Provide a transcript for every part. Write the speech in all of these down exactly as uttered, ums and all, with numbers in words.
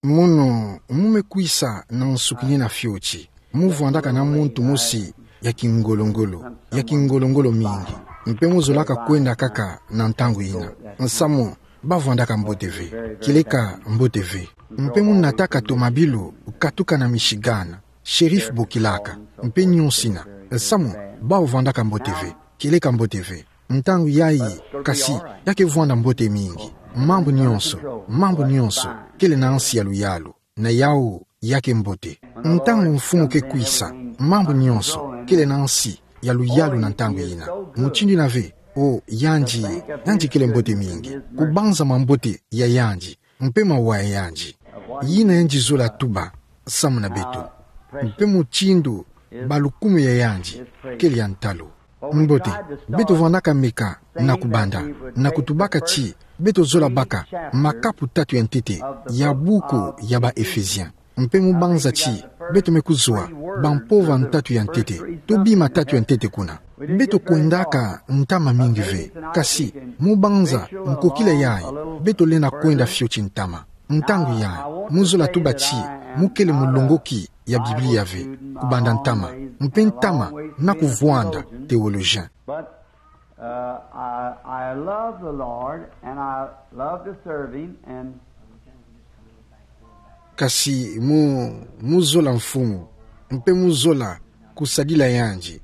Mono, mu mekwisa na nsuki nina fioti. Mu vwandaka na muntu mosi ya kingolo-ngolo, ya kingolo-ngolo mingi. Mpe mu zolaka kwenda kaka na ntangu yina. Nsamu, ba vwandaka mbote ve. Kieleka mbote ve. Mpe mu nataka tomabilu katuka na Michigan. Sheriff bokilaka. Mpe nyonso ina. Nsamu, ba vwandaka mbote ve. Kieleka mbote ve. Ntangu yayi, kasi, ya ke vwanda mbote mingi. Mambu nyonso, mambu nyonso, kele na nsi ya luyalu. Na yawu, ya ke mbote. Ntangu Mfumu ke kwisa, mambu nyonso, kele na nsi ya luyalu na ntangu yina. Mutindu yina ve, o, yandi, yandi kele mbote mingi. Kubanza mambote ya yandi, mpe mawa ya yandi. Yina yandi zola tuba, samu na beto. Mpe mutindu balukumu ya yandi, kele ya ntalu. Mbote, beto vwandaka meka na kubanda, na kutubaka ti, beto zola baka, makapu tatu ya ntete, ya buku ya ba Ephésien. Mpe mu banza ti, beto me kuzwa, bampova ntatu ya ntete, to bima tatu ya ntete kuna. Beto kwendaka ntama mingi ve, kasi, mu banza, nkokila yayi, beto lenda kwenda fioti ntama. Ntangu yayi, mu zola tuba ti, mu kele mulongoki ya Biblia ve, kubanda ntama. Mpe ntama, na kuvwanda, théologien. But, uh, I, I love the Lord, and I love to serve Him, and Kasi mu, mu zola Mfumu, mpe mu zola kusadila yandi.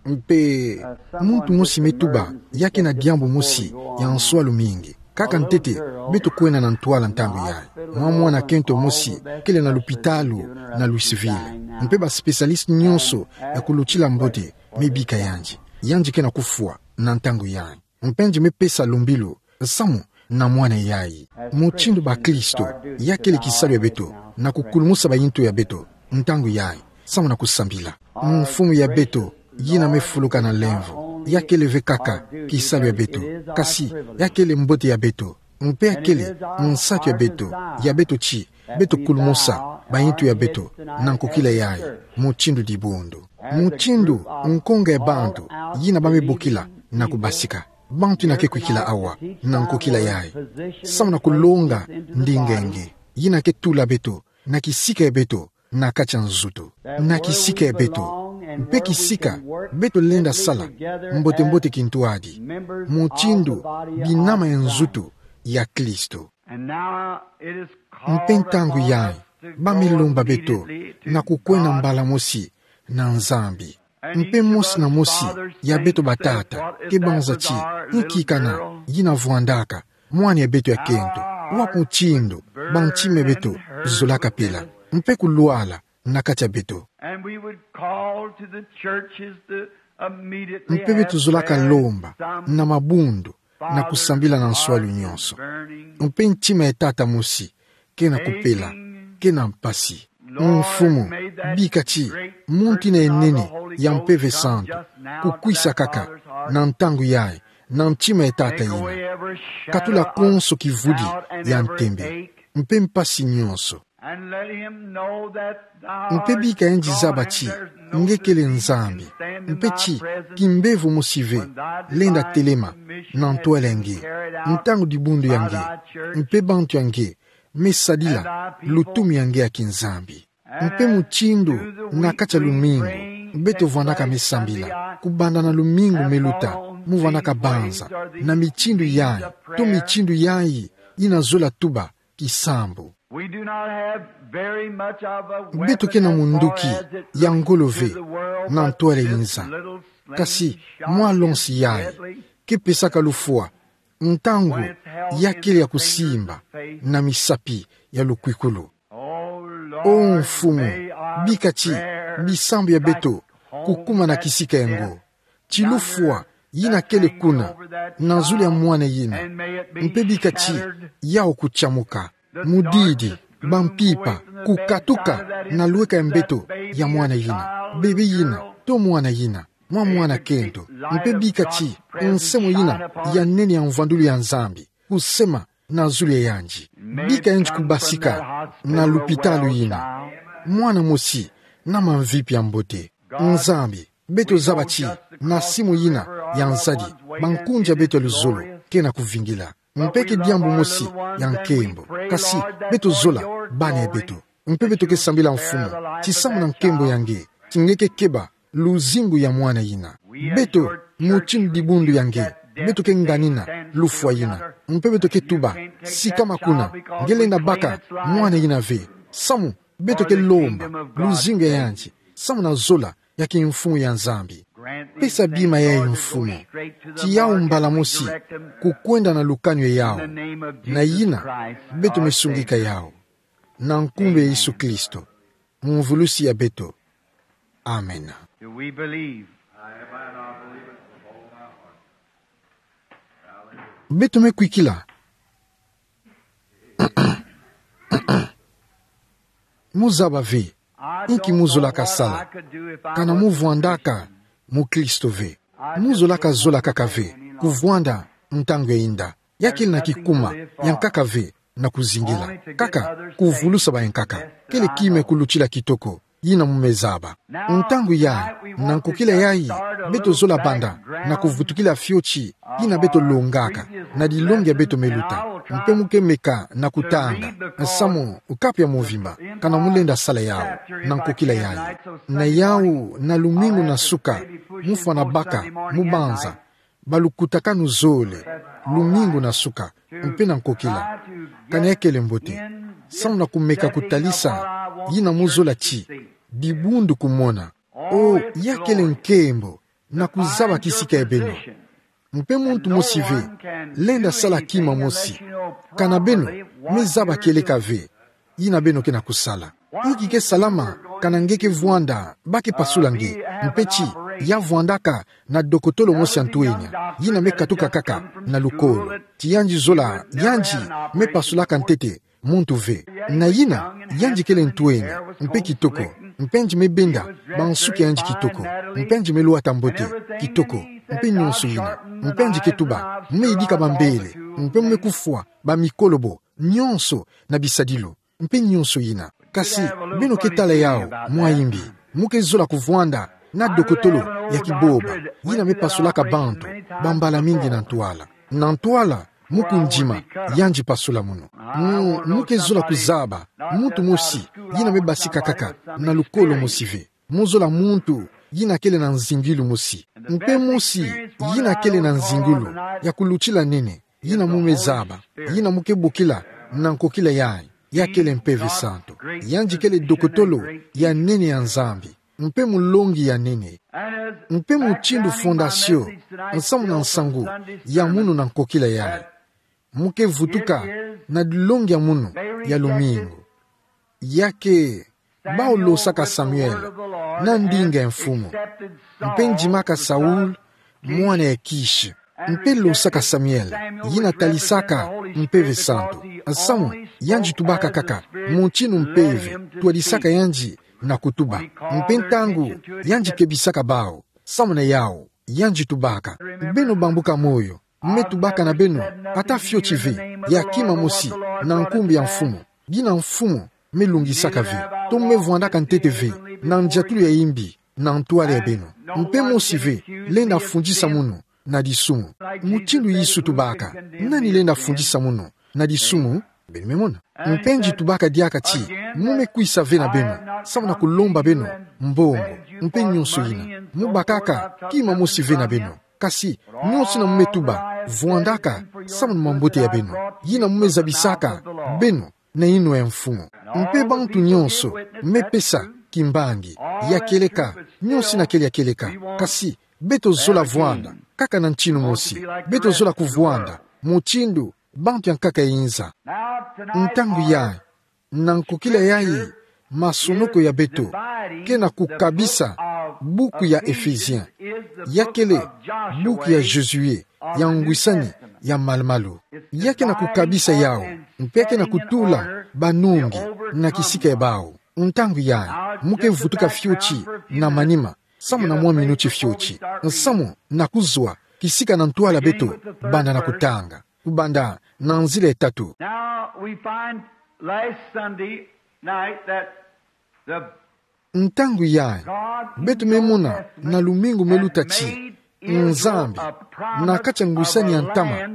Mpe muntu mosi me tuba, ya ke na diambu mosi ya nswalu mingi. Kaka ntete, beto kwenda na ntwala ntangu yayi. Mwa mwana kento mosi, kele na lupitalu, na Louisville. Mpe ba spécialiste nyonso ya kulutila mbote, me bika yandi. Yandi ke na kufwa, na ntangu yayi. Mpe yandi me pesa lumbilu, samu na mwana yayi. Mutindu bakristo, ya kele kisalu ya beto, na kukulumusa bayintu ya beto, ntangu yayi, samu na kusambila. Mfumu ya beto, yina me fuluka na lemvo, ya kele ve kaka, kisalu ya beto, kasi, ya kele mbote ya beto, mpe ya kele, nsatu ya beto, ya beto ti, beto kulumusa, bayintu ya beto, na nkokila yayi, mutindu dibundu. Mutindu, nkonga ya bantu, yina ba me bokila, na kubasika. Bantu yina ke kwikila awa, na nkokila yayi. Samu na kulonga, ndinga ya nge. Yina ke tula beto, na kisika ya beto, na kati ya nzutu. Na kisika ya beto. Mpe kisika, beto lenda sala, mbote-mbote kintwadi. Mutindu, binama ya nzutu, ya Kristo. Mpe ntangu yayi, ba me lomba beto, na kukwenda mbala mosi, na Nzambi. Mpe mosi na mosi, ya beto batata, ke banza ti, nki kana, yina vwandaka, mwana ya beto ya kento, wa mutindu, bantima ya beto, zolaka pila, mpe kulwala, na kati ya beto. And we would call to the churches to immediately Mpe beto zolaka lomba, na mabundu, na kusambila na nswalu nyonso. Mpe ntima ya tata mosi, ke na kupela, ke na mpasi. Mfumu, bika ti, muntu yina ya nene, ya Mpeve Santu, kukwisa kaka, na ntangu yayi, na ntima ya tata yina. Katula konso kivudi, ya ntembe, mpe mpasi nyonso. Mpe bika yandi zaba ti, nge kele Nzambi, mpe ti, kimbevo mosi ve, lenda telema, na ntwala ya nge, ntangu dibundu ya nge, mpe bantu ya nge, me sadila, lutumi ya nge ya kinzambi. Mpe mutindu, na kati ya lumingu, beto vwandaka me sambila, kubanda na lumingu me luta, mu vwandaka banza, na mitindu yayi, to mitindu yayi, yina zola tuba, kisambu. We do not have very much of a Beto ke na munduki, ya ngolo ve, na ntwala ya inza. Kasi, mwa lonsi yayi, ke pesaka lufwa, ntangu, ya kele ya kusimba, na misapi, ya lukwikulu. O Mfumu, bika ti, bisambu ya beto, kukuma na kisika ya ngo. Ti lufwa, yina kele kuna, na zulu ya mwana yina. Mpe bika ti, yawu kutiamuka. Mudidi, bampimpa, kukatuka, na lweka ya mbeto, ya mwana yina. Bebe yina, to mwana yina, mwa mwana kento. Mpe bika ti, nsemo yina, ya nene ya mvwandulu ya Nzambi. Kusema, na zulu ya yandi. Bika yandi kubasika, na lupitalu yina. Mwana mosi, na mamvipi ya mbote. Nzambi, beto zaba ti, na simu yina, ya nzadi, bankunja beto ya luzolo, ke na kuvingila. Mpe ke diambu mosi, ya nkembo. Kasi, beto zola, bana ya beto. Mpe beto ke sambila Mfumu, ti samu na nkembo ya nge, ti nge ke keba luzingu ya mwana yina. Beto, motini dibundu ya nge, beto ke nganina lufwa yina. Mpe beto ke tuba, sikama kuna, nge lenda baka mwana yina ve. Samu, beto ke lomba luzingu ya yandi, samu na zola ya kimfumu ya Nzambi. Pesa bima yayi Mfumu, ti yawu mbala mosi, kukwenda na lukanu ya yawu, na yina beto me sungika yawu. Na nkumbu ya Yesu Kristo, Mvulusi ya beto. Amena. Do we believe? Beto me kwikila. Muzaba ve inki muzolaka sala, kana muvwandaka mukristo ve. Muzolaka zola kaka ve kuvwanda ntangu ya inda. Ya kele na kikuma ya nkaka ve na kuzingila. Kaka kuvulusa bayankaka. Kele kima ya kulutila kitoko yina mumezaba. Ntangu yayi, na nkokila yayi, beto zola banda na kuvutukila fioti yina beto longaka na dilongi ya beto me luta. Mpe mu ke meka na kutanga, samu kapu ya mvimba kana mu lenda sala yawu na nkokila yayi. Na yawu, na lumingu na suka, mu fwana baka, mu banza balukutakanu zole, lumingu na suka, mpe na nkokila. Kana ya kele mbote, samu na kumeka kutalisa yina muzola ti dibundu kumona. O, ya kele nkembo na kuzaba kisika ya beno. Mpe muntu mosi ve lenda sala kima mosi, kana beno mezaba kieleka ve yina beno ke na kusala. Inki ke salama kana nge ke vwanda ba ke pasula nge, mpe ti ya vwandaka na dokotolo mosi ya ntwenya yina me katuka kaka na lukolo? Ti yandi zola, yandi me pasulaka ntete muntu ve. Na yina, yandi kele ntwenya mpe kitoko, mpe yandi me benda bansuki ya yandi kitoko, mpe yandi me lwata mbote kitoko, mpe nyonso yina. Mpe yandi ke tuba, mu me yidika bambele, mpe mu me kufwa bamikolobo nyonso na bisadilu, mpe nyonso yina. Kasi beno ke tala yawu mwa imbi. Mu ke zola kuvwanda na dokotolo ya kiboba yina me pasulaka bantu bambala mingi na ntwala. Na ntwala, mu kundima, yandi pasula munu. Mu, mu ke zola kuzaba muntu mosi yina me basika kaka na lukolo mosi ve. Mu zola muntu yina kele na nzingilu mosi, mpe mosi yina kele na nzingilu ya kulutila nene yina mu me zaba, yina mu ke bokila na nkokila yayi, ya kele Mpeve Santu. Yandi kele dokotolo ya nene ya Nzambi, mpe mulongi ya nene. Mpe mutindu fondasio nsamu na nsangu ya munu na nkokila yayi, mu ke vutuka na dilongi ya munu ya lumingu. Ya ke bawu losaka Samuel na ndinga ya Mfumu, mpe ndimaka Saul, mwana ya Kish. Mpe losaka Samuel, yina talisaka Mpeve Santu, nsamu yandi tubaka kaka mutindu Mpeve twadisaka yandi na kutuba. Mpe ntangu yandi kebisaka bawu, samu na yawu yandi tubaka. Beno bambuka moyo, me tubaka na beno ata fioti ve ya kima mosi na nkumbu ya Mfumu, dina Mfumu me lungisaka ve, to me vwandaka ntete ve na ndiatulu ya imbi na ntwala ya beno. Mpe mosi ve lenda fundisa munu na disumu. Mutindu Yesu tubaka, nani lenda fundisa munu na disumu? Beno me mona. Mpe yandi tubaka diaka ti, mu me kwisa ve na beno samu na kulomba beno mbongo, mpe nyonso yina. Mu bakaka kima mosi ve na beno. Kasi nyonso yina mu me tuba, vwandaka samu na mambote ya beno, yina mu me zabisaka beno na inwa ya Mfumu. Mpe bantu nyonso me pesa kimbangi, ya kieleka, nyonso yina kele ya kieleka. Kasi beto zola vwanda kaka na ntinu mosi. Beto zola kuvwanda mutindu bantu ya nkaka ya inza. Ntangu yayi, na nkokila yayi, masonoko ya beto ke na kukabisa buku ya Ephésiens. Ya kele buku ya Josué, ya ngwisani ya malumalu. Ya ke na kukabisa yawu, mpe ya ke na kutula banungi na kisika ya bawu. Ntangu yayi, mu ke vutuka fioti na manima, samu na mwa minuti fioti, nsamu na kuzwa kisika na ntwala beto banda na kutanga, kubanda na nzila ya tatu. Now we find last Sunday night that the Ntangu yayi, beto me mona na lumingu me luta ti Nzambi, na kati ya ngwisani ya ntama,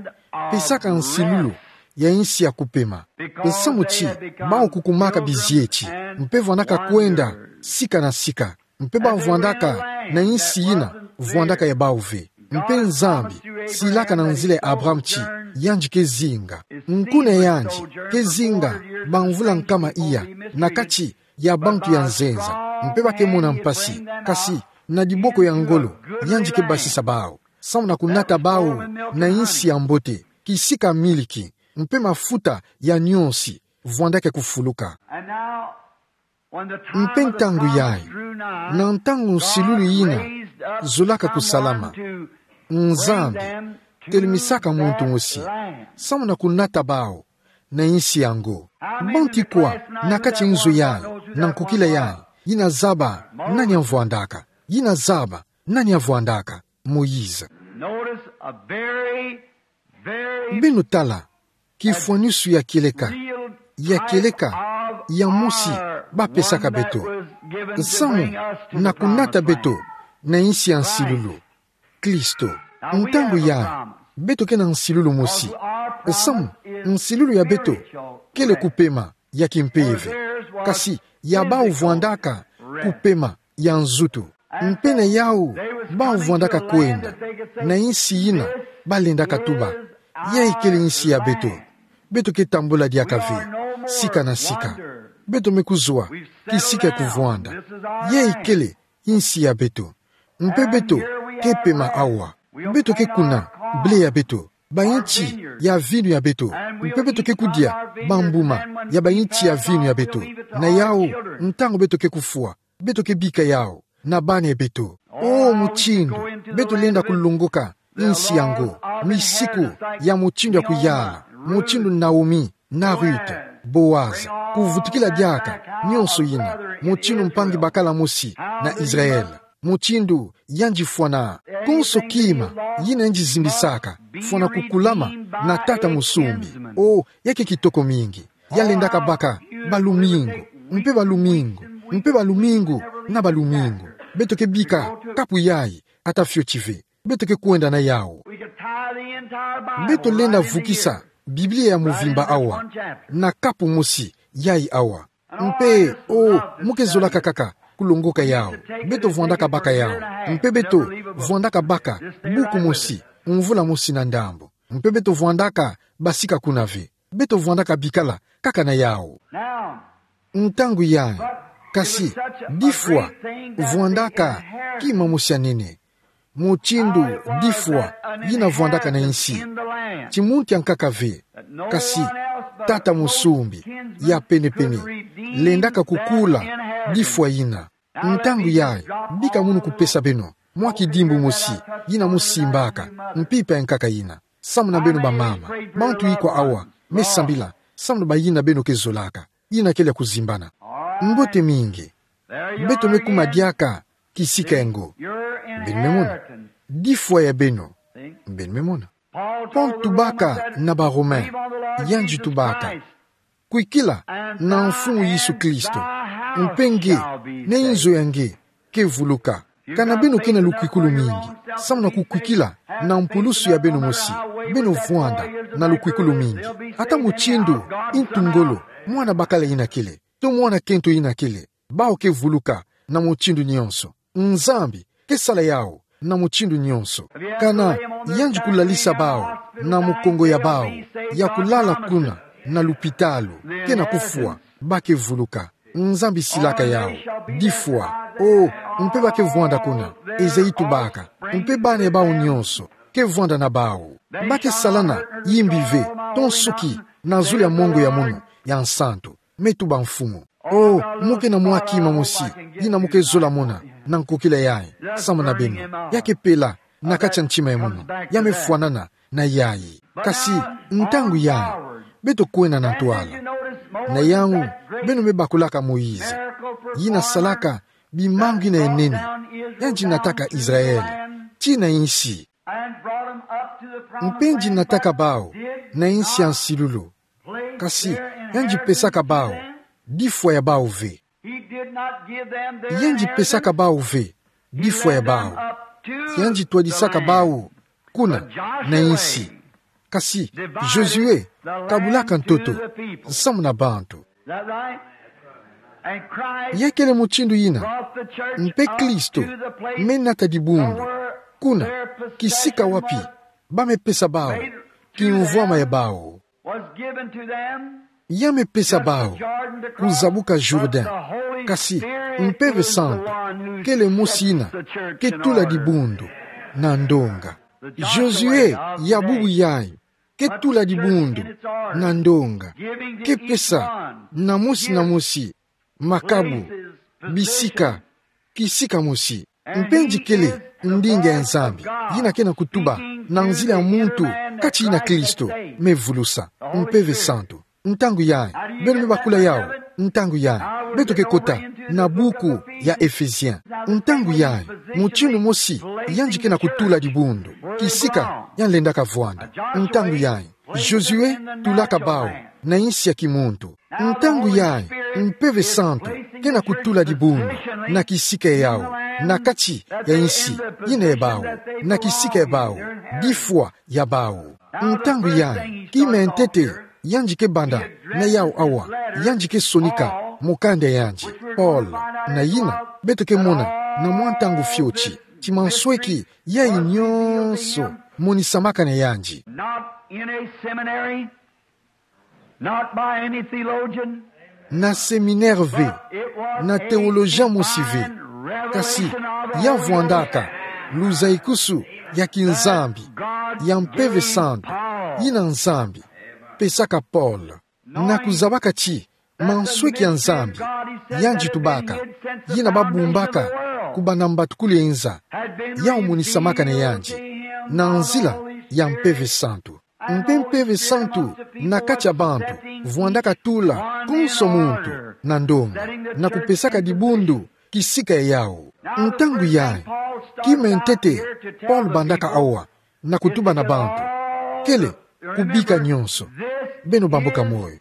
pesaka nsilulu ya insi ya kupema. Samu ti, bau kukumaka bizieti, mpe vwandaka kwenda sika na sika, mpe bau vwandaka na insi ina vwandaka ya bau ve. Mpe Nzambi silaka na nzila ya Abraham ti, yandi kezinga. Nkuna yandi kezinga bamvula nkama iya na kati ya bantu ya nzenza, mpe ba kemona mpasi, kasi na diboko ya ngolo yandi kebasisa bau, samu na kunata bau na insi ya mbote, kisika miliki mpe mafuta ya nionsi vwandaka kufuluka. Mpe ntangu yayi, na ntangu nsilulu ina zolaka kusalama, Nzambi telemisaka muntu mosi samu na kunata bau na insi yango. Bantu ikwa na kati nzo yayi na nkokila yayi, yina zaba nani avwandaka? Yina zaba nani avwandaka? Moïse. Notice a very, very... Beno tala kifwanisu ya kieleka, ya kieleka ya mosi bapesaka beto, samu na kunata beto na insi ya nsilulu. Klisto. Ntangu yayi, beto ke na nsilulu mosi. Samu nsilulu ya beto kele kupema ya kimpeve, kasi ya bau vwandaka kupema ya nzutu. Mpe na yau, bau vwandaka kwenda na insi ina balendaka tuba, yayi kele insi ya beto. Beto ke tambula diaka ve sika na sika. Beto me kuzwa kisika ya kuvwanda. Yayi kele insi ya beto. Mpe beto ke pema awa. Beto ke kuna ble ya beto, bainti ya vinu ya beto. Mpe beto ke kudia bambuma ya bainti ya vinu ya beto. Na yau, ntangu beto ke kufwa, beto ke bika yau na bana ya beto. O, mutindu beto lenda kulongoka insi yango, misiku ya mutindu ya kuyala, mutindu Naomi na Ruth, Boaz, kuvutukila diaka nionso ina, mutindu mpangi bakala mosi na Israël, mutindu yandi fwana. Konso kima yina yandi zimbisaka, fwana kukulama na tata mosumbi. O, ya ke kitoko mingi. Ya lendaka baka balumingu, mpe balumingu, mpe balumingu, na balumingu. Beto ke bika kapu yayi ata fioti ve. Beto ke kwenda na yau. Beto lenda vukisa Biblia ya muvimba awa na kapu mosi yayi awa. Mpe, o, mu ke zolaka kaka kulongoka yau. Beto vwandaka baka yau. Mpe beto vwandaka baka buku mosi, mvula mosi na ndambu. Mpe beto vwandaka basika kuna ve. Beto vwandaka bikala kaka na yau. Ntangu yayi, kasi difwa vwandaka kima mosi ya nene. Mutindu difwa yina vwandaka na insi, ti muntu ya nkaka ve, kasi tata mosumbi ya penepene lendaka kukula difwa yina. Ntangu yayi, bika munu kupesa beno mwa kidimbu mosi yina mu simbaka mpimpa ya nkaka yina. Samu na beno bamama, bantu ikwa awa me sambila samu na bayina beno ke zolaka. Yina kele ya kuzimbana. Mbote mingi. Beto me kuma diaka kisika yango. Beno me mona. Difwa ya beno. Beno me mona. Paul tubaka na ba Romain, yandi tubaka: Kwikila na Mfumu Yesu Kristo, mpe nge na inzo ya nge ke vuluka. Kana beno ke na lukwikulu mingi samu na kukwikila na mpulusu ya beno mosi, beno vwanda na lukwikulu mingi. Ata mutindu ntu ngolo mwana bakala yina kele, to mwana kento yina kele, bau ke vuluka na mutindu nionso. Nzambi ke sala yau na mutindu nionso. Kana yandi kulalisa bau na mukongo ya bau ya kulala kuna na lupitalu, ke na kufwa, ba ke vuluka. Nzambi silaka yau difwa. O, mpe ba ke vwanda kuna, Esaïe tubaka, mpe bana ya bau nionso ke vwanda na bau. Ba ke salana yimbi ve, to nsuki, na zulu ya mongo ya munu ya nsantu. Me tuba Mfumu. O, mu ke na mwa kima mosi yina mu ke zola mona na nkokila yayi samu na beno. Ya ke pela na kati ya ntima ya munu. Ya me fwanana na yayi. Kasi ntangu yayi, beto kwenda na ntwala. Na yau, beno me bakulaka Moïse, yina salaka bimangu yina ya nene. Yandi nataka Israël tii na insi. Mpe yandi nataka bau na insi ya nsilulu. Kasi yandi pesaka bau difwa ya bau ve. Yandi pesaka bau ve difwa ya bau. Yandi twadisaka bau kuna na insi. Kasi Josué kabulaka ntoto nsamu na bantu. Ya kele mutindu ina, mpe Kristo me nata dibundu kuna kisika wapi ba me pesa bawu kimvwama ya bawu. Ya me pesa bawu kuzabuka Jourdain, kasi Mpeve Santu kele mosi ina ke tula dibundu na ndonga. Josué ya bubu yayi ke tula dibundu na ndonga, ke pesa na mosi na mosi makabu, bisika, kisika mosi. Mpe nzi kele ndinga ya Nzambi ina kena kutuba na nzila ya muntu kati ina Kristo me vulusa Mpeve Santu. Ntangu yayi beno me bakula yawu. Ntangu yayi beto ke kota na buku ya Éphésiens. Ntangu yayi mutindu mosi yandi kena kutula dibundu kisika yandi lendaka vwanda. Ntangu yayi Josué tulaka bawu na insi ya kimuntu. Ntangu yayi Mpeve Santu kena kutula dibundu na kisika yawu, na kati ya insi ina ya bawu, na kisika ya bawu, difwa ya bawu. Ntangu yayi kima ya ntete yandi ke banda na yawu awa, yandi ke sonika mukanda yandi Paul, na yina beto ke mona na mwa ntangu fioti, ti mansweki yayi nyonso monisamaka na yandi. Not in a seminary, not by any theologian, na séminaire ve, na théologien mosi ve, kasi ya vwandaka luzayikusu ya kiNzambi, ya Mpeve Santu ina Nzambi pesaka Paul, na kuzabaka ti mansweki ya Nzambi yandi tubaka, yina ba bumbaka kubanda mbatukulu ya inza, yawu monisamaka na yandi na nzila ya Mpeve Santu. Mpe Mpeve Santu na kati ya bantu vwandaka tula konso muntu na ndonga, na kupesaka dibundu kisika yawu. Ntangu yayi kima ya ntete Paul bandaka awa na kutuba na bantu kele: Kubika nyonso, beno bamboka moyo.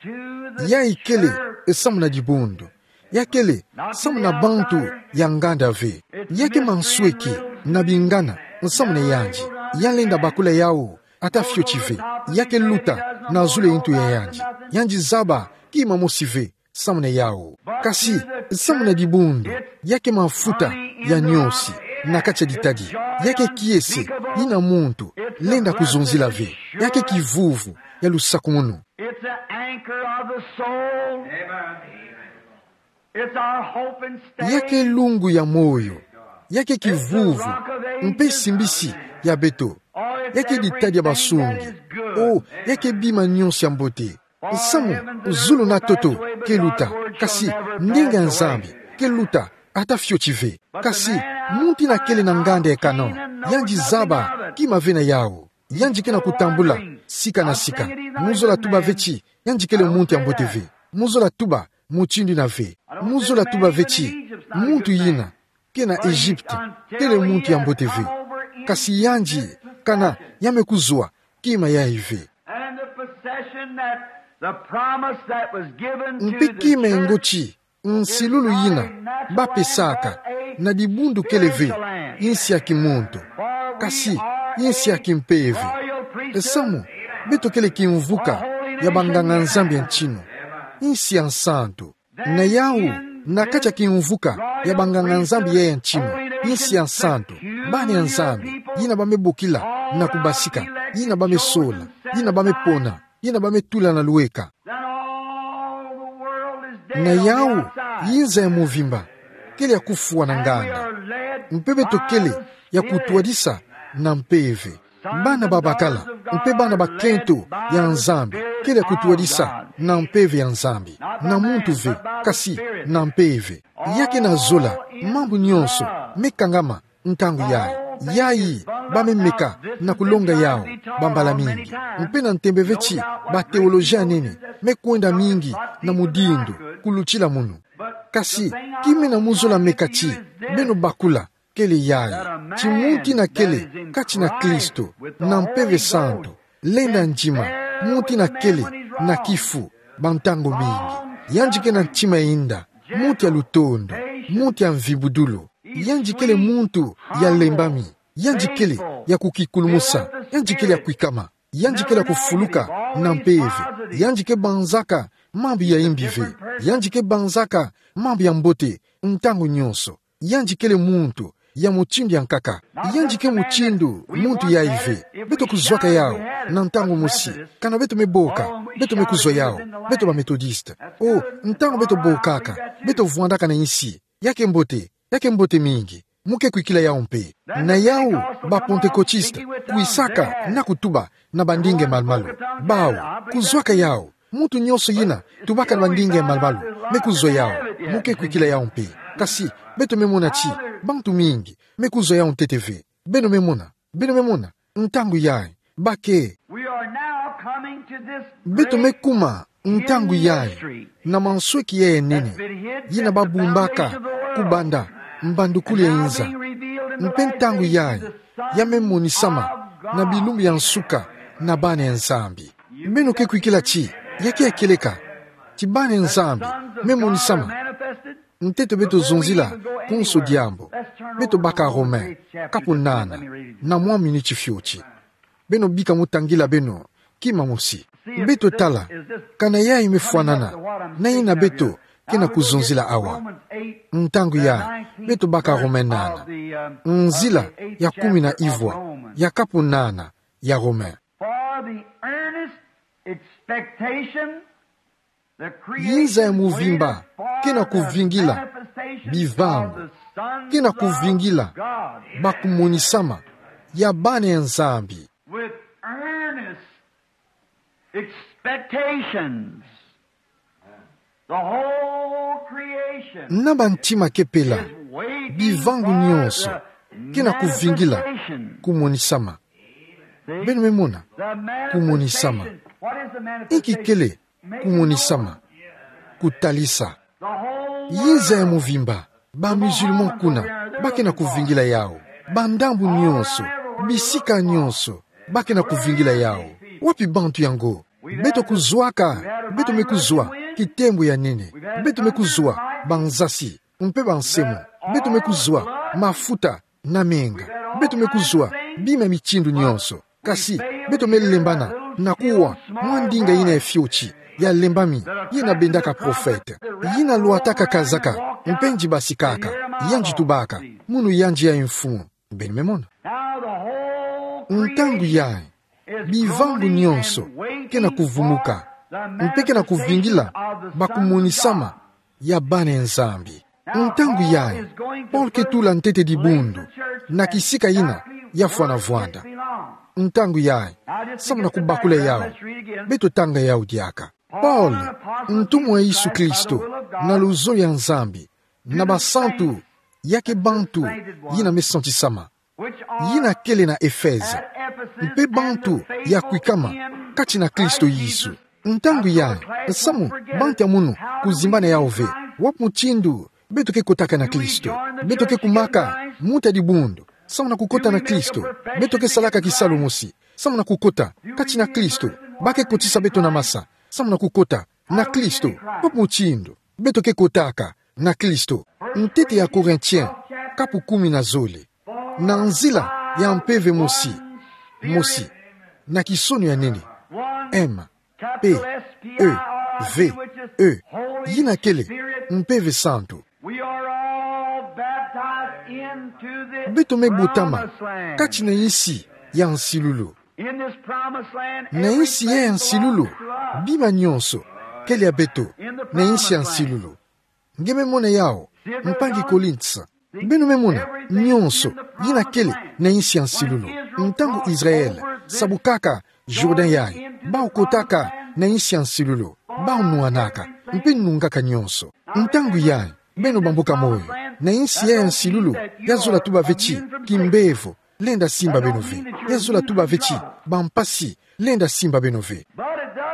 Yayi kele samu na dibundu. Ya kele samu na bantu ya nganda ve. Ya ke mansweki na bingana nsamu na yandi. Ya lenda bakula yawu ata fioti ve. Ya ke luta na zulu ya ntu ya yandi. Yandi zaba kima mosi ve samu na yawu. Kasi samu na dibundu, ya ke mafuta ya niosi na kati ya ditadi. Ya ke kiese yina muntu lenda kuzonzila ve. Ya ke kivuvu ya lusakumunu. It's the anchor of the soul. It's our hope and stay. Ya ke lungu ya moyo. Ya ke kivuvu mpe simbisi ya beto. Ya ke ditadi ya basungi. O, ya ke bima nionso ya mbote. Nsamu, zulu na toto ke luta, kasi ndinga ya Nzambi ke luta ata fioti ve. Kasi muntu ina kele na nganda ya Canaan, yandi zaba kima ve na yawu. Yandi kena kutambula sika na sika. Mu zola tuba ve ti yandi kele muntu ya mbote ve. Mu zola tuba mutindu ina ve. Mu zola tuba ve ti muntu yina kena Egypte kele muntu ya mbote ve. Kasi yandi, kana ya me kuzwa kima yayi ve. And in the possession that the promise that was given to the church, mpe kima ya ngoti nsilulu yina ba pesaka na dibundu kele ve insi ya kimuntu, kasi insi ya kimpeve. Nsamu, beto kele kimvuka ya banganga-Nzambi ya ntinu, insi ya nsantu. Na yawu, na kati ya kimvuka ya banganga-Nzambi ya ya ntinu, insi ya nsantu, bana ya Nzambi yina ba me bokila na kubasika, yina ba me sola, yina ba me pona, yina ba me tula na lueka. Na yawu, inza ya muvimba kele ya kufwa na nganda. Mpe beto kele ya kutwadisa na mpeve. Bana babakala mpe bana bakento ya Nzambi kele ya kutwadisa na mpeve ya Nzambi. Na muntu ve, kasi na mpeve. Ya kena zola mambu nionso me kangama ntangu yayi. Yayi ba me meka na kulonga yawu bambala mingi. Mpe na ntembe ve ti ba théologien nene me kwenda mingi na mudindu kulutila munu. Kasi kima ina mu zola meka ti beno bakula kele yayi: ti muntu ina kele kati na Kristo, na Mpeve Santu, lenda ndima, muntu ina kele na kifu ba ntangu mingi. Yandi kena ntima ya inda, muntu ya lutondo, muntu ya mvibudulu. Yandi kele muntu ya lembami. Yandi kele ya kukikulumusa. Yandi kele ya kwikama. Yandi kele ya kufuluka na mpeve. Yandi ke banzaka mambu ya imbi ve. Yandi ke banzaka mambu ya mbote ntangu nyonso. Yandi kele muntu ya mutindu ya nkaka. Yandi ke mutindu muntu ya ive. Beto kuzwaka yau na ntangu mosi. Kana beto me boka, beto me kuzwa yau. Beto ba Methodiste. O, ntangu beto bokaka, beto vwandaka na insi. Ya ke mbote, ya ke mbote mingi. Mu ke kwikila yau mpe. Na yau, ba Pentecôtiste, kwisaka na kutuba na bandinga ya malu-malu. Bau, kuzwaka yau. Muntu nyonso yina tubaka na bandinga ya malu-malu me kuzwa yau. Mu ke kwikila yau mpe. Kasi, beto me mona ti bantu mingi me kuzwa yau ntete ve. Beno me mona, beno me mona, ntangu yayi, ba ke. We are now coming to this great Beto me kuma ntangu yayi, mystery na mansweki yayi ya nene, that's been hidden yina since the babumbaka foundation of the world, kubanda mbandukulu ya inza. And now being revealed in the Mpe last ntangu days yayi, to the ya me monisama Sons of God na bilumbu ya nsuka na bana ya Nzambi. Beno ke kwikila ti ya ke ya kieleka, ti bana ya Nzambi me monisama. Ntete beto zonzila konso diambu, beto baka Romain, kapu nana, na mwa miniti fioti. Beno bika mu tangila beno kima mosi. Beto tala, kana yayi me fwanana na yina beto ke na kuzonzila awa. Ntangu yayi, beto baka Romain nana. Nzila ya kumi na ivwa ya kapu nana ya Romain. For the earnest expectation, the creation Yinza ya muvimba, waited for ke na the kuvingila, manifestation bivangu, of the sons ke na kuvingila, of God. Ba kumonisama ya bana ya Nzambi. With earnest expectations, the whole creation Na bantima kepela, is waiting bivangu for nyonso, the ke na kuvingila, manifestation. Kumonisama. Beno me mona, kumonisama. Inki kele kumonisama? Kutalisa. Yinza ya muvimba, ba musulman kuna, ba ke na kuvingila yau. Ba ndambu nyonso, bisika nyonso, ba ke na kuvingila yau. Wapi bantu yango? Beto kuzwaka, beto me kuzwa kitembo ya nene. Beto me kuzwa banzasi mpe bansemo. Beto me kuzwa mafuta na menga. Beto me kuzwa bima ya mitindu nyonso. Kasi, beto me lembana na kuwa mwa ndinga yina ya fioti, ya lembami, yina bendaka prophète. Yina lwataka kazaka, mpe nge basikaka, yandi tubaka, munu yandi yayi mfumu. Beno me mona. Ntangu yayi, bivangu nyonso ke na kuvumuka, mpe ke na kuvingila ba kumonisama ya bana ya Nzambi. Ntangu yayi, Paul ke tula ntete dibundu na kisika yina ya fwana vwanda. Ntangu yayi, samu na kubakula yau, beto tanga yau diaka. Paul, ntumwa ya Yesu Kristo, na luzolo ya Nzambi, na basantu, ya ke bantu yina me santisama, yina kele na Efeze, mpe bantu ya kwikama kati na Kristo Yesu. Ntangu yayi, samu bantu ya munu kuzimbana yau ve, wapi mutindu beto ke kotaka na Kristo? Beto ke kumaka muta dibundu samu na kukota na Kristo? Beto ke salaka kisalu mosi samu na kukota kati na Kristo? Ba ke kotisa beto na masa samu na kukota na Kristo? Wapi mutindu beto ke kotaka na Kristo? Ntete ya Corinthiens, kapu kumi na zole. Na nzila ya mpeve mosi, mosi, na kisono ya nene. M, P, E, V, E, yina kele Mpeve Santu. We are all baptized into the Beto me botama promised land. Kati na insi ya nsilulu. In this promised land, Na insi ya nsilulu, everything belongs to us. Bima nyonso kele ya beto. Na insi ya nsilulu. Nge me mona yau, mpangi Colinth. Beno me mona, nyonso yina kele na insi ya nsilulu. Ntangu Israel sabukaka Jordan yayi, bau kotaka na insi ya nsilulu, bau nwanaka, mpe nungaka nyonso. Ntangu yayi, beno bambuka moyo, na insi ya nsilulu, ya zola tuba ve ti kimbevo lenda simba beno ve. Ya zola tuba ve ti bampasi lenda simba beno ve.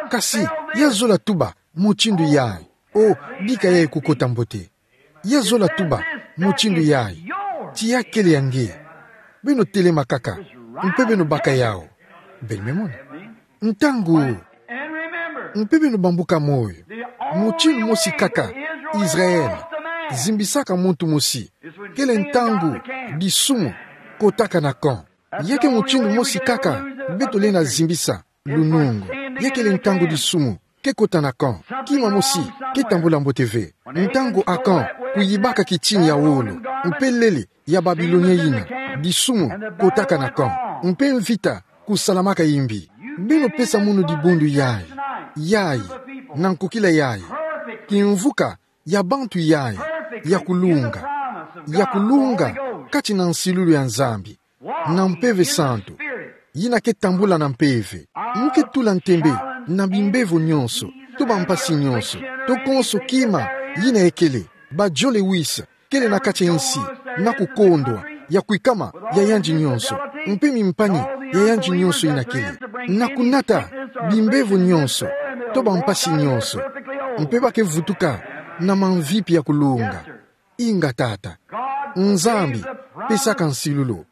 Kasi, ya zola tuba mutindu yayi. O, bika yayi kukota mbote. Ya zola tuba mutindu yayi. Ti ya kele ya nge. Beno telema kaka, mpe beno baka yau. Beno me mona. Ntangu, mpe beno bambuka moyo. Mutindu mosi kaka Israel zimbisaka muntu mosi, kele ntangu disumu kotaka na camp. Ya ke mutindu mosi kaka beto lenda zimbisa. Lunungu, ya kele ntangu disumu ke kota na kamp, kima mosi ke tambula mbote ve. Ntangu akamp kuyibaka kitin ya wolo, mpe lele ya Babilonia yina, disumu kotaka na kamp, mpe mvita kusalamaka imbi. Beno pesa munu dibundu yayi, yayi, na nkokila yayi, kimvuka ya bantu yayi ya kulunga, ya kulunga kati na nsilulu ya Nzambi, na Mpeve Santu, yina ke tambula na mpeve. Mu ke tula ntembe na bimbevo nyonso, to bampasi nyonso, to konso kima yina ekele, bajole wisa kele na kati ya insi, na kukondwa ya kwikama ya yandi nyonso, mpe mimpani ya yandi nyonso yina kele, na kunata bimbevo nyonso, to bampasi nyonso, mpe ba ke vutuka na mamvipi ya kulunga. Inga, Tata. Nzambi pesaka nsilulu.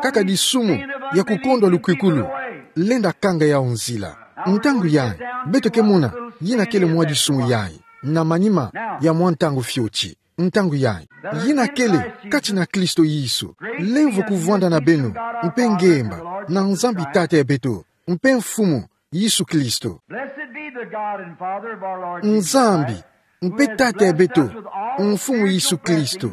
Kaka disumu ya kukondwa lukwikulu lenda kanga yawu nzila. Ntangu yayi, beto ke mona yina kele mwa disumu yayi, na manima ya mwa ntangu fioti. Ntangu yayi, yina kele kati na Kristo Yesu. Lemvo kuvwanda na beno, mpe ngemba na Nzambi Tata ya beto, mpe Mfumu Yesu Kristo. Blessed be the God and Father of our Lord Jesus Christ, Nzambi mpe Tata ya beto, Mfumu Yesu Kristo,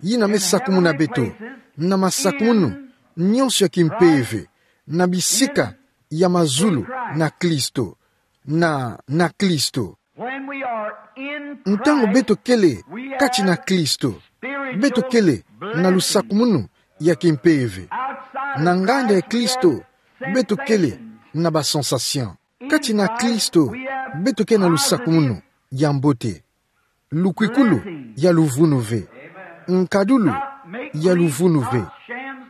yina me sakumuna beto na masakumunu nyonso ya kimpeve, na bisika ya mazulu na Kristo, na, na Kristo. When we are in Christ, ntangu beto kele kati na Kristo, beto kele na lusakumunu ya kimpeve. Na nganda ya Kristo, beto kele na ba sensation. Kati na Kristo, beto ke na lusakumunu ya mbote, lukwikulu ya luvunu ve, nkadulu ya luvunu ve,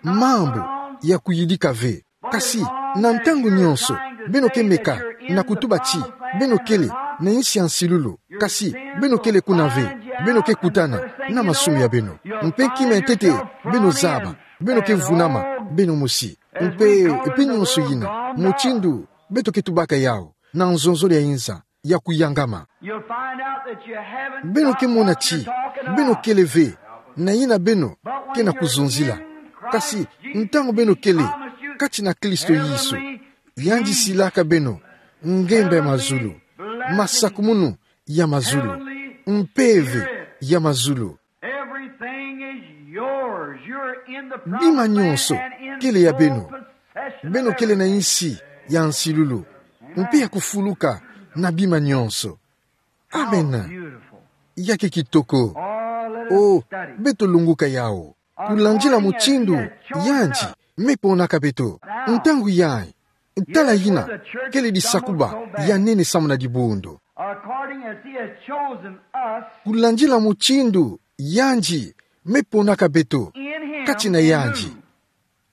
mambu ya kuyidika ve. Kasi, na ntangu nyonso beno ke meka na kutuba ti beno kele na insi ya nsilulu, kasi beno kele kuna ve, beno ke kutana na masumu ya beno. Mpe kima ntete beno zaba, beno ke vunama beno mosi. Mpe, mpe nyonso yina, mutindu beto ke tubaka yawu na nzonzolo ya inza ya kuyangama, you'll find out that you haven't got what you're talking about. Beno ke mona ti beno kele ve na yina beno ke na kuzonzila. Kasi ntangu beno kele kati na Kristo Yesu, yandi silaka beno ngemba ya mazulu, masakumunu ya mazulu, mpeve ya mazulu. Everything is yours. You're in the promised land and in full possession of everything. Bima nyonso kele ya beno. Beno kele na insi ya nsilulu, mpe ya kufuluka na bima nyonso. Amen. How beautiful. Ya ke kitoko. Oh, let us study. Oh, beto lunguka yawu. Kulandila mutindu yandi me ponaka beto. Ntangu yayi, tala yina kele disakuba ya nene samu na dibundu. According as he has chosen us, kulandila mutindu yandi me ponaka beto, in him, kati na yandi.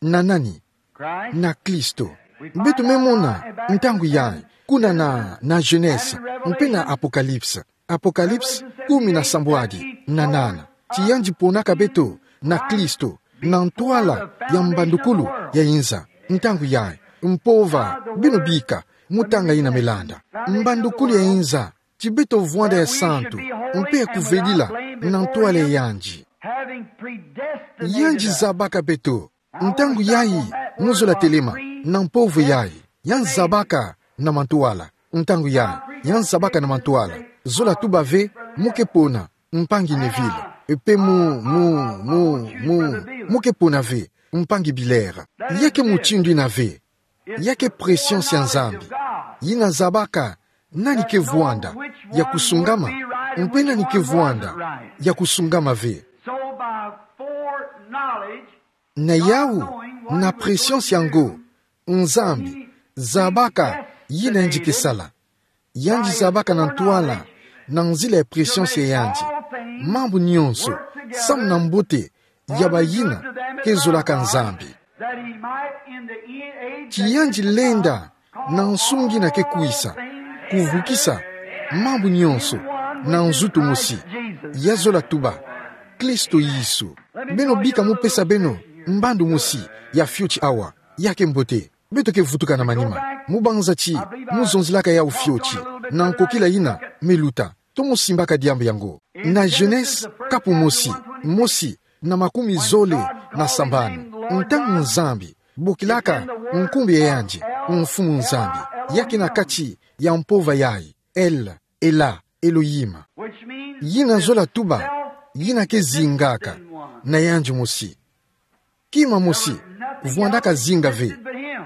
Na nani? Christ. Na Kristo. Beto me mona ntangu yayi kuna na, na Genèse mpe na Apocalypse. Apocalypse kumi na sambwadi na nana. Ti yandi ponaka beto na Kristo na ntwala ya mbandukulu ya inza. Ntangu yayi, mpova beno bika, mu tanga yina me landa. Mbandukulu ya inza, ti beto vwanda ya santu, mpe ya kuvedila na ntwala ya yandi. Having predestined us. Yandi zabaka beto. Ntangu yayi, mu zola telema na mpovo yayi, ya nzabaka na mantwala. Ntangu yayi, ya nzabaka na mantwala. Zola tuba ve, mu ke pona, mpangi Neville. Mpe mu, mu, mu, mu, mu ke pona ve, mpangi Billard. Ya ke mutindu yina ve. Ya ke présence ya Nzambi. Yina zabaka nani ke vwanda ya kusungama, mpe nani ke vwanda ya kusungama ve. So by foreknowledge, na yawu, na présence ya ngo, Nzambi zabaka yina yandi ke sala. Yandi zabaka na ntwala, na nzila ya présence ya yandi, mambu nyonso samu na mbote ya bayina ke zolaka Nzambi. That he might in the age that is to come, ti yandi lenda na nsungi yina ke kwisa, kuvukisa mambu nyonso na nzutu mosi. Ya zola tuba, Kristo Yesu. Beno bika mu pesa beno mbandu mosi ya fioti awa. Ya ke mbote. Beto ke vutuka na manima. Mu banza ti mu zonzilaka yawu fioti na nkokila yina me luta, to mu simbaka diambu yango. Na Genèse, kapu mosi, mosi na makumi zole na sambanu. Ntangu Nzambi bokilaka nkumbu ya yandi, Mfumu Nzambi, Ya ke na kati ya mpova yayi, El, Ela, Elohim. Yina zola tuba, yina ke zingaka na yandi mosi. Kima mosi vwandaka zinga ve,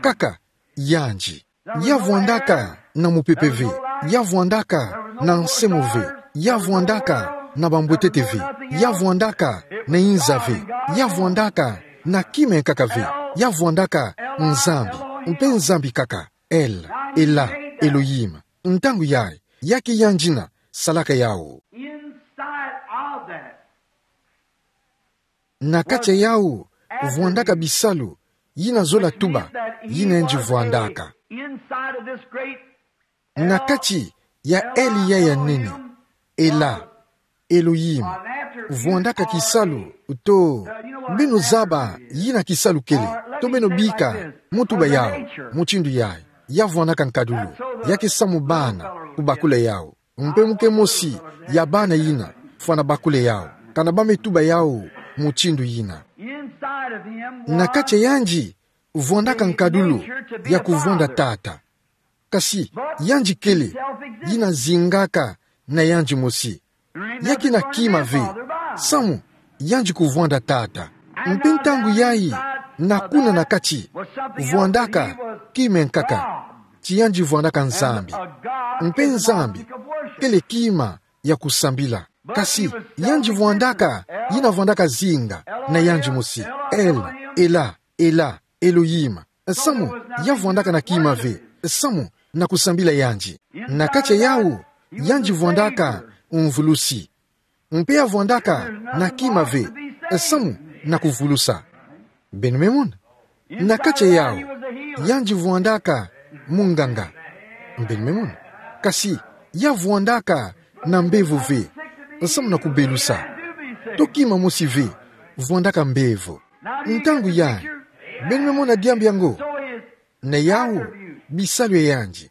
kaka yandi. Ya vwandaka na mupepe ve, ya vwandaka na nsemo ve, ya vwandaka na bambwetete ve, ya vwandaka na inza ve, ya vwandaka na kima nkaka ve, ya vwandaka Nzambi, mpe Nzambi kaka, El, Ela, Elohim. Ntangu yayi, ya ke yandi na salaka yawu. Inside of that, na kati ya yawu, vwandaka bisalu, yina zola tuba, yina yandi vwandaka. Inside of this great, na kati ya El yayi ya nene, Ela, Elohim, vwandaka kisalu, to, beno zaba yina kisalu kele, to beno bika mu tuba yawu, mutindu yayi, ya vwandaka nkadulu, ya ke samu bana, kubakula yawu. Mpe mu ke mosi ya bana yina fwana bakula yawu, kana ba me tuba yawu mutindu yina. Na kati ya yandi, vwandaka nkadulu ya kuvwanda tata. Kasi, yandi kele, yina zingaka na yandi mosi. Ya ke na kima ve, samu, yandi kuvwanda tata. Mpe ntangu yayi, na kuna na kati, vwandaka kima nkaka, ti yandi vwandaka Nzambi. Mpe Nzambi kele kima ya kusambila. Kasi, yandi vwandaka, yina vwandaka zinga na yandi mosi. El, Ela, Ela, Elohim. Samu, ya vwandaka na kima ve, samu, na kusambila yandi. Na kati ya yawu, yandi vwandaka mvulusi. Mpe ya vwandaka na kima ve, samu, na kuvulusa. Beno me mona. Na kati ya yawu, yandi vwandaka munganga. Beno me mona. Kasi, ya vwandaka na mbevo ve, samu na kubelusa. To kima mosi ve vwandaka mbevo. Ntangu yayi, beno me mona diambu yango. Na yawu, bisalu ya yandi,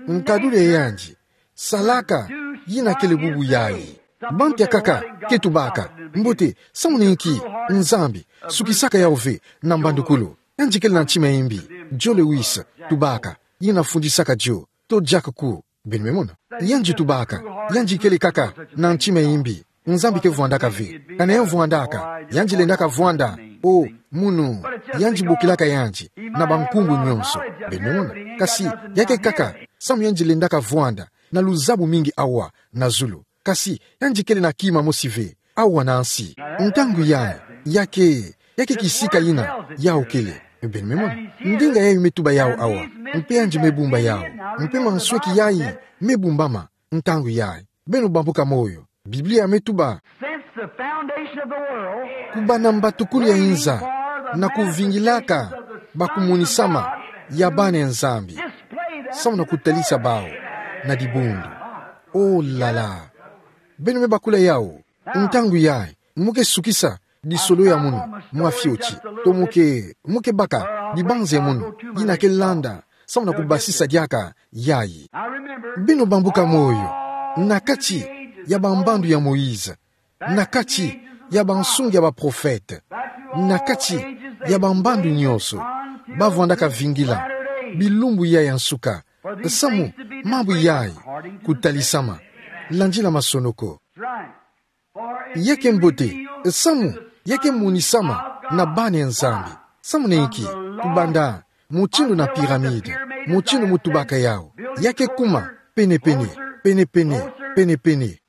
nkadulu ya yandi, salaka, yina kele bubu yayi. Bantu ya nkaka ke tubaka, mbote, samu na inki, Nzambi sukisaka yawu ve na mbandukulu? Yandi kele na ntima ya imbi, Joe Louis, tubaka, yina fundisaka Joe, to Jack Cook. Beno me mona. Yandi tubaka, yandi kele kaka na ntima ya imbi, Nzambi ke vwandaka ve. Kana ya vwandaka, yandi lendaka vwanda, o, munu, yandi bokilaka yandi na bankumbu nyonso. Beno me mona. Kasi, ya ke kaka, samu yandi lendaka vwanda na luzabu mingi awa na zulu. Kasi, yandi kele na kima mosi ve awa na nsi. Ntangu yayi, ya ke, ya ke kisika yina yawu kele. Beno me mona. Ndinga yayi me tuba yawu awa. Mpe yandi me bumba yawu. Mpe mansweki yayi me bumbama ntangu yayi. Beno bambuka moyo. Biblia me tuba, since the foundation of the world, kubanda mbatukulu ya inza, na kuvingilaka bakumunisama ya bana ya Nzambi, samu na kutalisa bawu na dibundu. Oh là là. Beno me bakula yawu. Ntangu yayi, mu ke sukisa disolo ya munu mwa fioti, to mu ke, mu ke baka dibanza ya munu, yina ke landa, samu na kubasisa diaka yayi. Beno bambuka moyo, na kati ya bambandu ya Moïse, na kati ya bansungi ya baprofete, na kati ya bambandu nyonso, ba vwandaka vingila bilumbu yayi ya nsuka, samu mambu yayi kutalisama, landila masonoko. Ya ke mbote, samu ya ke monisama na bana ya Nzambi. Samu na inki? Kubanda mutindu na pyramide, mutindu mu tubaka yawu, ya ke kuma pene-pene, pene-pene, pene-pene.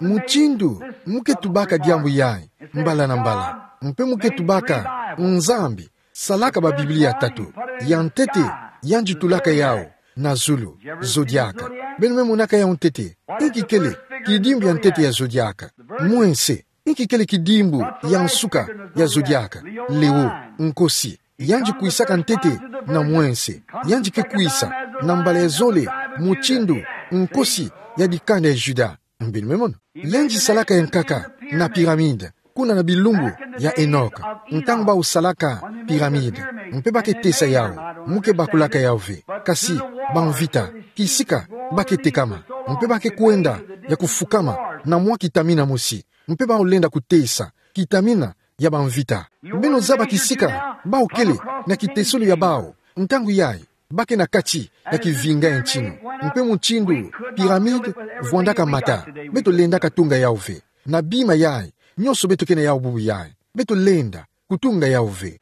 Mutindu mu ke tubaka diambu yayi mbala na mbala, mpe mu ke tubaka, Nzambi salaka ba Biblia tatu. Ya ntete, yandi tulaka yawu na zulu, zodiaka. Beno me monaka yawu ntete? Inki kele kidimbu ya ntete ya zodiaka? Mwense. Inki kele kidimbu ya nsuka ya zodiaka? Leon, nkosi. Yandi kwisaka ntete na mwense. Yandi ke kwisa na mbala ya zole, mutindu nkosi ya dikanda ya Juda. Beno me mona. Yandi salaka ya nkaka na pyramide, kuna na bilumbu ya Enoch, ntangu bawu salaka pyramide, mpe ba ke tesa yawu, mu ke bakulaka yawu ve. Kasi, bamvita, kisika, ba ke tekama, mpe ba ke kwenda ya kufukama na mwa kitamina mosi, mpe bawu lenda kutesa kitamina ya bamvita. Beno zaba kisika bawu kele na kitesolo ya bawu ntangu yayi? Ba ke na kati ya kivinga ya ntinu. Mpe mutindu pyramide vwandaka mata, beto lendaka tunga yau ve. Na bima yai, nyonso beto ke na yau bubu yai, beto lenda kutunga yau ve.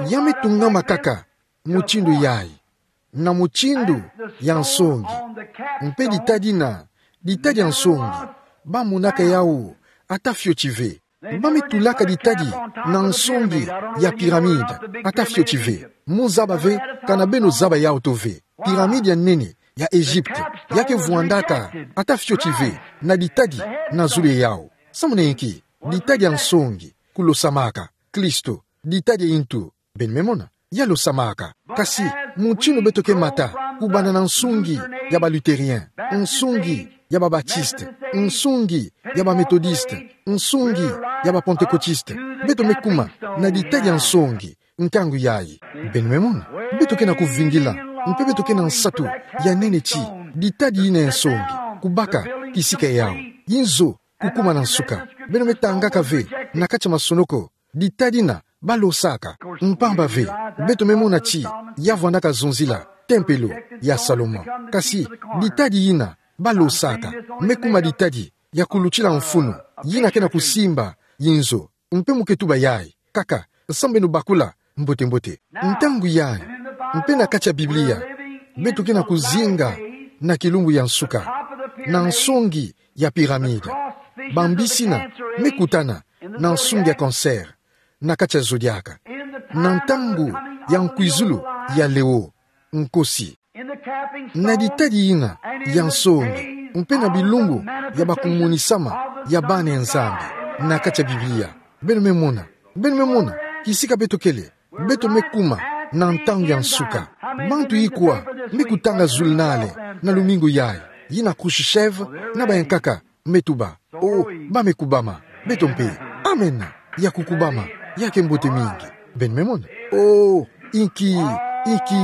Ya me tungama kaka mutindu yai, na mutindu ya nsongi. Mpe ditadi na, ditadi ya nsongi, ba monaka yau ata fioti ve. Ba me tulaka ditadi na nsongi ya pyramide ata fioti ve. Mo zaba ve, kana beno zaba yau to ve. Pyramide ya nene ya Egypte, ya ke vwandaka ata fioti ve na ditadi na zulu ya yau. Samu na inki? Ditadi ya nsongi kulosamaka. Kristo, ditadi ya intu, beno me mona, ya losamaka. Kasi, mutindu beto ke mata, kubanda na nsongi ya ba Lutherien, nsongi ya ba Baptiste, nsongi ya ba Methodiste, nsongi ya ba Pentecôtiste, beto me kuma na ditadi ya nsongi ntangu yai. Beno me mona, beto ke na kuvingila, mpe beto ke na nsatu ya nene ti ditadi yina ya nsongi, kubaka kisika yau. Inzo, kukuma na nsuka. Beno me tangaka ve na kati ya masonoko, ditadi na ba losaka. Mpamba ve, beto me mona ti ya vwandaka zonzila tempelo ya Salomon. Kasi, ditadi yina ba losaka me kuma ditadi ya kulutila mfunu, yina ke na kusimba inzo. Mpe mo ke tuba yai kaka, samu beno bakula mbote-mbote. Ntangu yai, mpe na kati ya Biblia, beto ke na kuzinga na kilumbu ya nsuka, na nsongi ya pyramide. Bambisina me kutana na nsongi ya cancer na kati ya zodiaka. Na ntangu ya nkwizulu ya Leo Nkosi, na ditadi yina ya nsongi, mpe na bilumbu ya ba kumonisama ya bana ya Nzambi na kati ya Biblia. Beno me mona, beno me mona kisika beto kele, beto me kuma na ntangu ya nsuka. Bantu ikwa me kutanga zulunale na lumingu yai, yina Khrushchev na bayankaka me tuba. O, ba me kubama. Beto mpe. Amen. Ya kukubama. Ya ke mbote mingi. Beno me mona. O, inki, inki,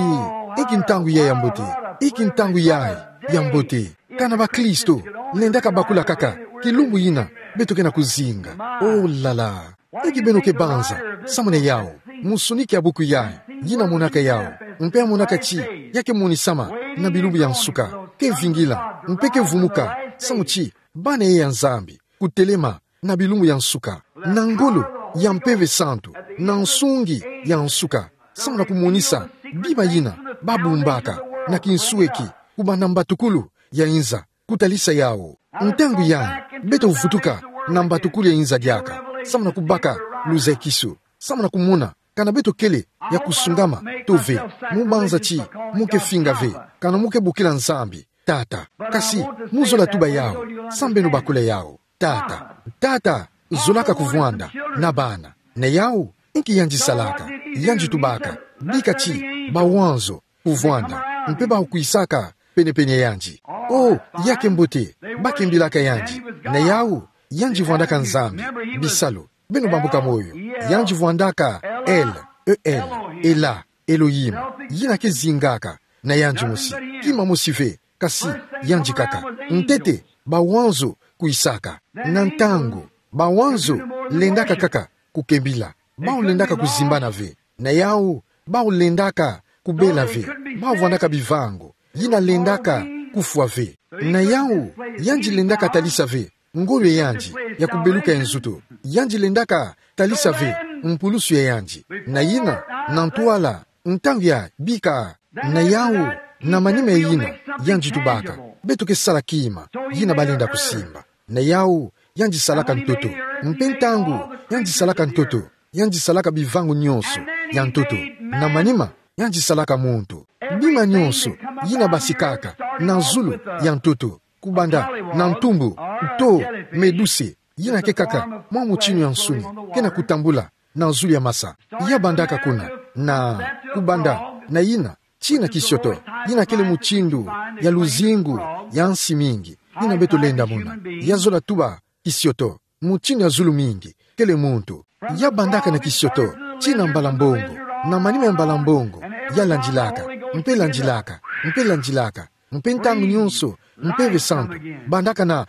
inki ntangu yai ya mbote. Inki ntangu yai ya mbote. Kana bakristo lendaka bakula kaka kilumbu yina beto ke na kuzinga. O la la. Inki beno ke banza samu na yau? Musuniki ya buku yai, yina monaka yau, mpe ya monaka ti ya ke monisama na bilumbu ya nsuka, ke vingila mpe ke vumuka, samu ti bana ye ya Nzambi kutelema na bilumbu ya nsuka. Na ngolo ya Mpeve Santu, na nsungi ya nsuka, samu na kumonisa bima yina ba bumbaka na kinsueki, kubanda mbatukulu ya inza kutalisa yau. Ntangu yai, beto vutuka na mbatukulu ya inza diaka, samu na kubaka luzakisu, samu na kumona kana beto kele ya kusungama to ve. Mo banza ti mo ke finga ve, kana mo ke bokila Nzambi Tata. Kasi mo zola tuba yau, samu beno bakula yau. Tata, Tata zolaka kuvwanda na bana. Na yau, inki yandi salaka? Yandi tubaka, bika ti bawanzo kuvwanda, mpe bawu kwisaka pene-pene ya yandi. O, ya ke mbote, ba kimbilaka yandi. Na yau, yandi vwandaka Nzambi, bisalu, beno bambuka moyo. Yandi vwandaka El, E L, Ela, Elohim. Yina ke zingaka na yandi mosi. Kima mosi ve, kasi yandi kaka. Ntete, bawanzo kwisaka. Na ntangu, bawanzo lendaka kaka kukembila. Bawu lendaka kuzimbana ve. Na yau, bawu lendaka kubela ve. Bawu vwandaka bivango. Yina lendaka kufwa ve. Na yau, yandi lendaka talisa ve ngolo ya yandi ya kubeluka ya nzoto. Yandi lendaka talisa ve mpulusu ya yandi. Na yina, na ntwala, ntangu ya bika. Na yau, na manima ya yina, yandi tubaka, beto ke sala kima yina balenda kusimba. Na yau, yandi salaka ntoto. Mpe ntangu yandi salaka ntoto, yandi salaka bivango nyonso ya ntoto. Na manima, yandi salaka muntu. Bima nyonso yina basikaka na zulu ya ntoto, kubanda na ntumbu, to meduse, yina ke kaka mwa mutinu ya nsuni ke na kutambula na zulu ya masa. Ya bandaka kuna, na kubanda na yina, tina kisioto, yina kele mutindu ya luzingu ya nsi mingi yina beto lenda mona. Ya zola tuba kisioto, mutindu ya zulu mingi, kele muntu. Ya bandaka na kisioto, tina mbala mbongo, na manima ya mbala mbongo, ya landilaka, mpe landilaka, mpe landilaka, mpe ntangu nyonso, Mpeve Santu bandaka na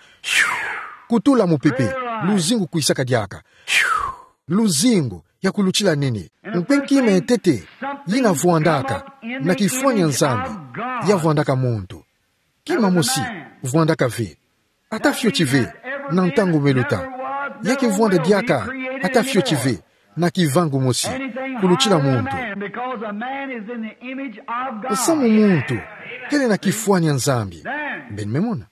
kutula mupepe, luzingu kwisaka diaka. Luzingu ya kulutila nene. Mpe kima ya ntete yina vwandaka na kifwani ya Nzambi, ya vwandaka muntu. Kima mosi vwandaka ve. Ata fioti ve na ntangu meluta. Ya ke vwanda diaka ata fioti ve na kivangu mosi kulutila muntu. Samu muntu kele na kifwani ya Nzambi. Beno me mona.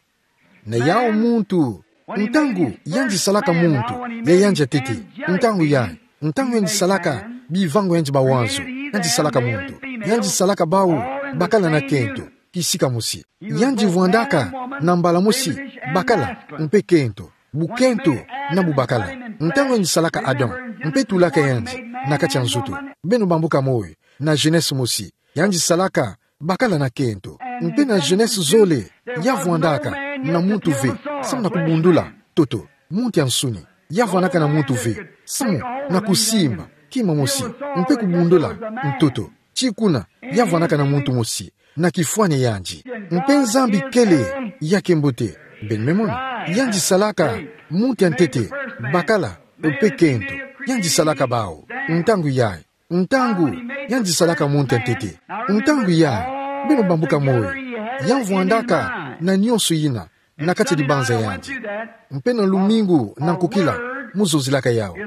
Na yau muntu, ntangu yandi salaka muntu ya yandi ya ntete, ntangu ya, ntangu yandi salaka bivangu yandi mawanzo, yandi salaka muntu, yandi salaka bau bakala na kento, kisika mosi. Yandi vwandaka na mbala mosi bakala mpe kento, bukento na bubakala. Ntangu yandi salaka Adam mpe tulaka yandi na kati ya nzoto, beno bambuka moyo, na Genèse mosi, yandi salaka bakala na kento. Mpe na Genèse zole, ya vwandaka na muntu ve samu na kubundula ntoto, muntu ya nsuni. Ya vwandaka na muntu ve samu na kusimba kima mosi mpe kubundula ntoto. Ti kuna, ya vwandaka na muntu mosi na kifwani ya yandi. Mpe Nzambi kele ya ke mbote. Beno me mona. Yandi salaka muntu ya ntete bakala mpe kento. Yandi salaka bau. Ntangu yayi, ntangu yandi salaka muntu ya ntete, ntangu yayi, beno bambuka moyo, ya vwandaka na nyonso yina na kati ya dibanza yandi. Mpe na lumingu na nkokila, mu zonzilaka yau.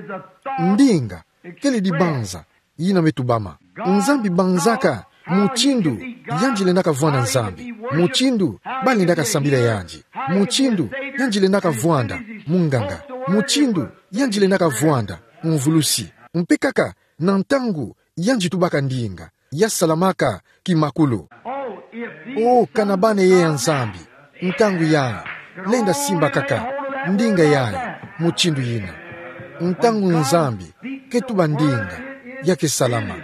Ndinga kele dibanza yina me tubama. Nzambi banzaka mutindu yandi lendaka vwanda Nzambi, mutindu balendaka sambila yandi, mutindu yandi lendaka vwanda munganga, mutindu yandi lendaka vwanda mvulusi. Mpe kaka na ntangu yandi tubaka ndinga, ya salamaka kimakulu. O, kana bane ye ya Nzambi, ntangu yayi, lenda simba kaka ndinga yayi mutindu yina. Ntangu Nzambi ke tuba ndinga, ya ke salama,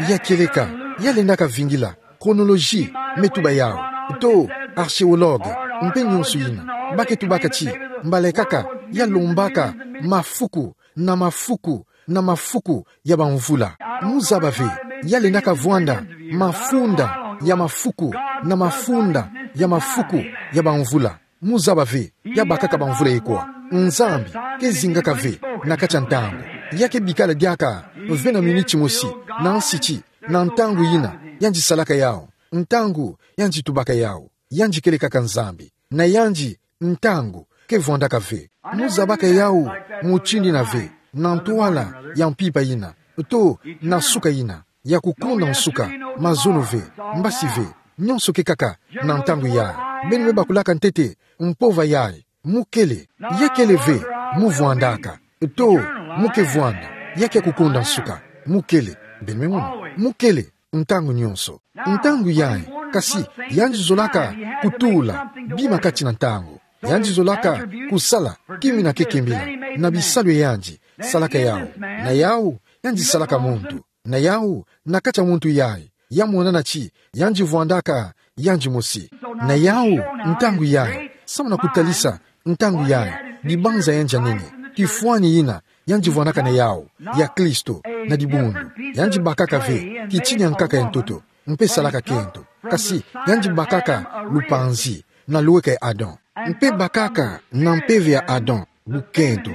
ya kieleka, ya lendaka vingila chronologie me tuba yau, to archéologue, mpe nyonso yina, ba ke tubaka ti mbala kaka ya lombaka mafuku na mafuku na mafuku ya bamvula. Mu zaba ve, ya lendaka vwanda mafunda ya mafuku na mafunda ya mafuku ya bamvula. Mu zaba ve, ya bakaka bamvula ye kwa. Nzambi ke zingaka ve na kati ya ntangu. Ya ke bikala diaka ve na miniti mosi na nsiti na ntangu yina yandi salaka yau, ntangu yandi tubaka yau. Yandi kele kaka Nzambi. Na yandi ntangu ke vwandaka ve. Mu zabaka yau mutindu yina ve na ntwala ya mpimpa yina, to na suka yina, ya kukonda nsuka, mazono ve, mbasi ve, nyonso ke kaka na ntangu yayi. Beno me bakulaka ntete mpova yayi. Mu kele, ya kele ve mu vwandaka, to mu ke vwanda, ya ke kukonda nsuka. Mu kele, beno me mona, mu kele ntangu nyonso. Ntangu yayi, kasi yandi zolaka kutula bima kati na ntangu. Yandi zolaka kusala kima yina ke kembila na bisalu ya yandi salaka yau. Na yau, yandi salaka muntu. Na yau, na kati ya muntu yayi, ya monana ti yandi vwandaka yandi mosi. Na yau, ntangu yayi, samu na kutalisa ntangu yayi, dibanza yandi ya nene, kifwani yina yandi vwandaka na yau, ya Kristo, na dibundu. Yandi bakaka ve kitini ya nkaka ya ntoto, mpe salaka kento. Kasi yandi bakaka lupanzi na lweka ya Adam, mpe bakaka na mpeve ya Adam bukento,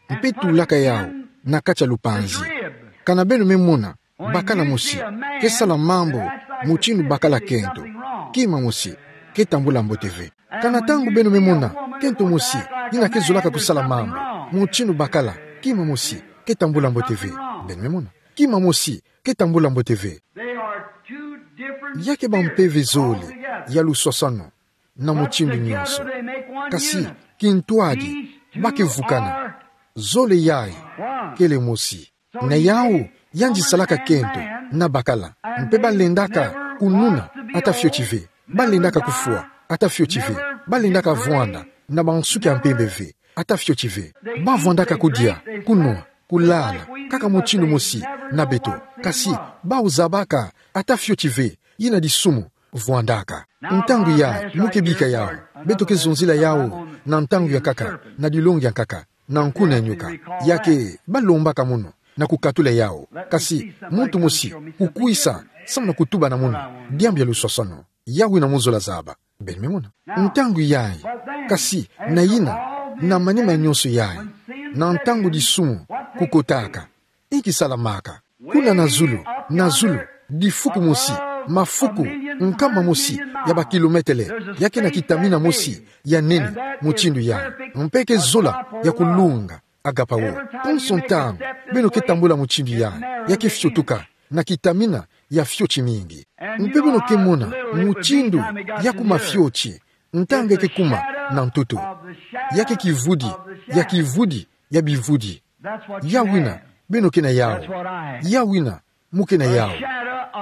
mpe tulaka yau na kati ya lupanzi. Kana beno me mona bakala mosi ke sala mambu mutindu bakala kento, kima mosi ke tambula mbote ve. Kana ntangu beno me mona kento mosi yina ke zolaka kusala mambu mutindu bakala, kima mosi ke tambula mbote ve. Beno me mona, kima mosi ke tambula mbote ve. Ya ke bampeve zole ya luswaswano na mutindu nyonso. Kasi kintwadi ba ke vukana. Zole yayi kele mosi. Na yau, yandi salaka kento na bakala. Mpe ba lendaka kununa ata fioti ve. Ba lendaka kufwa ata fioti ve. Ba lendaka vwanda na bansuki ya mpembe ve ata fioti ve. Ba vwandaka kudia, kunwa, kulala kaka mutindu mosi na beto. Kasi bau zabaka ata fioti ve yina disumu vwandaka. Ntangu yayi mu ke bika yau, beto ke zonzila yau na ntangu ya nkaka, na dilongi ya nkaka, na nkuna ya nyoka. Ya ke ba lombaka mono na kukatula yau. Kasi muntu mosi kukwisa samu na kutuba na mono diambu ya luswaswano. Yau wina mu zola zaba. Beno me mona. Ntangu yayi, kasi na yina, na manima nyonso yayi, na ntangu disumu kukotaka, inki salamaka. Kuna na zulu, na zulu, difuku mosi, mafuku, nkama mosi ya bakilometele, ya ke na kitamina mosi ya nene mutindu ya, mpe ke zola ya kulunga, agapao. Konso ntangu beno ke tambula mutindu ya, ya ke fiotuka na kitamina ya fioti mingi. Mpe beno ke mona mutindu ya kuma fioti, ntangu ya ke kuma na ntoto. Ya ke kivudi ya kivudi ya bivudi. Yawina beno ke na yawu. Yawina mu ke na yawu.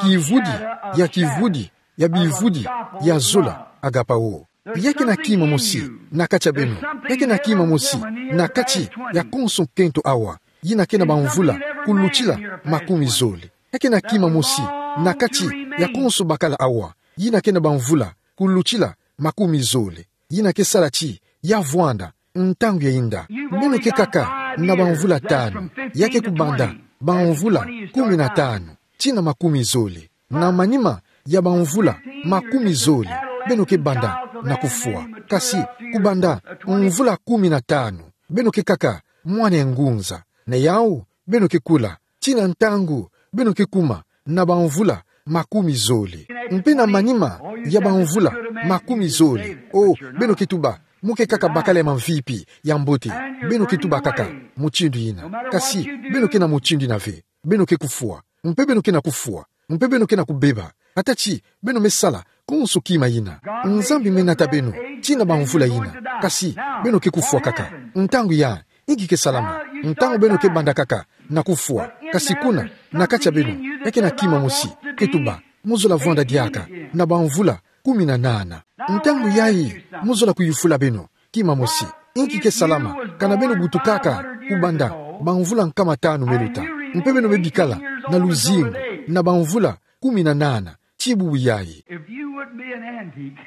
Kivudi ya kivudi ya bivudi ya zola, agapao. Ya ke na kima mosi na kati ya beno. Ya ke na kima mosi na kati ya konso kento awa, yina ke na bamvula kulutila makumi zole. Ya ke na kima mosi na kati ya konso bakala awa, yina ke na bamvula kulutila makumi zole. Yina ke sala ti ya vwanda ntangu ya inda. Beno ke kaka na bamvula tanu, ya ke kubanda bamvula kumi na tanu tii na makumi zole. Na manima ya bamvula makumi zole, beno ke banda na kufwa. Kasi kubanda mvula kumi na tanu, beno ke kaka mwana ya ngunza. Na yawu beno ke kula tii na ntangu beno ke kuma na bamvula makumi zole. Mpe na manima ya bamvula makumi zole, o, beno ke tuba mu ke kaka bakala ya mamvipi ya mbote. Beno ke tuba kaka mutindu yina. Kasi beno ke na mutindu yina ve, beno ke kufwa. Mpe beno ke na kufwa. Mpe beno ke na kubeba, ata ti beno me sala konso kima yina. Nzambi me nata beno tii na bamvula yina. Kasi beno ke kufwa kaka. Ntangu ya inki ke salama? Ntangu beno ke banda kaka na kufwa, kasi kuna na kati ya beno, ya ke na kima mosi ke tuba mu zola vwanda diaka na bamvula kumi na nana. Ntangu yayi mu zola kuyufula beno kima mosi, inki ke salama? Kana beno butukaka kubanda bamvula nkama tanu meluta, mpe beno me bikala na luzingu na bamvula kumi na nana tii bubu yayi. If you would be an antique.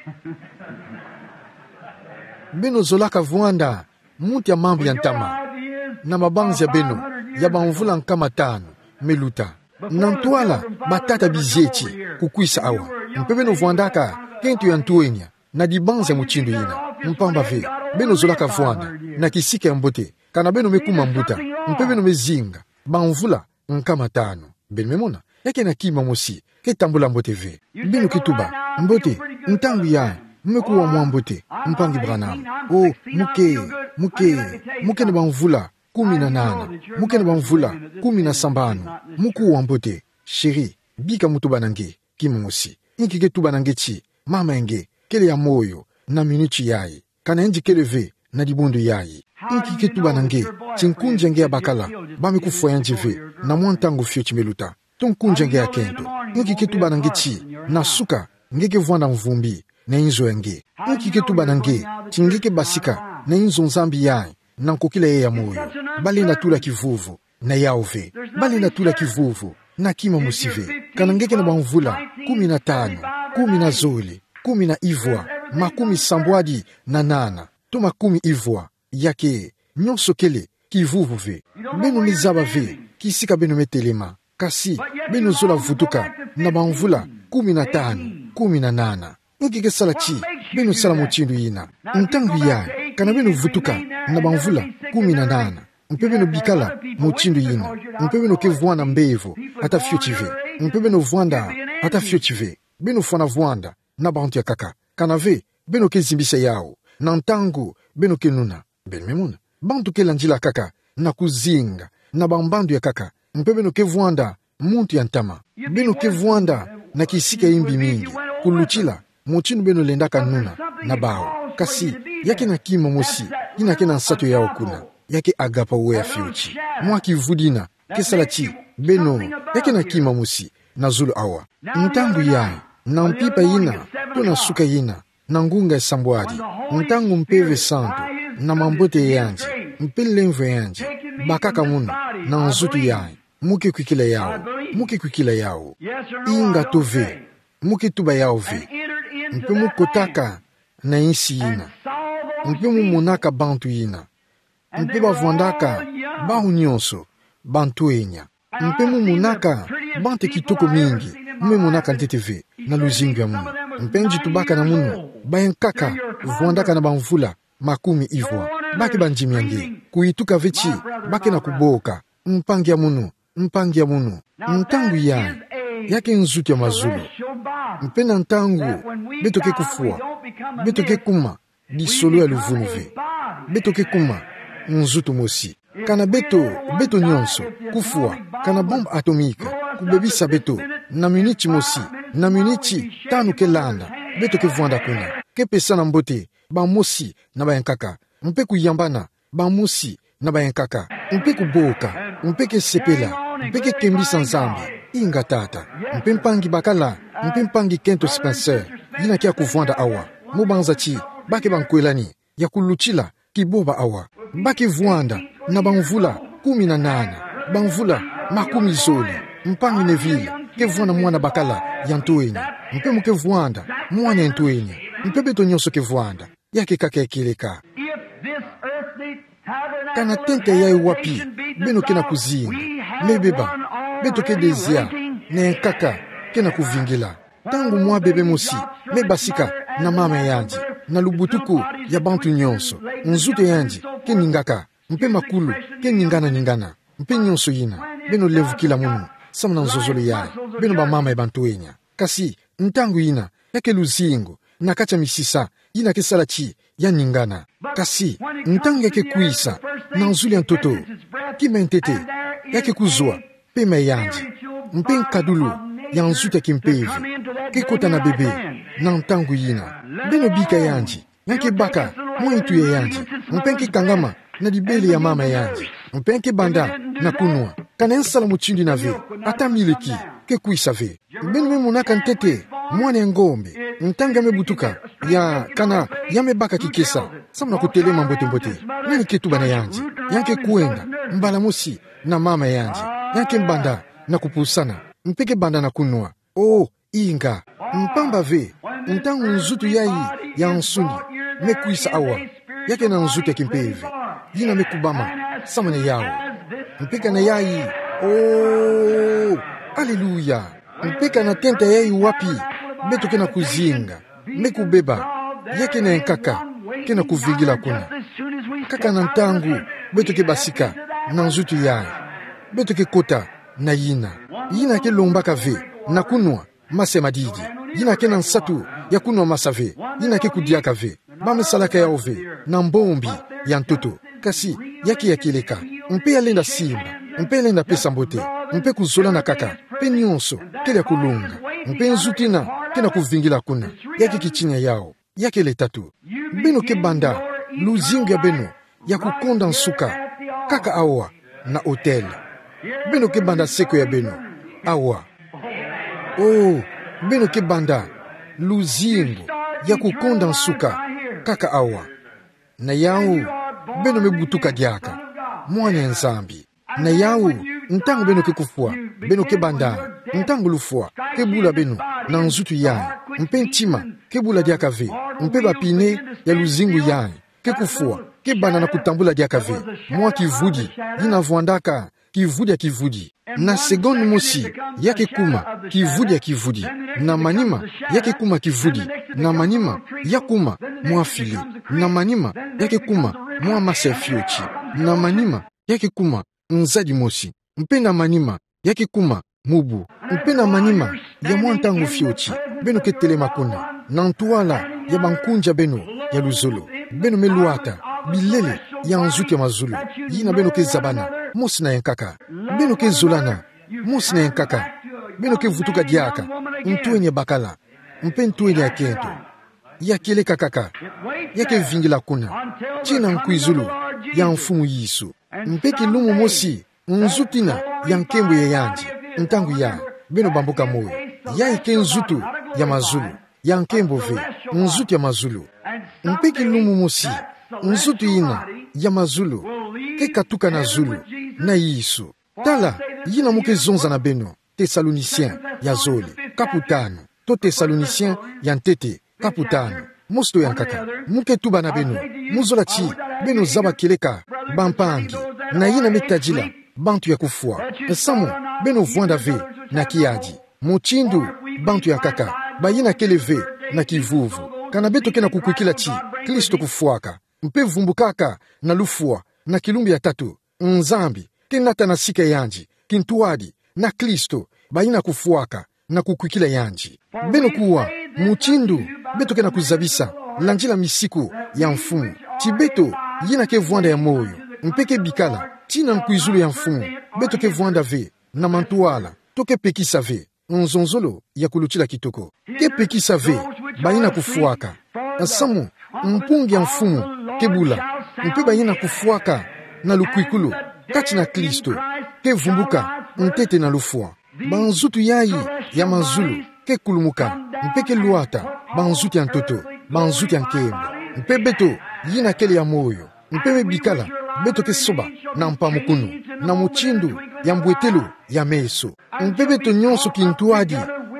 Beno zolaka vwanda muntu ya mambu ya ntama na mabanzi ya beno ya bamvula nkama tanu meluta. Na ntwala batata bizieti kukwisa awa, mpe beno vwandaka kento ya ntwenya na dibanzi ya mutindu yina. Mpamba ve, beno zolaka vwanda na kisika ya mbote kana beno me kuma mbuta, mpe beno me zinga bamvula nkama tanu. Beno me mona, ya ke na kima mosi ke tambula mbote ve. Beno ke tuba: Mbote, ntangu yayi mu me kuwa mwa mbote, mpangi Branham. O, mu ke, mu ke, mu ke na bamvula kumi na nana, mu ke na bamvula kumi na sambanu, mu kuwa mbote. Chéri, bika mu tuba na nge kima mosi. Inki ke tuba na nge ti mama ya nge kele ya moyo na minuti yayi, kana yandi kele ve na dibundu yayi? Inki ke tuba na nge ti nkunzi ya nge ya bakala ba me kufwa yandi ve na mwa ntangu fioti meluta, to nkunzi ya nge ya kento? Inki ke tuba na nge ti na suka nge ke vwanda mvumbi na inzo ya nge? Inki ke tuba na nge ti nge ke basika na inzo Nzambi yayi na nkokila yayi ya moyo? Ba lenda tula kivuvu na yawu ve. Ba lenda tula kivuvu na kima mosi ve. Kana nge ke na bamvula kumi na tanu, kumi na zole, kumi na ivwa, makumi sambwadi na nana, to makumi ivwa, ya ke, nyonso kele kivuvu ve. Beno me zaba ve kisika beno me telema, kasi beno zola vutuka na bamvula kumi na tanu, kumi na nana. Inki ke sala ti beno sala mutindu yina? Ntangu yayi, kana beno vutuka na bamvula kumi na nana, mpe beno bikala mutindu yina, mpe beno ke vwanda mbevo ata fioti ve, mpe beno vwanda ata fioti ve, beno fwana vwanda na bantu ya nkaka. Kana ve, beno ke zimbisa yawu na ntangu beno ke nuna. Beno me mona, bantu ke landila kaka na kuzinga na bambandu ya nkaka, mpe beno ke vwanda muntu ya ntama. Beno ke vwanda na kisika ya imbi mingi kulutila mutindu beno lendaka nuna na bawu. Kasi ya ke na kima mosi yina ke na nsatu yawu kuna, ya ke agapao ya fioti. Mwa kivudi yina ke sala ti beno, ya ke na kima mosi na zulu awa. Ntangu yayi, na mpimpa yina, to na suka yina, na ngunga ya sambwadi, ntangu Mpeve Santu na mambote ya yandi mpe lemvo ya yandi bakaka munu na nzutu yayi, mu ke kwikila yawu, mu ke kwikila yawu. Inga to ve, mu ke tuba yawu ve. Mpe mu kotaka na insi yina, mpe mu monaka bantu yina, mpe ba vwandaka bawu nyonso bantwenya. Mpe mu monaka bantu ya kitoko mingi, mu me monaka ntete ve na luzingu ya munu. Mpe nge tubaka na munu, ba ya nkaka vwandaka na bamvula makumi ivwa. Ba ke bandimi ya nge, kuyituka ve ti ba ke na kuboka, mpangi ya munu, Mpangi ya munu, ntangu yayi, ya ke nzutu ya mazulu. Mpe na ntangu beto ke kufwa, beto ke kuma disolo ya luvunu ve. Beto ke kuma nzutu mosi. Kana beto, beto nyonso, kufwa, kana bombe atomique kubebisa beto, na miniti mosi, na miniti tanu ke landa, beto ke vwanda kuna, ke pesana mbote bamosi na bayankaka, mpe kuyambana bamosi na bayankaka, mpe kuboka, mpe ke sepela, mpe ke kembisa Nzambi. Inga, tata. Mpe mpangi bakala, mpe mpangi kento Spencer, yina ke ya kuvwanda awa, mo banza ti ba ke bankwelani ya kulutila kibomba awa, ba ke vwanda na bamvula kumi na nana, bamvula makumi zole. Mpangi Neville ke vwanda mwana bakala ya nto eni, mpe mo ke vwanda mwana ya nto eni, mpe beto nyonso ke vwanda. Ya ke kaka ya kieleka. If this earthly tabernacle of habitation be the place that we have on our earth, kana tente yayi wapi beno ke na kuzinga, me beba, beto ke dezia, na yankaka ke na kuvingila. Ntangu mwa bebe mosi me basika na mama ya yandi, na lubutuku ya bantu nyonso, nzutu ya yandi ke ningaka, mpe makulu ke ningana-ningana, mpe nyonso yina, beno lemvukila munu, samu na nzozolo yayi, beno bamama ya bantwenya. Kasi, ntangu yina, ya ke luzingu na kati ya misisa, yina ke sala ti ya ningana. Kasi, ntangu ya ke kwisa na nzuli ya ntoto, kima ya ntete ya ke kuzwa pema ya yandi, mpe nkadulu ya nzutu ya kimpeve ke kota na bebe na ntangu yina. Beno bika yandi, ya ke baka mwa ntu ya yandi, mpe ya ke kangama na dibele ya mama ya yandi, mpe ya ke banda na kunwa. Kana nsala mutindu yina ve, ata miliki ke kwisa ve. Beno me monaka ntete mwana ya ngombe, ntangu ya me butuka, ya kana ya me baka kikesa, samu na kutelema mbote-mbote. Nani ke tuba na yandi? Ya ke kwenda mbala mosi na mama ya yandi, ya ke banda na kupusana, mpe ke banda na kunwa. O, inga, mpamba ve, ntangu nzutu yayi ya nsuni me kwisa awa, ya ke na nzutu ya kimpeve, yina me kubama samu na yawu. Mpe kana yayi, o, aleluya. Mpe kana tente yayi wapi beto ke na kuzinga me kubeba, ya ke na yankaka ke na kuvingila kuna. Kaka na ntangu beto ke basika na nzutu yayi, beto ke kota na yina. Yina ke lombaka ve na kunwa masa ya madidi. Yina ke na nsatu ya kunwa masa ve. Yina ke kudiaka ve. Ba me salaka yawu ve na mbombi ya ntoto. Kasi, ya ke ya kieleka, mpe ya lenda simba, mpe ya lenda pesa mbote, mpe kuzolana kaka, mpe nyonso kele ya kulonga, mpe nzutu yina ke na kuvingila kuna. Ya ke kitina yawu. Ya kele tatu. Beno ke banda luzingu ya beno ya kukonda nsuka kaka awa na autel. Beno ke banda seko ya beno awa. O, beno ke banda luzingu ya kukonda nsuka kaka awa. Na yawu, beno me butuka diaka mwana ya Nzambi. Na yawu, ntangu beno ke kufwa, beno ke banda, ntangu lufwa ke bula beno na nzutu yayi, mpe ntima ke bula diaka ve, mpe ba pine ya luzingu yayi ke kufwa, ke banda na kutambula diaka ve mwa kivudi, yina vwandaka kivudi ya kivudi. Na seconde mosi, ya ke kuma kivudi ya kivudi. Na manima, ya ke kuma kivudi. Na manima, ya kuma mwa filet. Na manima, ya ke kuma mwa masa ya fioti. Na manima, ya ke kuma nzadi mosi. Mpe na manima, ya ke kuma mubu. Mpe na manima ya mwa ntangu fioti, beno ke telema kuna, na ntwala ya bankunzi ya beno ya luzolo, beno me lwata bilele ya nzutu ya mazulu, yina beno ke zabana mosi na yankaka. Beno ke zolana mosi na yankaka. Beno ke vutuka diaka ntwenya bakala, mpe ntwenya ya kento. Ya kieleka kaka. Ya ke vingila kuna tii na nkwizulu ya Mfumu Yesu. Mpe kilumbu mosi, nzutu yina ya nkembo ya yandi, ntangu yayi, beno bambuka moyo. Yayi ke nzutu ya mazulu, ya nkembo ve, nzutu ya mazulu. Mpe kilumbu mosi, nzutu yina ya mazulu ke katuka na zulu na Yesu. Tala yina mo ke zonza na beno, Thessaloniciens ya zole, kapu tanu, to Thessaloniciens ya ntete, kapu tanu. Mosi to yankaka, mo ke tuba na beno, mo zola tii beno zaba kieleka, bampangi, na yina me tadila bantu ya kufwa, nsamu beno vwanda ve na kiadi, mutindu bantu yankaka bayina kele ve na kivuvu. Kana beto ke na kukwikila tii Kristo kufwaka, mpe vumbukaka na lufwa na kilumbu ya tatu, Nzambi ke nata na sika yandi kintwadi, na Kristo, bayina kufwaka, na kukwikila yandi. Beno kuwa, mutindu beto ke na kuzabisa, landila misiku ya mfumu, ti beto, yina ke vwanda ya moyo, mpe ke bikala, tina nkwizulu ya mfumu, beto ke vwanda ve, na mantwala, to ke pekisa ve, nzonzolo ya kulutila kitoko. Ke pekisa ve, bayina kufwaka. Nsamu, mpungi ya mfumu, ke bula, mpe bayina kufwaka, na lukwikulu, kati na Kristo, ke vumbuka, ntete na lufwa. Banzutu yayi, ya mazulu, ke kulumuka, mpe ke lwata, banzutu ya ntoto, banzutu ya nkembo. Mpe beto, yina kele ya moyo, mpe me bikala, beto ke soba, na mpamukunu, na mutindu, ya mbwetelo, ya meso. Mpe beto nyonso kintwadi,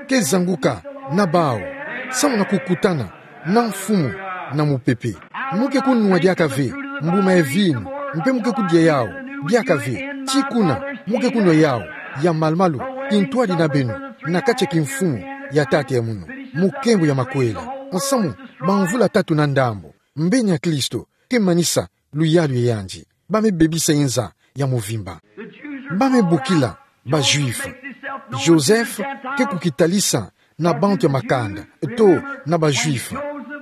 ke zanguka, na bawu, samu na kukutana, na mfumu, na mupepe. Mu ke kunwa diaka ve, mbuma ya vinu, mpe mu ke kudia yawu, diaka ve, ti kuna, mu ke kunwa yawu, ya malumalu, kintwadi na beno, na kati ya kimfumu, ya Tata ya munu, Mukembo ya makwela, nsamu, bamvula tatu na ndambu, mbeni ya Kristo, ke manisa, luyalu ya yandi, ba me bebisa inza, ya muvimba. Ba me bukila, ba Juifs. Joseph, ke kukitalisa, na bantu ya makanda, to, na ba Juifs.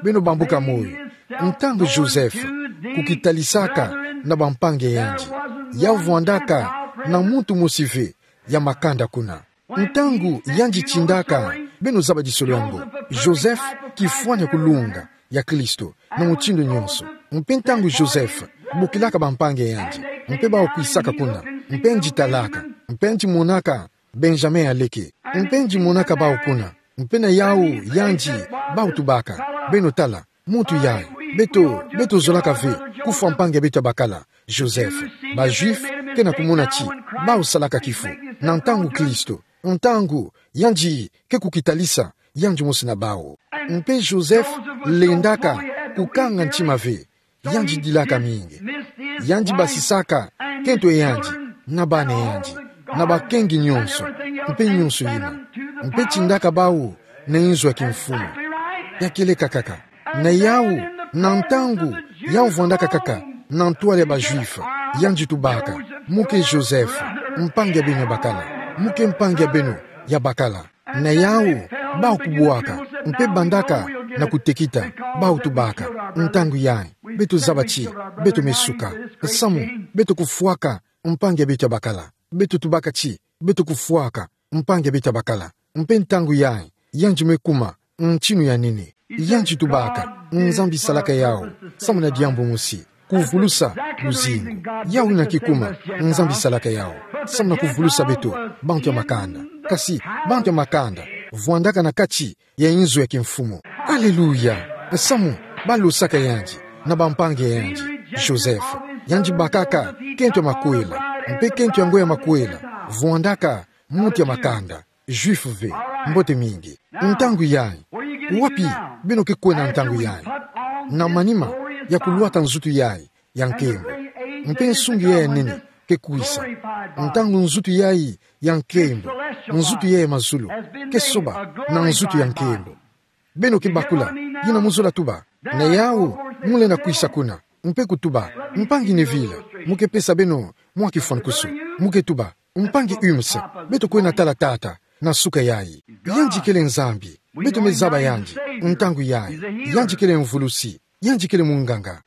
Beno bambuka moyo. Ntangu Joseph, kukitalisaka, na bampangi ya yandi. Ya vwandaka, na muntu mosi ve, ya makanda kuna. Ntangu yandi tindaka, beno zaba disolo yango. Joseph, kifwani ya kulunga, ya Kristo, na mutindu nyonso. Mpe ntangu Joseph, bukilaka bampangi ya yandi, mpe bawu kwisaka kuna, mpe yandi talaka, mpe yandi monaka, Benjamin aleke, mpe yandi monaka bawu kuna, mpe na yawu yandi, bawu tubaka, beno tala, muntu yayi, beto, beto zolaka ve, kufwa mpangi ya beto ya bakala, Joseph, ba Juifs, ke na kumona ti, bawu salaka kifu, na ntangu Kristo, ntangu, yandi, ke kukitalisa, yandi mosi na bawu. Mpe Joseph, lendaka, kukanga ntima ve, yandi dilaka mingi. Yandi basisaka, kento ya yandi, na bana ya yandi, na bakengi nyonso, mpe nyonso yina. Mpe tindaka bawu, na inzo ya kimfumu. Ya kieleka kaka. Na yawu, na ntangu, ya vwandaka kaka, na ntwala ya ba Juifs, yandi tubaka, mu ke Joseph, mpangi ya beno ya bakala, mu ke mpangi ya beno, ya bakala. Na yawu, bawu kubwaka, mpe bandaka, na kutekita, bawu tubaka, ntangu yayi, beto zaba ti, beto me suka, nsamu, beto kufwaka, mpangi ya beto ya bakala, beto tubaka ti, beto kufwaka, mpangi ya beto ya bakala, mpe ntangu yayi, yandi me kuma, ntinu ya nene. Yandi tubaka, Nzambi salaka yawu, samu na diambu mosi, kuvulusa, luzingu. Yawu yina ke kuma, Nzambi salaka yawu, samu na kuvulusa beto, bantu ya makanda. Kasi, bantu ya makanda, vwandaka na kati, ya inzo ya kimfumu. Aleluya! Samu, balosaka yandi, na bampangi ya yandi, Joseph, yandi bakaka, kento ya makwela, mpe kento yango ya makwela, vwandaka, muntu ya makanda. Juif ve, mbote mingi. Ntangu yayi, wapi beno ke kwenda ntangu yayi? Na manima ya kulwata nzutu yayi ya nkembo. Mpe nsungi yayi ya nene ke kwisa. Ntangu nzutu yayi ya nkembo, nzutu yayi ya mazulu, ke soba na nzutu ya nkembo. Beno ke bakula, yina mu zola tuba. Na yawu, mu lenda kwisa kuna, mpe kutuba, mpangi Neville, mu ke pesa beno mwa kifwankusu, mu ke tuba, mpangi Humes, beto kwenda tala tata, na suka yayi. Yandi kele Nzambi, beto me zaba yandi, ntangu yayi, yandi kele mvulusi, yandi kele munganga.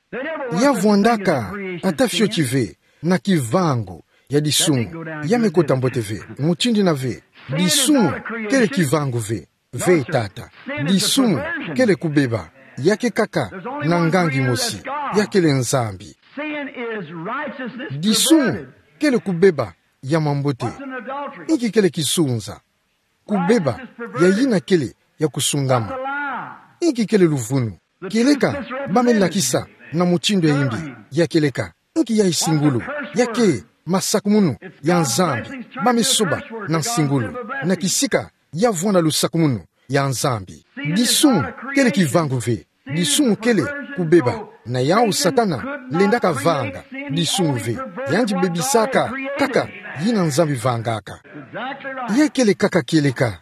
Ya vwandaka, ata fioti ve, na kivangu, ya disumu, ya me kota mbote ve, mutindu yina ve, disumu, kele kivangu ve, ve tata. Disumu, kele kubeba, ya ke kaka, na nganga mosi, ya kele Nzambi. Disumu, kele kubeba, ya mambote. Inki kele kisunza? Kubeba, ya yina kele, ya kusungama. Inki kele luvunu? Kieleka, ba me lakisa, na mutindu ya yimbi, ya kieleka. Inki yayi singulu, ya ke, masakumunu, ya Nzambi, ba me soba, na singulu, na kisika, ya vwanda lusakumunu, ya Nzambi. Disumu, kele kivangu ve, disumu kele, kubeba, na yawu Satana, lendaka vanga, disumu ve, yandi bebisaka, kaka, yina Nzambi vangaka. Ya kele kaka kieleka,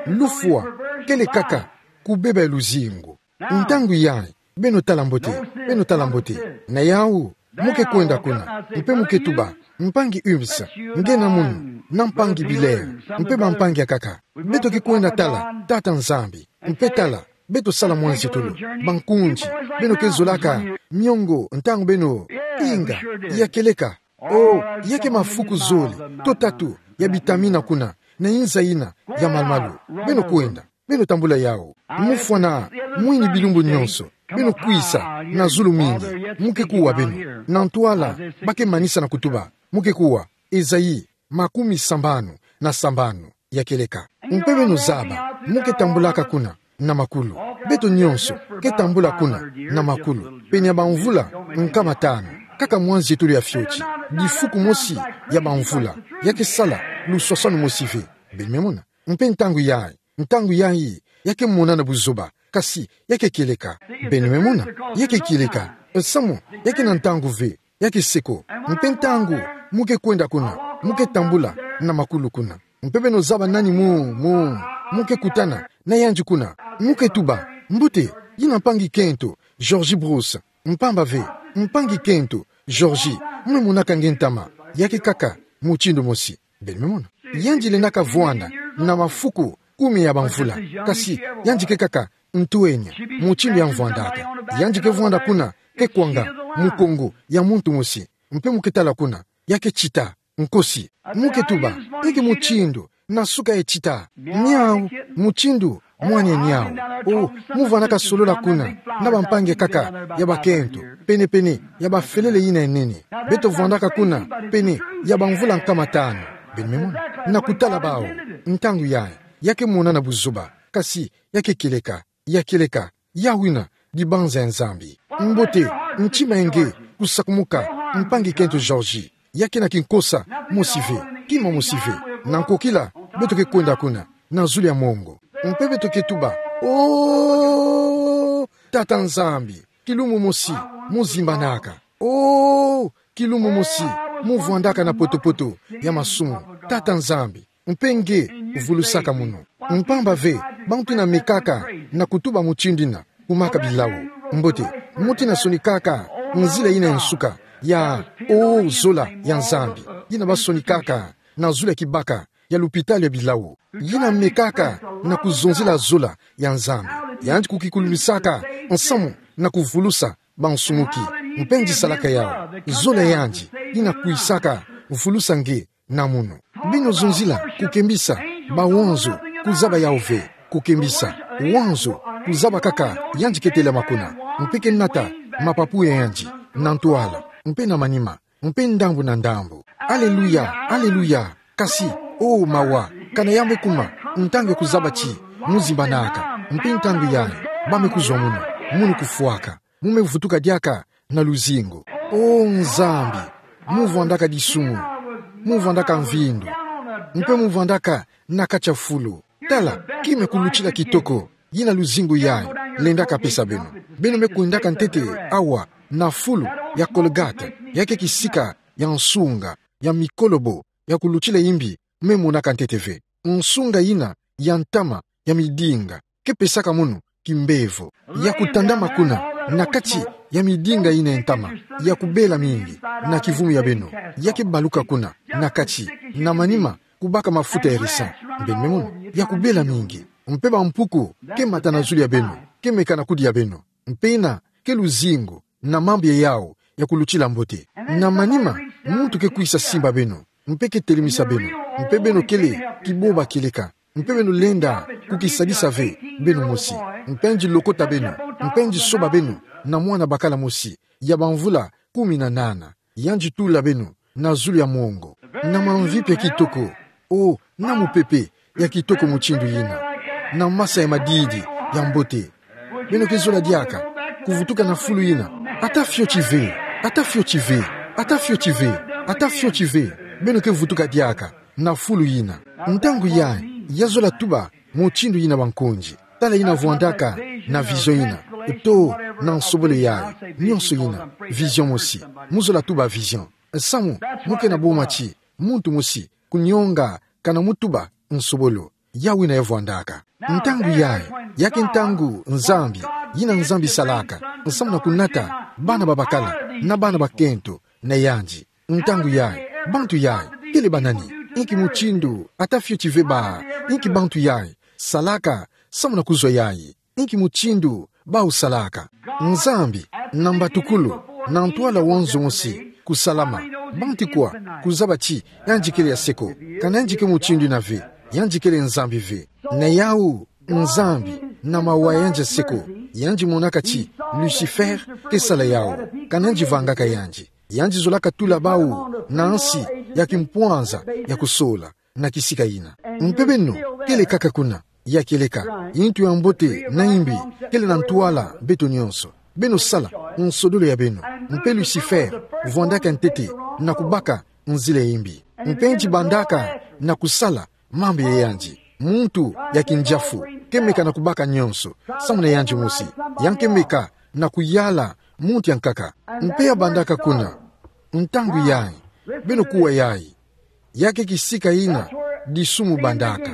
lufwa, kele kaka, kubeba ya luzingu. Ntangu yayi, beno tala mbote, beno tala mbote. Na yawu, mu ke kwenda kuna, mpe mu ke tuba, Mpangi Humes, nge na munu, na mpangi Billard, mpe bampangi akaka. Beto ke kwenda tala, Tata Nzambi, mpe tala, beto sala mwanzi tolo, bankunzi, beno ke zolaka, miongo, ntangu beno, inga, ya kieleka, o, ya ke mafuku zole, to tatu, ya bitamina kuna, na inza ina, ya malumalu, beno kwenda. Beno tambula yawu. Mufwana, mwini bilumbu nyonso. Beno kwisa, na zulu mingi. Mu ke kuwa beno. Na ntwala, ba ke manisa na kutuba. Mu ke kuwa. Esaïe, makumi sambanu, na sambanu, ya kieleka. Mpe beno zaba, mu ke tambulaka kuna, na makulu. Beto nyonso, ke tambula kuna, na makulu. Pene ya bamvula, nkama tanu. Kaka mwanzi tolo ya fioti. Difuku mosi, ya bamvula. Ya ke sala, luswaswanu mosi ve. Beno me mona. Mpe ntangu yayi. Ntangu yayi, ya ke monana buzoba, kasi, ya ke kieleka. Beno me mona, ya ke kieleka. Samu, ya ke na ntangu ve, ya ke seko. Mpe ntangu, mu ke kwenda kuna, mu ke tambula, na makulu kuna. Mpe beno zaba nani mu, mu, mu ke kutana, na yandi kuna. Mu ke tuba, mbote, yina mpangi kento, Georgie Bruce. Mpamba ve, mpangi kento, Georgie, mu me monaka nge ntama, ya ke kaka, mutindu mosi. Beno me mona. Yandi lendaka vwanda, na mafuku, kumi ya bamvula. Kasi, yandi ke kaka, ntwenya, mutindu ya mvwandaka. Yandi ke vwanda kuna, ke kwanga, mukongo, ya muntu mosi. Mpe mu ke tala kuna, ya ke tita, nkosi. Mu ke tuba, nge mutindu, na suka e tita. Niawu, mutindu, mwana niawu. O, mu vwandaka solola kuna, na bampangi akaka, ya bakento, pene-pene, ya bafelele yina ya nene. Beto vwandaka kuna, pene, ya bamvula nkama tanu. Beno me mona. Na kutala bawu, ntangu yayi, ya ke monana buzoba, kasi, ya ke kieleka, ya kieleka, yawu yina, dibanza ya Nzambi. Mbote, ntima ya nge, kusakumuka, mpangi kento Georgie. Ya ke na kinkosa, mosi ve, kima mosi ve. Na nkokila, beto ke kwenda kuna, na zulu ya mongo. Mpe beto ke tuba, o, Tata Nzambi, kilumu mosi, mu zimbanaka. O, kilumu mosi, mu vwandaka na poto-poto, ya masumu. Tata Nzambi, mpe nge, vulusaka munu. Mpamba ve, bantu yina mekaka, na kutuba mutindu yina, kumaka bilawu. Mbote, muntu yina sonikaka, nzila yina ya nsuka, ya, o, zola, ya Nzambi. Yina ba sonikaka, na zulu ya kibaka, ya lupitalu ya bilawu. Yina mekaka, na kuzonzila zola, ya Nzambi. Yandi kukikulumisaka, nsamu, na kuvulusa, bansumuki. Mpe yandi salaka yawu. Zola yandi, yina kwisaka, vulusa nge, na munu. Beno zonzila, kukembisa, bawonzo, kuzaba yawu ve, kukembisa, wanzo, kuzaba kaka, yandi ke telama kuna, mpe ke nata, mapapu ya yandi, na ntwala, mpe na manima, mpe ndambu na ndambu. Aleluya, aleluya, kasi, o mawa, kana ya me kuma, ntangu ya kuzaba ti, mu zimbanaka, mpe ntangu yayi, ba me kuzwa munu, munu kufwaka. Mu me vutuka diaka na luzingu. O Nzambi, mu vwandaka disumu, mu vwandaka mvindu, mpe mu vwandaka na kati ya fulu. Tala, kima ya kulutila kitoko, yina luzingu yayi lendaka pesa beno. Beno me kwendaka ntete awa na fulu ya Golgotha, ya ke kisika ya nsunga, ya mikolobo, ya kulutila imbi, me monaka ntete ve. Nsunga yina ya ntama ya midinga ke pesaka munu kimbevo, ya kutandama kuna na kati ya midinga yina ya ntama, ya kubela mingi na kivumu ya beno, ya ke baluka kuna na kati, na manima kubaka mafuta ya raisin. Beno me mona, ya kubela mingi, mpe bampuku ke mata na zulu ya beno, ke meka na kudi ya beno. Mpe yina ke luzingu na mambu ya yawu ya kulutila mbote. Na manima, muntu ke kwisa simba beno, mpe ke telemisa beno, mpe beno kele kiboba kieleka, mpe beno lenda kukisadisa ve beno mosi, mpe yandi lokota beno, mpe yandi soba beno na mwana bakala mosi ya bamvula kumi na nana, yandi tula beno na zulu ya mongo, na mamvipi ya kitoko, o, na mupepe ya kitoko mutindu yina, na masa ya madidi ya mbote. Beno ke zola diaka kuvutuka na fulu yina? Ata fioti ve, ata fioti ve, ata fioti ve, ata fioti ve. Beno ke vutuka diaka na fulu yina. Ntangu yayi, ya zola tuba mutindu yina, bankonzi. Tala yina vwandaka na vision yina, to na nsobolo yayi, nyonso yina, vision mosi. Mu zola tuba vision. Samu, mu ke na boma ti muntu mosi kunionga kana mu tuba nsobolo. Yawu yina ya vwandaka. Ntangu yayi, ya ke ntangu Nzambi, yina Nzambi salaka, nsamu na kunata bana babakala na bana bakento na yandi. Ntangu yayi, Bantu yayi kele banani? Inki mutindu ata fioti ve ba? Inki bantu yayi salaka samu na kuzwa yayi? Inki mutindu bau salaka? Nzambi, na mbatukulu, na ntwala wa nzo mosi kusalama, bantu kwa kuzaba ti yandi kele ya seko. Kana yandi ke mutindu ina ve, yandi kele Nzambi ve. Na yawu, Nzambi, na mawa yandi ya seko, yandi monaka ti Lucifer ke sala yawu. Kana yandi vangaka yandi, yandi zolaka tula bau na nsi ya kimpwanza ya kusola na kisika ina. Mpe beno kele kaka kuna. Ya kieleka, yintu ya mbote na yimbi kele na ntwala beto nyonso. Beno sala nsodolo ya beno. Mpe Lucifer vwandaka ntete na kubaka nzila ya yimbi. Mpe yandi bandaka na kusala mambu ya yandi. Muntu ya kindiafu ke meka na kubaka nyonso samu na yandi mosi. Ya ke meka na kuyala muntu ya nkaka. Mpe ya bandaka kuna: Ntangu yayi, beno kuwa yayi. Ya ke kisika ina disumu bandaka.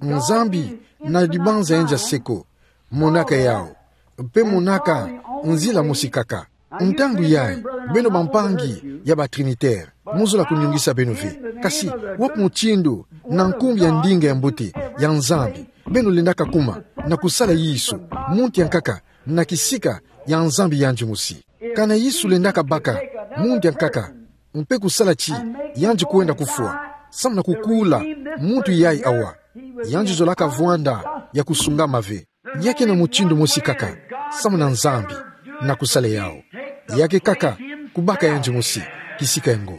Nzambi na dibanza yandi ya seko monaka yawu, mpe monaka nzila mosi kaka. Ntangu yayi, beno bampangi ya ba Trinitaire, muzola kuniungisa beno ve. Kasi wapi mutindu na nkumbu ya ndinga ya mbote ya Nzambi beno lendaka kuma na kusala Yesu, muntu ya nkaka, na kisika ya Nzambi yandi mosi? Kana Yesu lendaka baka muntu ya nkaka mpe kusala ti yandi kwenda kufwa samu na kukula muntu yayi awa, yandi zolaka vwanda ya kusungama ve. Ya ke na mutindu mosi kaka samu na Nzambi na kusala yawu. Ya ke kaka kubaka yandi mosi kisika yango.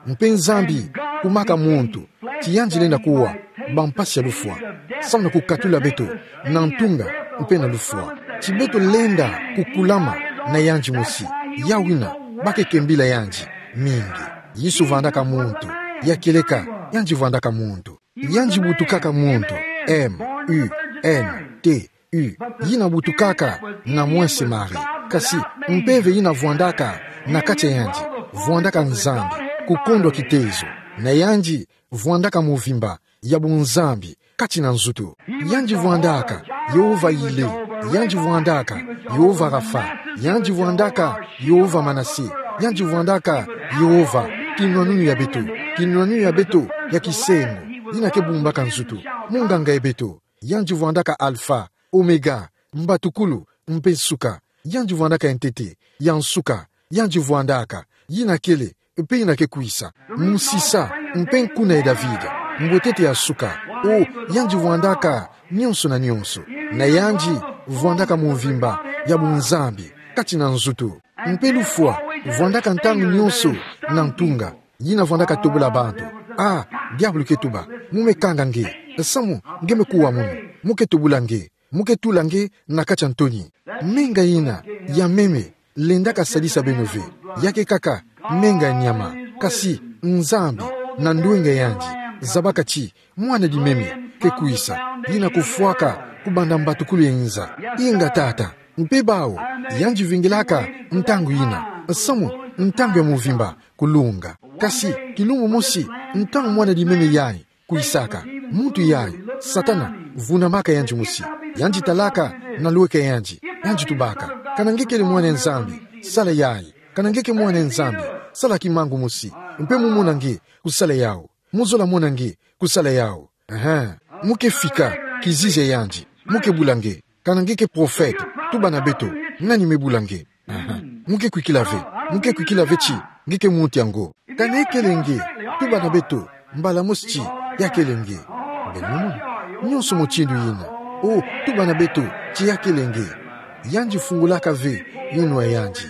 Mpe Nzambi kumaka muntu ti yandi lenda kuwa bampasi ya lufwa samu na kukatula beto na ntunga mpe na lufwa. Ti beto lenda kukulama na yandi mosi. Yawu ina ba ke kembila yandi mingi. Yesu vwandaka muntu. Ya kieleka, yandi vwandaka muntu. Yandi butukaka muntu, M U N T U, yina butukaka na mwese Marie. Kasi mpeve yina vwandaka na kati ya yandi vwandaka Nzambi, kukondwa kitezo. Na yandi vwandaka mvimba ya bunzambi kati na nzutu. Yandi vwandaka Yehova Yile, yandi vwandaka Yehova Rafa, yandi vwandaka Yehova Manase, yandi vwandaka Yehova kinwanunu ya beto, kinwanunu ya beto ya kisengo, yina ke bumbaka nzutu, munganga ya beto. Yandi vwandaka Alfa, Omega, mbatukulu mpe nsuka. Yandi vwandaka ya ntete, ya nsuka. Yandi vwandaka yina kele mpe yina ke kwisa, musisa mpe nkuna ya David, mbwetete ya nsuka. O, yandi vwandaka nyonso na nyonso. Na yandi vwandaka mvimba ya bunzambi kati na nzutu. Mpe lufwa vwandaka ntangu nyonso na ntunga. Yina vwandaka tobola bantu. Ah, diabulu ke tuba: Mu me kanga nge. Samu nge me kuwa munu, mu ke tobola nge, mu ke tula nge na kati ya ntoni. Menga yina ya meme lendaka sadisa beno ve. Ya ke kaka menga ya nyama, kasi Nzambi na ndwenga yandi zabaka ti mwana dimeme ke kwisa, yina kufwaka kubanda mbatukulu ya inza. Inga, Tata. Mpe bau yandi vingilaka ntangu yina samu ntangu ya mvimba kulunga. Kasi kilumbu mosi, ntangu mwana dimeme yayi kwisaka, muntu yayi, Satana, vunamaka yandi mosi. Yandi talaka na lweka yandi, yandi tubaka: Kana nge kele mwana ya Nzambi, sala yayi. Kana nge ke mwana ya Nzambi, sala kimangu mosi. Mpe mu mona nge kusala yawu. Mu zola mona nge kusala yawu. Aha. Mu ke fika kizizi ya yandi, mu ke bula nge: Kana nge ke profete, tuba na beto, nani me bula nge? Aha. Mu ke kwikila ve, mu ke kwikila ve ti nge ke muntu yango. Kana kele nge, tuba na beto mbala mosi ti ya kele nge. Beno mona? Nyonso mutindu yina. O, tuba na beto ti ya kele nge. Yandi fungulaka ve yinwa ya yandi.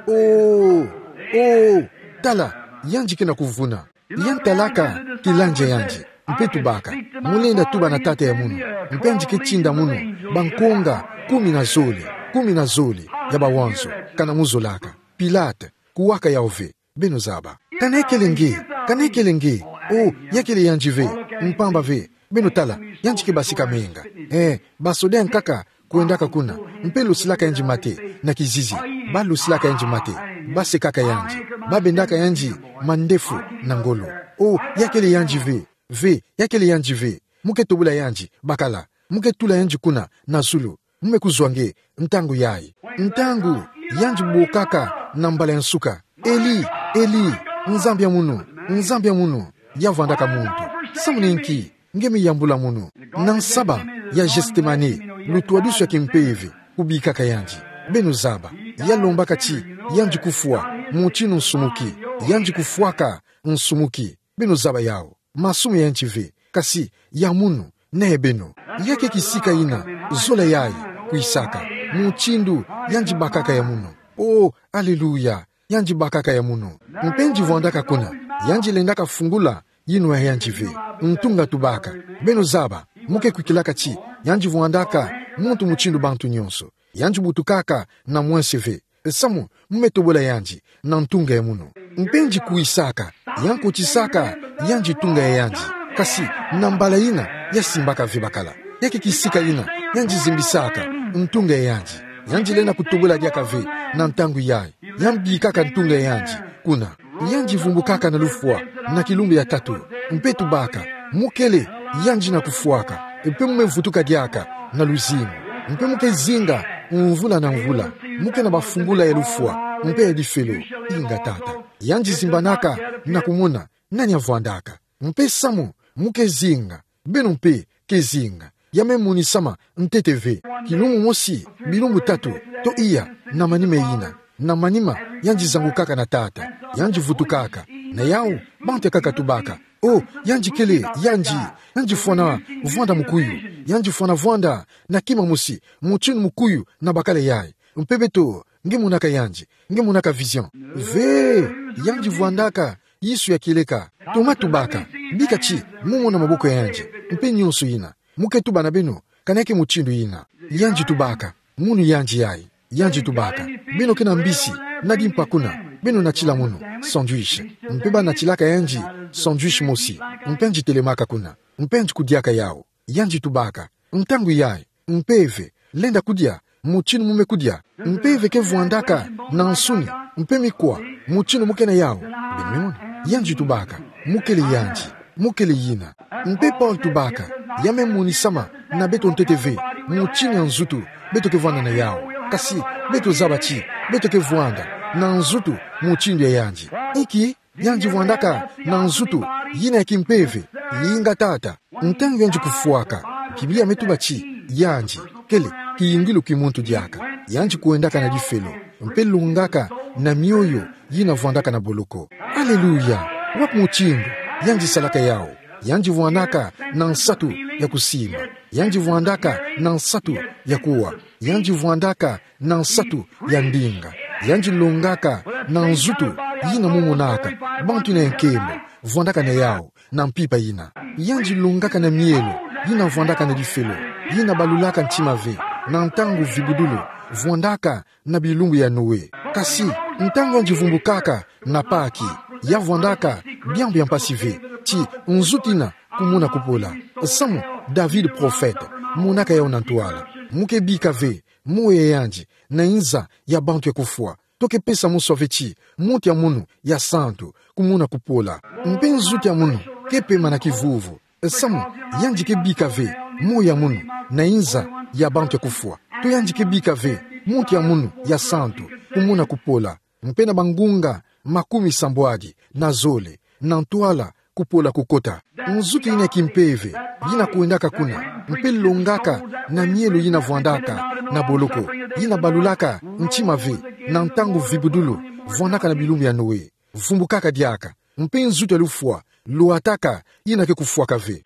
O, o, tala, yandi ke na kuvuna. Yandi talaka kilandi ya yandi, mpe tubaka: Mu lenda tuba na tata ya munu. Mpe yandi ke tinda munu bankonga kumi na zole, kumi na zole ya bawanzo, kana mu zolaka. Pilate, kuwaka yawu ve. Beno zaba. Kana kele nge, kana kele nge. O, ya kele yandi ve, mpamba ve. Beno tala, yandi ke basika menga. Eh, basoda ya nkaka kwendaka kuna, mpe losilaka yandi mate na kizizi. Ba losilaka yandi mate, ba sekaka yandi, ba bendaka yandi mandefu na ngolo. O, ya kele yandi ve, ve, ya kele yandi ve. Mu ke tobola yandi bakala, mu ke tula yandi kuna na zulu. Mu me kuzwa nge ntangu yayi. Ntangu yandi bokaka na mbala ya nsuka: Eli, Eli, Nzambi ya munu, Nzambi ya munu, ya vwandaka muntu. Samu na inki nge me yambula munu? Na nsaba ya Gethsemane, lutu wa dusu ya kimpeve, kubikaka yandi. Beno zaba, ya lombaka ti yandi kufwa, mutindu nsumuki, yandi kufwaka nsumuki. Beno zaba yawu. Masumu ya yandi ve, kasi ya munu, na ya beno. Ya ke kisika ina, zola yayi, kwisaka. Mutindu yandi bakaka ya munu. Oh, aleluya. Yandi bakaka ya munu. Mpe yandi vwandaka kuna, yandi lendaka fungula yinwa ya yandi ve. Ntunga tubaka. Beno zaba, mu ke kwikilaka ti yandi vwandaka muntu mutindu bantu nyonso. Yandi butukaka na mwense ve. Samu, mu me tobola yandi na ntunga ya munu. Mpe yandi kwisaka, ya nkotisaka yandi ntunga ya yandi. Kasi, na mbala ina, ya simbaka ve bakala. Ya ke kisika ina, yandi zimbisaka ntunga ya yandi. Yandi lenda kutobola diaka ve na ntangu yayi. Ya mbikaka ntunga ya yandi kuna. Yandi vumbukaka na lufwa na kilumbu ya tatu. Mpe tubaka, mu kele yandi na kufwaka. Mpe mu me vutuka diaka na luzingu. Mpe mu ke zinga mvula na mvula. Mu ke na bafungula ya lufwa mpe ya difelo. Inga Tata. Yandi zimbanaka na kumona nani ya vwandaka. Mpe samu mu ke zinga, beno mpe ke zinga. Ya me monisama ntete ve. Kilumbu mosi, bilumbu tatu, to iya, na manima yina. Na manima, yandi zangukaka na Tata. Yandi vutukaka. Na yawu, bantu ya kaka tubaka. Oh, yandi kele, yandi, yandi fwana vwanda mukuyu. Yandi fwana vwanda na kima mosi, mutindu mukuyu na bakala yayi. Mpe beto, nge monaka yandi, nge monaka vision. Ve, yandi vwandaka yisu ya kieleka. Toma tubaka, bika ti mu mona maboko ya yandi, mpe nyonso yina. Mu ke tuba na beno, kana ya ke mutindu yina. Yandi tubaka, munu yandi yayi. Yandi tubaka, beno ke na mbisi, na dimpa kuna, beno natila munu, sandwich. Mpe ba natilaka yandi sandwich mosi, mpe yandi telemaka kuna, mpe yandi kudiaka yawu. Yandi tubaka, ntangu yayi, mpeve, lenda kudia, mutindu mu me kudia. Mpeve ke vwandaka na nsuni, mpe mikwa, mutindu mu ke na yawu. Beno me mona, yandi tubaka, mu kele yandi, mu kele yina. Mpe Paul tubaka, ya me monisama na beto ntete ve, mutindu ya nzutu beto ke vwanda na yawu. Kasi, beto zaba ti beto ke vwanda na nzutu mutindu ya yandi. Inki? Yandi vwandaka na nzutu yina ya kimpeve. Inga Tata. Ntangu yandi kufwaka, Biblia me tuba ti yandi kele kiyingilu ki muntu diaka. Yandi kwendaka na difelo, mpe longaka na mioyo yina vwandaka na boloko. Aleluya! Wapi mutindu yandi salaka yawu? Yandi vwandaka na nsatu ya kusimba. Yandi vwandaka na nsatu ya kuwa. Yandi vwandaka na nsatu ya ndinga. Yandi longaka na nzutu yina mu monaka bantu yina ya nkembo vwandaka na yawu na mpimpa yina. Yandi longaka na mielo yina vwandaka na difelo, yina balulaka ntima ve, na ntangu vibudulu vwandaka na bilumbu ya Noe. Kasi, ntangu yandi vumbukaka na Paki, ya vwandaka biambu ya mpasi ve, ti nzutu yina kumona kupola. Samu, David prophète monaka yawu na ntwala. Mu ke bika ve moyo ya yandi na inza ya bantu ya kufwa. To ke pesa muswa ve ti muntu ya munu ya santu kumona kupola. Mpe nzutu ya munu ke pema na kivuvu. Samu, yandi ke bika ve moyo ya munu na inza ya bantu ya kufwa. To yandi ke bika ve muntu ya munu ya santu kumona kupola. Mpe na bangunga makumi sambwadi na zole na ntwala kupola kukota. Nzutu yina ya kimpeve yina kwendaka kuna, mpe longaka na mielo yina vwandaka na boloko, yina balulaka ntima ve, na ntangu vibudulu vwandaka na bilumbu ya Noe. Vumbukaka diaka, mpe nzutu ya lufwa lwataka yina ke kufwaka ve.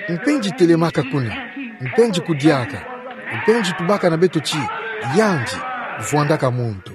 Mpe yandi telemaka kuna, mpe yandi kudiaka, mpe yandi tubaka na beto ti yandi vwandaka muntu.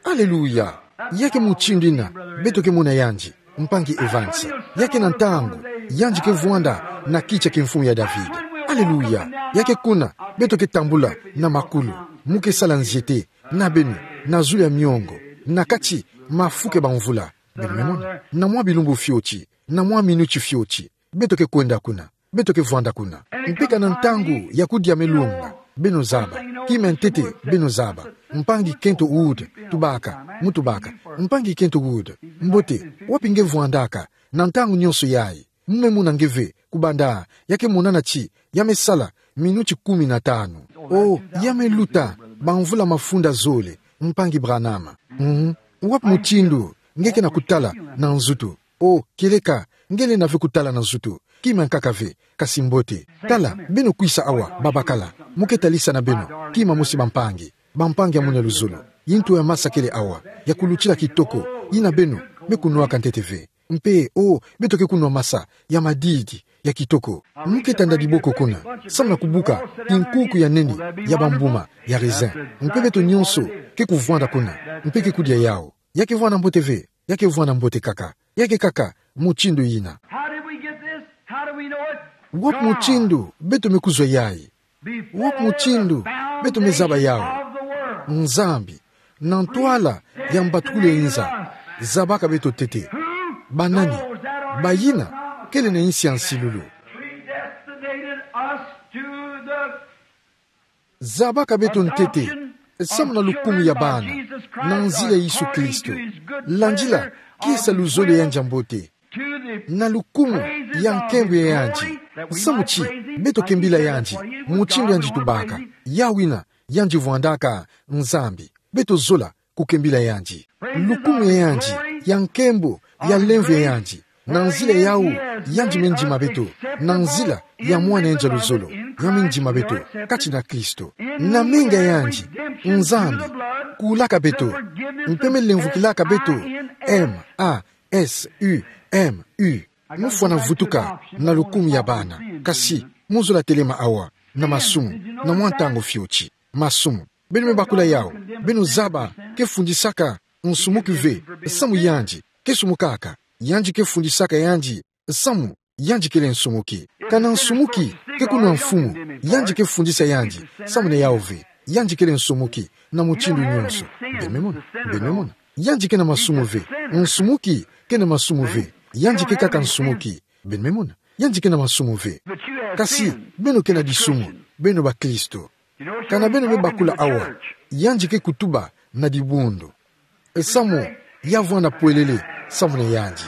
Aleluya! Ya ke mutindu yina beto ke mona yandi, mpangi Evans. Ya ke na ntangu yandi ke vwanda na kiti ya kimfumu ya David. Aleluya! Ya ke kuna beto ke tambula na makulu, mu ke sala nziete, na beno, na zulu ya miongo, na kati mafuke bamvula. Beno me mona, na mwa bilumbu fioti, na mwa minuti fioti, beto ke kwenda kuna, beto ke vwanda kuna. Mpe kana ntangu ya kudia me longa, beno zaba. Kima ya ntete, beno zaba. Mpangi Kent Wood tubaka, mu tubaka: Mpangi Kent Wood, mbote, wapi nge vwandaka na ntangu nyonso yayi? Mu me mona nge ve, kubanda ya ke monana ti ya me sala minuti kumi na tanu. Oh, ya me luta bamvula mafunda zole, mpangi Branham. Mhm. Wapi mutindu nge ke na kutala na nzutu? O, kieleka, nge lenda ve kutala na nzutu. Kima nkaka ve, kasi mbote. Tala, beno kwisa awa, babakala. Mo ke talisa na beno, kima mosi bampangi. Bampangi ya munu luzolo. Yi ntu ya masa kele awa, ya kulutila kitoko, yi na beno, me kunwaka ntete ve. Mpe, o, beto ke kunwa masa, ya madidi, ya kitoko. Mo ke tanda diboko kuna, samu na kubuka, kinkuku ya nene, ya bambuma, ya raisin. Mpe beto nyonso, ke kuvwanda kuna, mpe ke kudia yawu. Ya ke vwanda mbote ve, ya ke vwanda mbote kaka. Ya ke kaka, mutindu yina. How did we get this? How do we know it? Wapi mutindu, beto me kuzwa yayi? Wapi mutindu, beto me zaba yawu? Nzambi, na ntwala ya mbatukulu ya inza, zabaka beto ntete. Banani? Bayina kele na insi ya nsilulu. Predestinated us to the Zabaka beto ntete, samu na lukumu ya bana, na nzila ya Yesu Kristo. Landila, kisa luzolo ya yandi ya mbote. Na lukumu ya nkembo ya yandi. Samu ti, beto kembila yandi, mutindu yandi tubaka. Yawu yina, yandi vwandaka, Nzambi. Beto zola, kukembila yandi. Lukumu ya yandi, ya nkembo, ya lemvo ya yandi. Na nzila yawu, yandi me ndima beto. Na nzila, ya mwana yandi ya luzolo. Ya me ndima beto, kati na Kristo. Na menga ya yandi, Nzambi, kulaka beto. Mpe me lemvokilaka beto, M A S U M U. Mo fwana vutuka, na lukumu ya bana. Kasi, mo zola telema awa, na masumu, na mwa ntangu fioti. Masumu. Beno me bakula yawu, beno zaba, ke fundisaka, nsumuki ve, samu yandi, ke sumukaka, yandi ke fundisaka yandi, samu, yandi kele nsumuki. Kana nsumuki, ke kunwa mfumu, yandi ke fundisa yandi, samu na yawu ve, yandi kele nsumuki, na mutindu nyonso. Beno me mona, beno me mona. Yandi ke na masumu ve, nsumuki, ke na masumu ve, yandi ke kaka nsumuki. Beno me mona, yandi ke na masumu ve. Kasi, beno ke na disumu, beno bakristo. Kana beno me bakula awa, yandi ke kutuba na dibundu. Samu, ya vwanda pwelele, samu na yandi.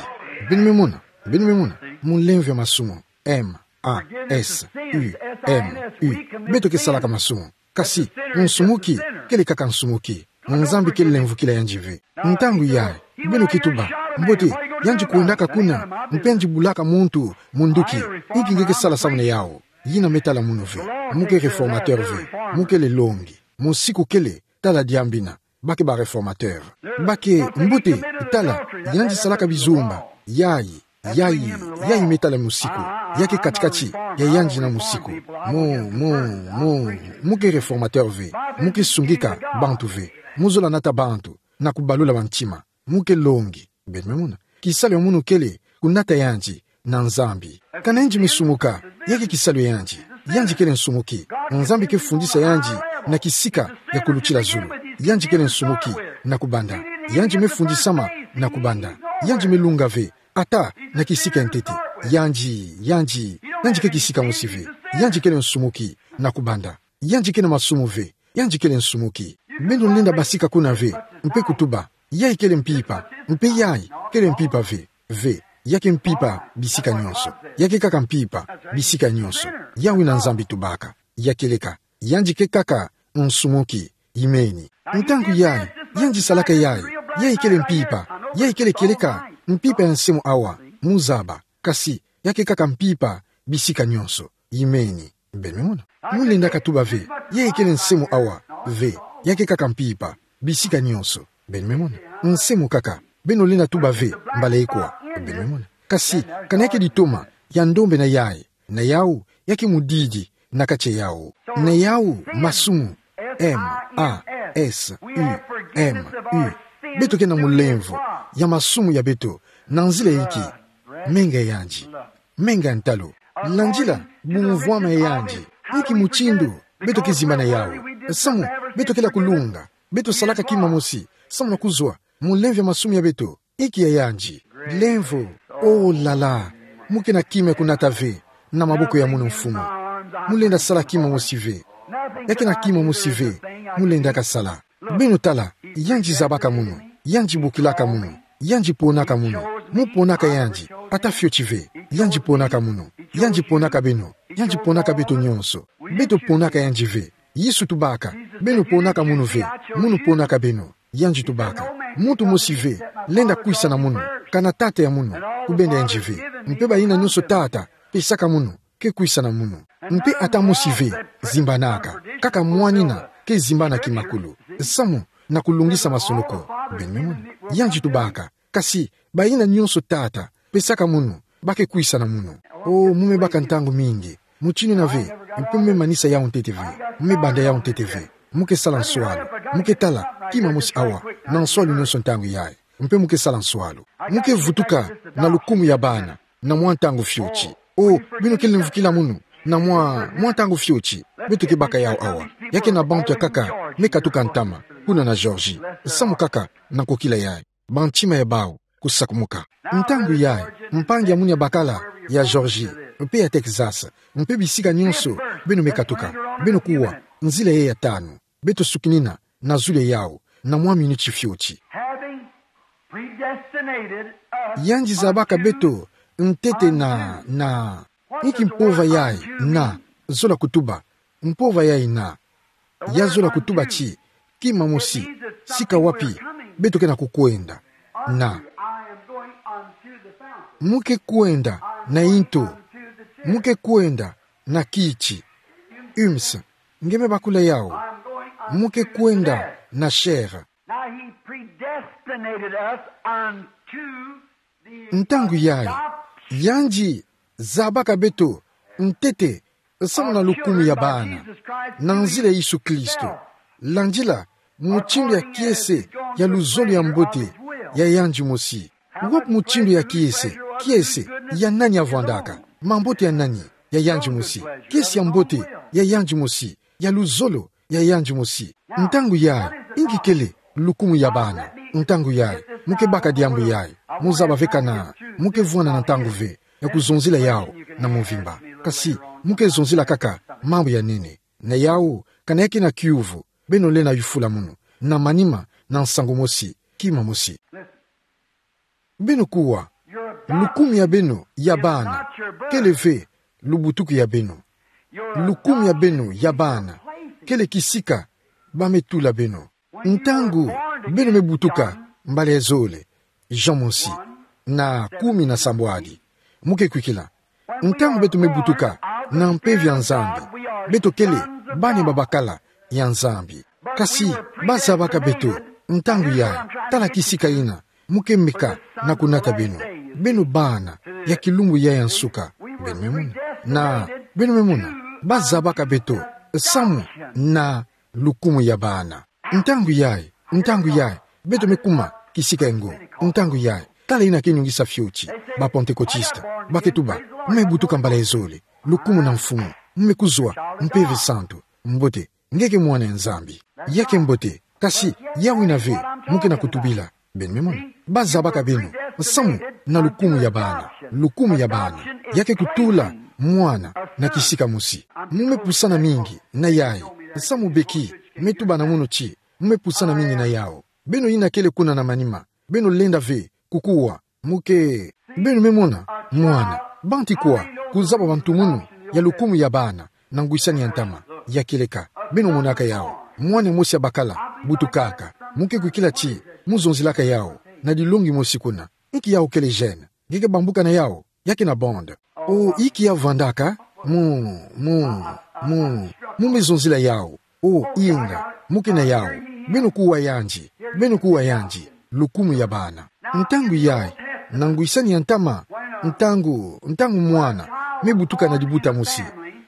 Beno me mona, beno me mona, mulemvo ya masumu, M A S U M U. Beto ke salaka masumu. Kasi, nsumuki, kele kaka nsumuki. Nzambi ke lemvokila yandi ve. Ntangu yayi, beno ke tuba, mbote, yandi kwendaka kuna, mpe yandi bulaka muntu, munduki, inki nge ke sala samu na yawu. Yina me tala munu ve, mo ke réformateur ve, mo kele longi, mosiku kele, tala diambu yina, ba ke ba réformateur. Ba ke, mbote, tala, yandi salaka bizumba, yayi, yayi, yayi me tala mosiku, ya ke kati-kati, ya yandi na mosiku. Mo, mo, mo, mo ke réformateur ve, mo ke sungika, bantu ve, mo zola nata bantu, na kubalula bantima, mo ke longi. Beno me mona. Kisalu ya munu kele, kunata yandi, na Nzambi. Kana yandi me sumuka, ya ke kisalu ya yandi. Yandi kele nsumuki. Nzambi ke fundisa yandi, na kisika, ya kulutila zulu. Yandi kele nsumuki, na kubanda. Yandi me fundisama, na kubanda. Yandi me lunga ve, ata, na kisika ya ntete. Yandi, yandi, yandi ke kisika mosi ve. Yandi kele nsumuki, na kubanda. Yandi ke na masumu ve, yandi kele nsumuki. Beno lenda basika kuna ve, mpe kutuba, yayi kele mpimpa, mpe yayi, kele mpimpa ve, ve, ya ke mpimpa, bisika nyonso, ya ke kaka mpimpa, bisika nyonso, yawu yina Nzambi tubaka, ya kieleka, yandi ke kaka, nsumuki, imeni. Ntangu yayi, yandi salaka yayi, yayi kele mpimpa, yayi kele kieleka, mpimpa ya nse mo awa, mo zaba, kasi, ya ke kaka mpimpa, bisika nyonso, imeni. Beno me mona. Mo lenda katuba ve, yayi kele nse mo awa, ve, ya ke kaka mpimpa, bisika nyonso. Beno me mona. Nse mo kaka, beno lenda tuba ve, mbala ikwa. Beno me mona. Kasi, kana ya ke ditoma, ya ndombe na yayi, na yawu, ya ke mudidi, na kati ya yawu. Na yawu, masumu, M A S U M U. Beto ke na mulemvo, ya masumu ya beto, na nzila inki, menga ya yandi. Menga ya ntalu. Landila, bumvwama ya yandi. Inki mutindu, beto ke zimbana yawu. Samu, beto kele kulunga. Beto salaka kima mosi. Samu na kuzwa, mulemvo ya masumu ya beto. Inki ya yandi. Lemvo. Oh là là. Mo ke na kima ya kunata ve. Na maboko ya munu mfumu. Mo lenda sala kima mosi ve. Ya ke na kima mosi ve. Mo lenda kasala. Beno tala, yandi zabaka munu, yandi bokilaka munu, yandi ponaka munu, mo ponaka yandi, ata fioti ve, yandi ponaka munu, yandi ponaka beno, yandi ponaka beto nyonso, beto ponaka yandi ve, Yesu tubaka, beno ponaka munu ve, munu ponaka beno, yandi tubaka, muntu mosi ve, lenda kwisa na munu, kana tata ya munu, kubenda yandi ve. Mpe bayina nyonso tata pesaka munu, ke kwisana munu. Mpe ata mosi ve zimbanaka, kaka mwanina ke zimbana kimakulu. Samu na kulungisa masonoko. Beno me mona. Yandi tubaka. Kasi, bayina nyonso tata pesaka munu, ba ke kwisana munu. O, mu me baka ntangu mingi. Mutindu yina ve, mpe mu me manisa yawu ntete ve. Mu me banda yawu ntete ve. Mu ke sala nswalu. Mu ke tala, kima mosi awa, na nswalu nyonso ntangu yayi. Mpe mu ke sala nswalu. Mu ke vutuka na lukumu ya bana, na mwa ntangu fioti. O, beno kele mvukila munu, na mwa, mwa ntangu fioti. Beto ke baka yawu awa. Ya ke na bantu ya nkaka me katuka ntama, kuna na Georgie. Samu kaka na kokila yayi. Bantima ya bawu kusakumuka. Ntangu yayi, mpangi ya munu ya bakala, ya Georgie, mpe ya Texas, mpe bisika nyonso beno me katuka, beno kuwa, nzila yayi ya tanu. Beto sukinina na zulu yawu, na mwa minuti fioti. Having predestinated us Yandi zabaka unto beto ntete na, na, inki mpova yayi na, zola kutuba, mpova yayi na, ya zola kutuba ti, kima mosi, sika wapi beto ke na kukwenda. Na, I am going unto the fountain. Mu ke kwenda na into. Mu ke kwenda na kiti. Ums, nge me bakula yawu. Mu ke kwenda na chair. Now he predestinated us unto the Ntangu yayi, adoption yandi zabaka beto ntete samu na lukumu ya bana, na nzila ya Yesu Kristo. Landila mutindu ya kiese ya luzolo ya mbote ya yandi mosi. Wapi mutindu ya kiese, kiese ya nani avwandaka? Mambote ya nani? Ya yandi mosi. Kiese ya mbote ya yandi mosi. Ya luzolo ya yandi mosi. Ntangu yayi, inki kele lukumu ya bana? Ntangu yayi, mu ke baka diambu yayi. Mu zaba ve kana mu ke vwanda na ntangu ve ya kuzonzila yawu na mvimba. Kasi, mu ke zonzila kaka mambu ya nene. Na yawu, kana ya ke na kiuvu, beno lenda yufula munu, na manima, na nsangu mosi, kima mosi. Beno kuwa, lukumu ya beno ya bana kele ve lubutuku ya beno. Lukumu ya beno ya bana kele kisika ba me tula beno. Ntangu beno me butuka mbala ya zole, Jean mosi na kumi na sambwadi, mu ke kwikila. Ntangu beto me butuka na mpeve ya Nzambi, beto kele bana babakala ya Nzambi. Kasi ba zabaka beto, ntangu yayi, tala kisika yina mu ke meka na kunata beno. Beno bana ya kilumbu yayi ya nsuka. Beno me mona. Na, beno me mona, ba zabaka beto samu na lukumu ya bana. Ntangu yayi, ntangu yayi, beto me kuma kisika engo. Ntangu yayi, tala yina ke nungisa fioti, ba Pantekotista. Ba ke tuba, mu me butuka mbala ya zole, lukumu na mfumu, mu me kuzwa mpeve santu. Mbote, nge ke mwana ya Nzambi. Ya ke mbote, kasi yawu yina ve mu ke na kutubila. Beno me mona. Ba zabaka beno samu na lukumu ya bana. Lukumu ya bana ya ke kutula mwana na kisika mosi. Mu me pusana mingi na yayi. Samu beki me tuba na munu ti, mu me pusana mingi na yawu. Beno yina kele kuna na manima, beno lenda ve kukuwa, mu ke. Beno me mona, mwana. Banti kwa kuzaba bantu munu ya lukumu ya bana na ngwisani ya ntama, ya kieleka. Beno monaka yawu. Mwana mosi abakala, butukaka. Mu ke kwikila ti mu zonzilaka yawu na dilongi mosi kuna. Inki yawu kele gêne? Nge ke bambuka na yawu? Ya ke na bande. O, inki ya vwandaka? Mu, mu, mu, mu me zonzila yawu. O, inga, mu ke na yawu. Beno kuwa yandi. Beno kuwa yandi. Lukumu ya bana. Ntangu yayi, na ngwisani ya ntama, ntangu, ntangu mwana me butuka na dibuta mosi,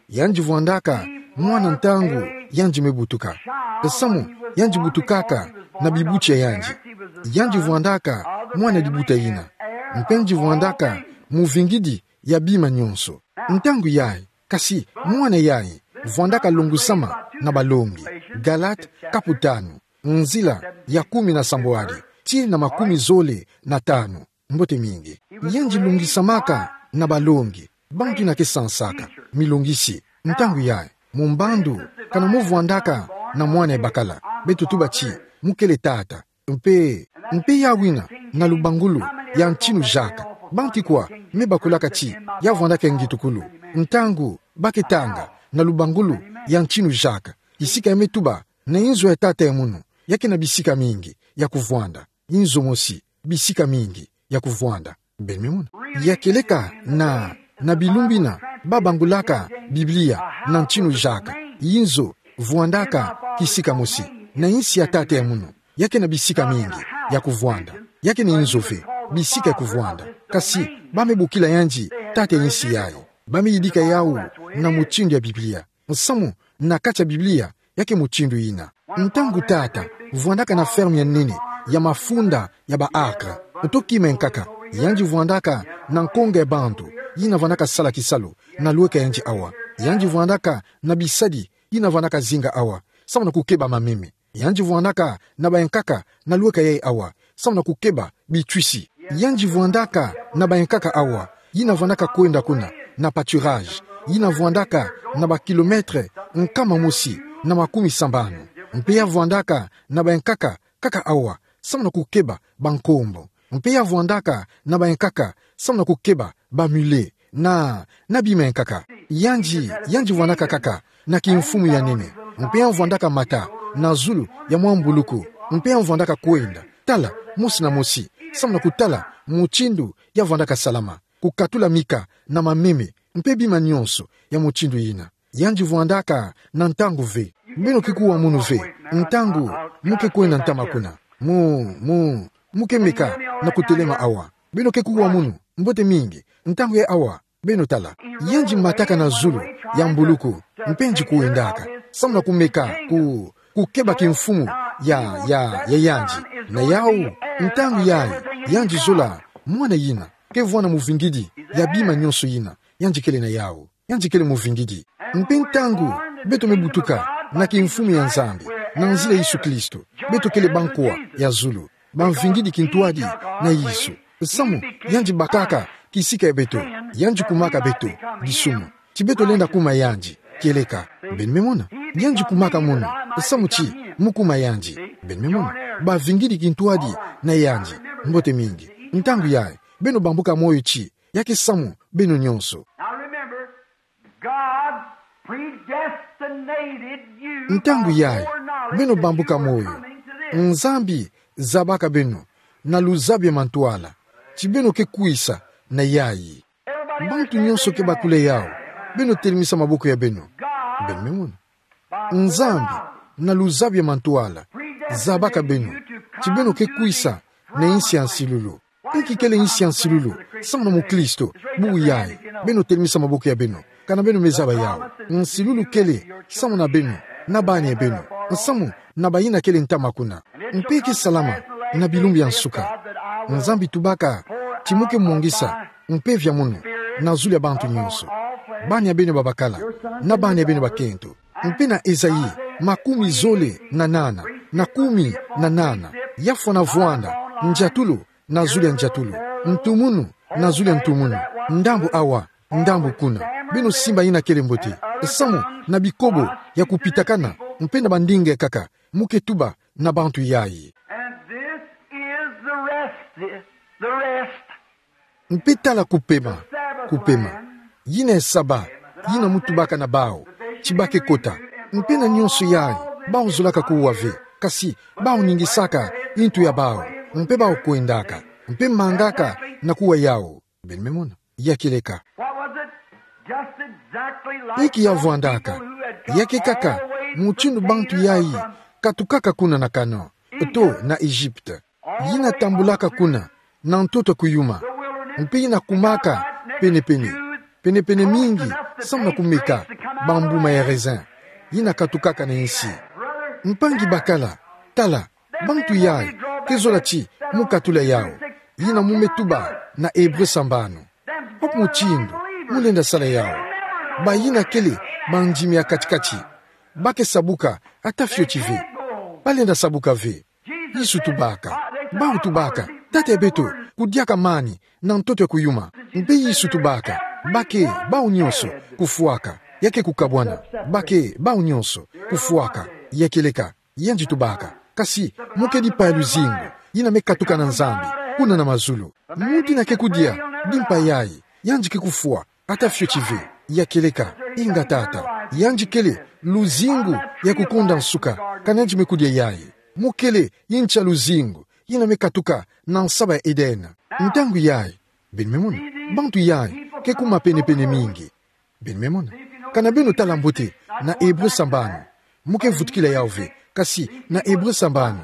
yandi vwandaka mwana ntangu yandi me butuka. Samu yandi butukaka na bibuti ya yandi. Yandi vwandaka mwana dibuta yina. Mpe yandi vwandaka muvingidi ya bima nyonso. Ntangu yayi, kasi mwana yayi vwandaka longusama na balongi. Galate kapu tanu, nzila ya kumi na sambwadi tii na makumi zole na tanu. Mbote mingi. Yandi longisamaka na balongi. Bantu yina ke sansaka milongisi. Ntangu yayi, mu mbandu, kana mu vwandaka na mwana ebakala, beto tuba ti mu kele tata. Mpe, mpe yawu yina na lubangulu ya ntinu jaka. Banti kwa me bakulaka ti ya vwandaka ngitukulu? Ntangu ba ke tanga na lubangulu ya ntinu jaka, kisika ya me tuba na inzo ya tata ya munu, ya ke na bisika mingi ya kuvwanda. Inzo mosi, bisika mingi. ya kuvwanda. Beno me mona. Ya kieleka na, na bilumbu ina, ba bangulaka Biblia na ntinu jaka. Inzo, vwandaka kisika mosi na insi ya tata ya munu. Ya ke na bisika mingi ya kuvwanda. Ya ke na inzo ve bisika ya kuvwanda. Kasi, ba me bokila yandi tata ya insi yayi. Ba me yidika yawu na mutindu ya Biblia. Nsamu na kati ya Biblia, ya ke mutindu ina. Ntangu tata vwandaka na ferme ya nene ya mafunda ya ba acre, nto kima ya nkaka, yandi vwandaka na nkonga ya bantu yina vwandaka sala kisalu na lweka yandi awa. Yandi vwandaka na bisadi yina vwandaka zinga awa, samu na kukeba mameme. Yandi vwandaka na bayankaka na lweka yayi awa, samu na kukeba bitwisi. Yandi vwandaka na bayankaka awa, yina vwandaka kwenda kuna na pâturage, yina vwandaka na ba kilomètre nkama mosi na makumi sambanu. Mpe ya vwandaka na bayankaka kaka awa, samu na kukeba bankombo. Mpe ya vwandaka na bayankaka samu na kukeba ba mulet na, na bima ya nkaka. Yandi, yandi vwandaka kaka na kimfumu ya nene. Mpe ya vwandaka mata na zulu ya mwa mbuluku. Mpe ya vwandaka kwenda, tala, mosi na mosi, samu na kutala mutindu ya vwandaka salama, kukatula mika na mameme, mpe bima nyonso ya mutindu ina. Yandi vwandaka na ntangu ve. Beno ke kuwa munu ve ntangu mu ke kwenda ntama kuna. Mu, mu, mu ke meka na kutelema awa. Beno ke kuwa munu, mbote mingi, ntangu yayi awa. Beno tala. Yandi mataka na zulu ya mbuluku, mpe yandi kwendaka samu na kumeka ku, kukeba kimfumu ya, ya, ya yandi. Na yawu, ntangu yayi, yandi zola mwana yina ke vwanda muvingidi ya bima nyonso yina yandi kele na yawu. Yandi kele muvingidi. Mpe ntangu beto me butuka na kimfumu ya Nzambi, na nzila Yesu Kristo, beto kele bankwa ya zulu, bamvingidi kintwadi na Yesu. Samu yandi bakaka kisika ya beto, yandi kumaka beto disumu. Ti beto lenda kuma yandi, kieleka. Beno me mona. Yandi kumaka munu, samu ti mu kuma yandi. Beno me mona. Bavingidi kintwadi na yandi. Mbote mingi. Ntangu yayi, beno bambuka moyo ti ya ke samu beno nyonso. Now remember, God predestinated you. Ntangu yayi, beno bambuka moyo. Nzambi zabaka beno na luzabu ya mantwala ti beno ke kwisa na yayi. Bantu nyonso ke bakula yawu. Beno telemisa maboko ya beno. Beno me mona. Nzambi, na luzabu ya mantwala, zabaka beno ti beno ke kwisa na insi ya nsilulu. Inki kele insi ya nsilulu? Samu na mukristo bubu yayi, beno telemisa maboko ya beno. Kana beno me zaba yawu. Nsilulu kele samu na beno, na bana ya beno, samu na bayina kele ntama kuna. Mpe ke salama na bilumbu ya nsuka. Nzambi tubaka ti mu ke mwangisa mpeve ya munu na zulu ya bantu nyonso. Bana ya beno babakala, na bana ya beno bakento. Mpe na Ezayi makumi zole na nana, na kumi na nana, ya fwana vwanda ndiatulu na zulu ya ndiatulu, ntumunu na zulu ya ntumunu, ndambu awa, ndambu kuna. Beno simba yina kele mbote. Samu na bikobo ya kupitakana, mpe na bandinga kaka, mu ke tuba na bantu yayi. And this is the rest, the rest. Mpe tala kupema, kupema. Yina Saba, yina mu tubaka na bawu ti ba ke kota. Mpe na nyonso yayi, bawu zolaka kuwa ve. Kasi, bawu ningisaka intu ya bawu. Mpe bawu kwendaka. Mpe mangaka na kuwa yawu. Beno me mona. Ya kieleka. What was it? Just exactly like those people who had come all the way from Canaan or from Inki ya vwandaka? Ya ke kaka mutindu bantu yayi katukaka kuna na Canaan to na Egypte. Yina tambulaka kuna na ntoto ya kuyuma. Mpe yina kumaka penepene, penepene mingi, samu na kumeka bambuma ya raisin yina katukaka na insi. Mpangi bakala, tala, bantu yayi ke zola ti mu katula yawu. Yina mu me tuba na Ebre sambanu. Wapi mutindu mu lenda sala yawu? Bayina kele bandimi ya kati-kati, ba ke sabuka ata fioti ve. Ba lenda sabuka ve. Yesu tubaka. Bawu tubaka: Tata ya beto, kudiaka mani na ntoto ya kuyuma. Mpe Yesu tubaka: Ba ke bawu nyonso kufwaka. Ya ke kukabwana. Ba ke bawu nyonso kufwaka. Ya kieleka. Yandi tubaka: Kasi mu kedi mpa ya luzingu yina me katuka na Nzambi, kuna na mazulu. Muntu yina ke kudia di mpa yayi, yandi ke kufwa ata fioti ve. Ya kieleka. Inga tata. Yandi kele luzingu ya kukonda nsuka. Kana yandi me kudia yayi, mu kele ncha luzingu yina me katuka na nsaba ya Edene. Ntangu yayi, beno me mona, bantu yayi ke kuma penepene mingi. Beno me mona. Kana beno tala mbote na Ebre sambanu, mo ke vutukila yawu ve, kasi na Ebre sambanu,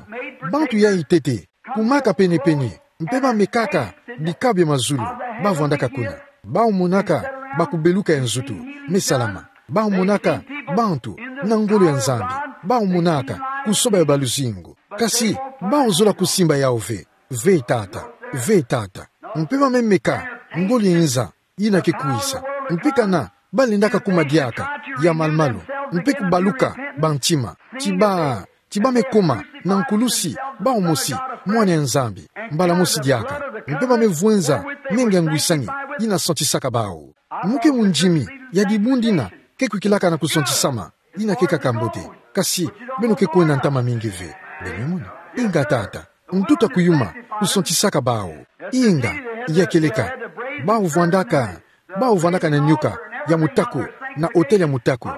bantu yayi ntete kumaka penepene, mpe bamekaka bika bia mazulu, bavwandaka kuna. Bawu monaka bakubeluka ya nzutu me salama. Bawu monaka bantu na ngolo ya Nzambi. Bawu monaka kusoba ya baluzingu. Kasi bawu zola kusimba yawu ve. Ve, Tata. Ve, Tata. Mpe ba me meka ngolo ya inza yina ke kwisa. Mpe kana balendaka kuma diaka ya malumalu, mpe kubaluka bantima, ti ba, ti ba me koma na nkulusi bawu mosi, Mwana ya Nzambi, mbala mosi diaka. Mpe ba me vwenza menga ya ngwisani yina santisaka bawu. Mo ke mundimi ya dibundu dina ke kwikilaka na kusantisama, yina ke kaka mbote. Kasi beno ke kwenda ntama mingi ve. Beno me mona. Inga, Tata. Ntuta kuyuma kusantisaka bawu. Inga, ya kieleka. Bawu vwandaka, bawu vwandaka na nyoka ya mutaku, na autel ya mutaku,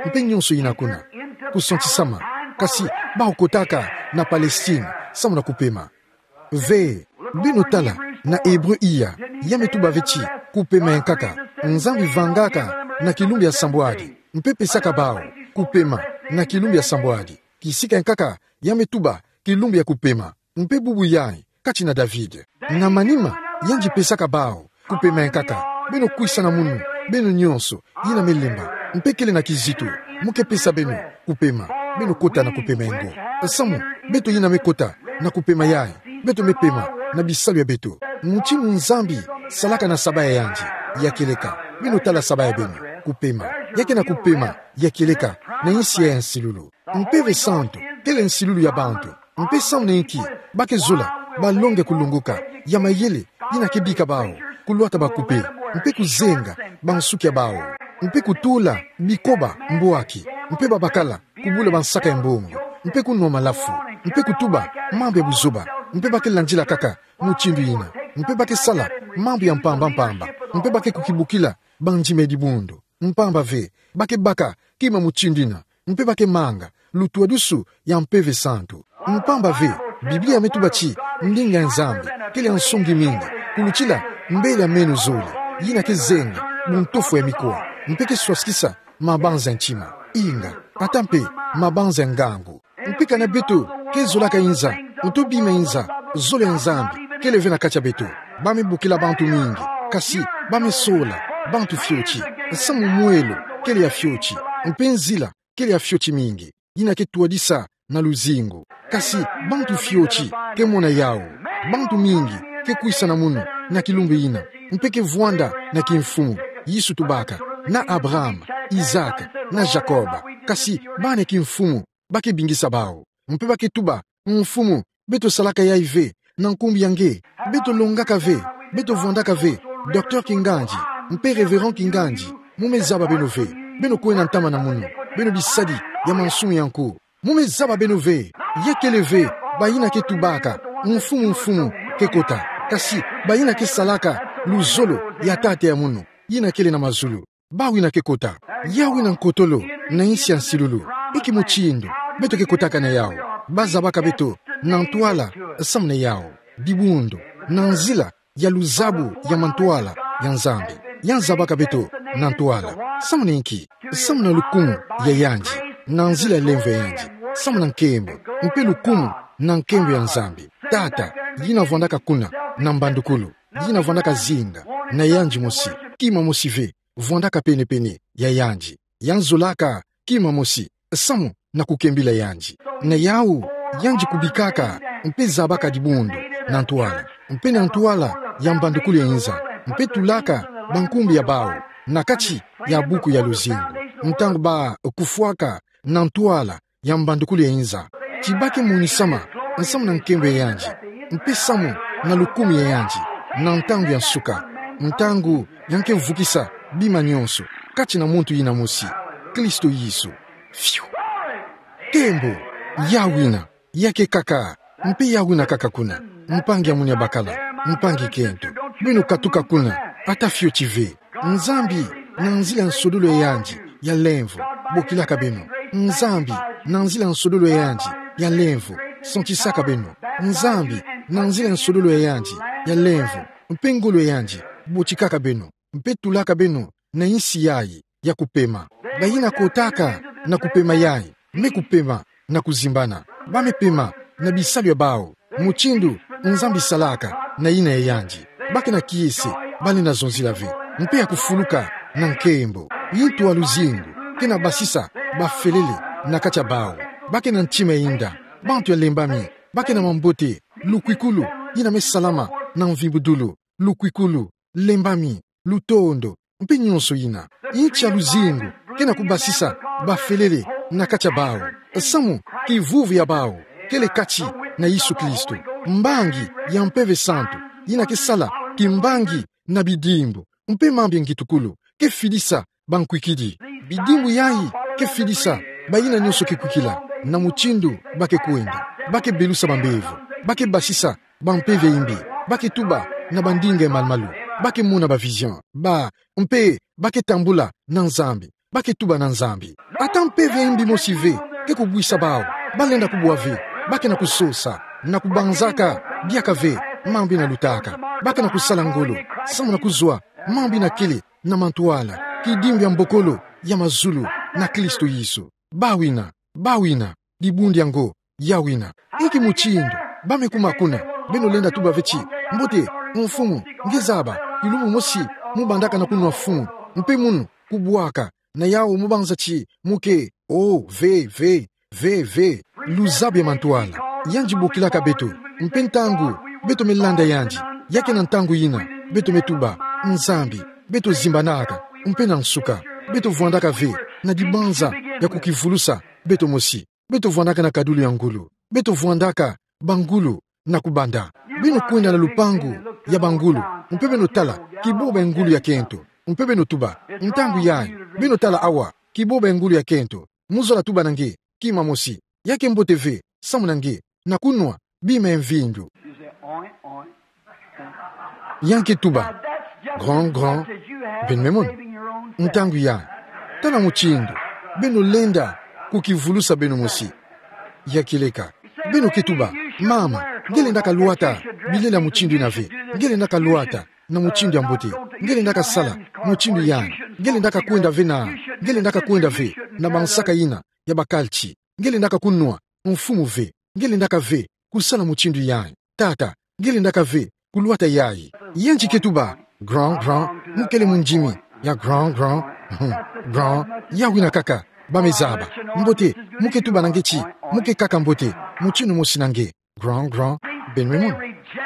mpe nyonso yina kuna, kusantisama. Kasi bawu kotaka na Palestine samu na kupema. Ve, beno tala na Ebre iya, ya me tuba ve ti kupema ya nkaka. Nzambi vangaka na kilumbu ya sambwadi, mpe pesaka bawu kupema na kilumbu ya sambwadi. Kisika ya nkaka ya me tuba kilumbu ya kupema. Mpe bubu yayi, kati na David. Na manima, yandi pesaka bawu kupema ya nkaka. Beno kwisa na munu, beno nyonso yina me lemba, mpe kele na kizito, mo ke pesa beno kupema. Beno kota na kupema yango. Samu beto yina me kota na kupema yayi, beto me pema na bisalu ya beto. Mutindu Nzambi salaka na saba ya yandi, ya kieleka. Beno tala saba ya beno, kupema. Ya ke na kupema ya kieleka na insi ya nsilulu. Mpeve santu kele nsilulu ya bantu. Mpe samu na inki ba ke zola balonga kulongoka ya mayele yina ke bika bawu, kulwata bakupe, mpe kuzenga bansuki ya bawu, mpe kutula bikoba mbwaki, mpe babakala kubula bansaka ya mbongo, mpe kunwa malafu, mpe kutuba mambu ya buzoba, mpe ba ke landila kaka mutindu yina, mpe ba ke sala mambu ya mpamba mpamba, mpe ba ke kukibukila bandima ya dibundu. Mpamba ve, ba ke baka kima mutindu yina, mpe ba ke manga lutwadusu ya Mpeve Santu. Mpamba ve, Biblia ya me tuba ti ndinga ya Nzambi kele ya nsongi mingi kulutila mbele ya meno zole, yina ke zenga buntofo ya mikowa, mpe ke swasikisa mabanza ya ntima, inga, ata mpe mabanza ya ngangu. Mpe kana beto ke zolaka inza, nto bima inza, zole ya Nzambi kele ve na kati ya beto, ba me bokila bantu mingi, kasi ba me sola bantu fioti. Samu mwelo kele ya fioti, mpe nzila kele ya fioti mingi, yina ke twadisa na luzingu. Kasi bantu fioti ke mona yawu. Bantu mingi ke kwisa na munu na kilumbu yina, mpe ke vwanda na kimfumu. Yesu tubaka na Abraham, Isaac, na Jacob. Kasi bana ya kimfumu ba ke bingisa bawu, mpe ba ke tuba: Mfumu, beto salaka yayi ve na nkumbu ya nge. Beto longaka ve, beto vwandaka ve, docteur kingandi, mpe révérend kingandi. Mo me zaba beno ve. Beno kwenda ntama na munu, beno bisadi ya mansumu ya nko. Mo me zaba beno ve. Ya kele ve bayina ke tubaka: Mfumu, Mfumu, ke kota, kasi bayina ke salaka luzolo ya Tata ya munu, yina kele na mazulu. Bawu yina ke kota. Yawu yina nkotolo na insi ya nsilulu. Inki mutindu beto ke kotaka na yawu? Ba zabaka beto na ntwala samu na yawu. Dibundu, na nzila ya luzabu ya mantwala ya Nzambi, ya zabaka beto na ntwala. Samu na inki? Samu na lukumu ya yandi, na nzila ya lemvo ya yandi, samu na nkembo, mpe lukumu na nkembo ya Nzambi Tata, yina vwandaka kuna na mbandukulu, yina vwandaka zinga na yandi mosi, kima mosi ve, vwandaka penepene ya yandi, ya nzolaka kima mosi samu na kukembila yandi. Na yawu yandi kubikaka mpe zabaka dibundu na ntwala, mpe na ntwala ya mbandukulu ya inza, mpe tulaka bankumbu ya bawu na kati ya buku ya luzingu, ntangu ba kufwaka na ntwala ya mbandukulu ya inza. Ti ba ke monisama samu na nkembo ya yandi, mpe samu na lukumu ya yandi, na ntangu ya nsuka, ntangu ya nke vukisa bima nyonso kati na muntu yina mosi, Kristo Yesu. Fiu! Nkembo! Yawu yina ya ke kaka, mpe yawu yina kaka kuna, mpangi ya munu ya bakala, mpangi kento. Beno katuka kuna, ata fioti ve. Nzambi, na nzila ya nsodolo ya yandi ya lemvo, bokilaka beno. Nzambi, na nzila ya nsodolo ya yandi ya lemvo, santisaka beno. Nzambi, na nzila ya nsodolo ya yandi ya lemvo, mpe ngolo yandi, botikaka beno, mpe tulaka beno na insi yayi ya kupema. Bayina kotaka na kupema yayi, me kupema na kuzimbana. Ba me pema na bisalu ya bawu, mutindu Nzambi salaka na yina ya yandi. Ba ke na kiese, balenda zonzila ve, mpe ya kufuluka na nkembo. Yintu ya luzingu ke na basisa bafelele na kati ya bawu. Ba ke na ntima ya inda, bantu ya lembami, ba ke na mambote, lukwikulu, yina me salama na mvimbudulu, lukwikulu, lembami, lutondo, mpe nyonso yina. Yinti ya luzingu ke na kubasisa bafelele na kati ya bawu. Samu kivuvu ya bawu kele kati na Yesu Kristo. Mbangi ya Mpeve Santu, yina ke sala kimbangi na bidimbu, mpe mambi ya ngitukulu, ke fidisa bankwikidi. Bidimbu yayi ke fidisa bayina nyonso ke kwikila na mutindu ba ke kwenda. Ba ke belusa bambevo, ba ke basisa bampeve ya imbi, ba ke tuba na bandinga ya malu-malu, ba ke mona ba vision, ba, mpe ba ke tambula na Nzambi, ba ke tuba na Nzambi. Ata mpeve ya imbi mosi ve ke kubwisa bawu, balenda kubwa ve, ba ke na kusosa, na kubanzaka biakave mambu yina lutaka. Ba ke na kusala ngolo samu na kuzwa mambu yina kele na mantwala, kidimbu ya mbokolo ya mazulu na Kristo Yesu. Bawina, bawina, dibundu yango, yawina. Inki mutindu ba me kuma kuna, beno lenda tuba ve ti: Mbote, mfumu, nge zaba, kilumbu mosi mu bandaka na kunwa fumu, mpe munu kubwaka, na yawu mu banza ti mu ke, oh, ve, ve, ve, ve. Luzabi ya mantwala, yandi bokilaka beto, mpe ntangu beto me landa yandi, ya ke na ntangu yina beto me tuba: Nzambi, beto zimbanaka, mpe na nsuka beto vwandaka ve na dibanza ya kukivulusa beto mosi. Beto vwandaka na kadulu ya ngulu. Beto vwandaka bangulu na kubanda. Beno kwenda na lupangu ya bangulu, mpe beno tala kiboba ya ngulu ya kento, mpe beno tuba: Ntangu yayi, beno tala awa, kiboba ya ngulu ya kento. Mu zola tuba na nge: Kima mosi, ya ke mbote ve samu na nge na kunwa bima ya mvindu. Ya nge ke tuba: Grand, grand, beno me mona. Ntangu yayi, tala mutindu beno lenda kukivulusa beno mosi. Ya kieleka. Beno ke tuba: Mama, nge lendaka lwata bilela mutindu yina ve. Nge lendaka lwata na mutindu ya mbote. Nge lendaka sala mutindu yina. Nge lendaka kwenda ve na, nge lendaka kwenda ve na bansaka yina ya bakalti. Nge lendaka kunwa mfumu ve. Nge lendaka ve kusala mutindu yayi. Tata, nge lendaka ve kulwata yayi. Yandi ke tuba: Grand, grand, mu kele mundimi ya grand, grand, grand. Yawina kaka ba me zaba. Mbote, mu ke tuba na nge ti mu ke kaka mbote mutindu mosi na nge. Grand, grand, beno me mona.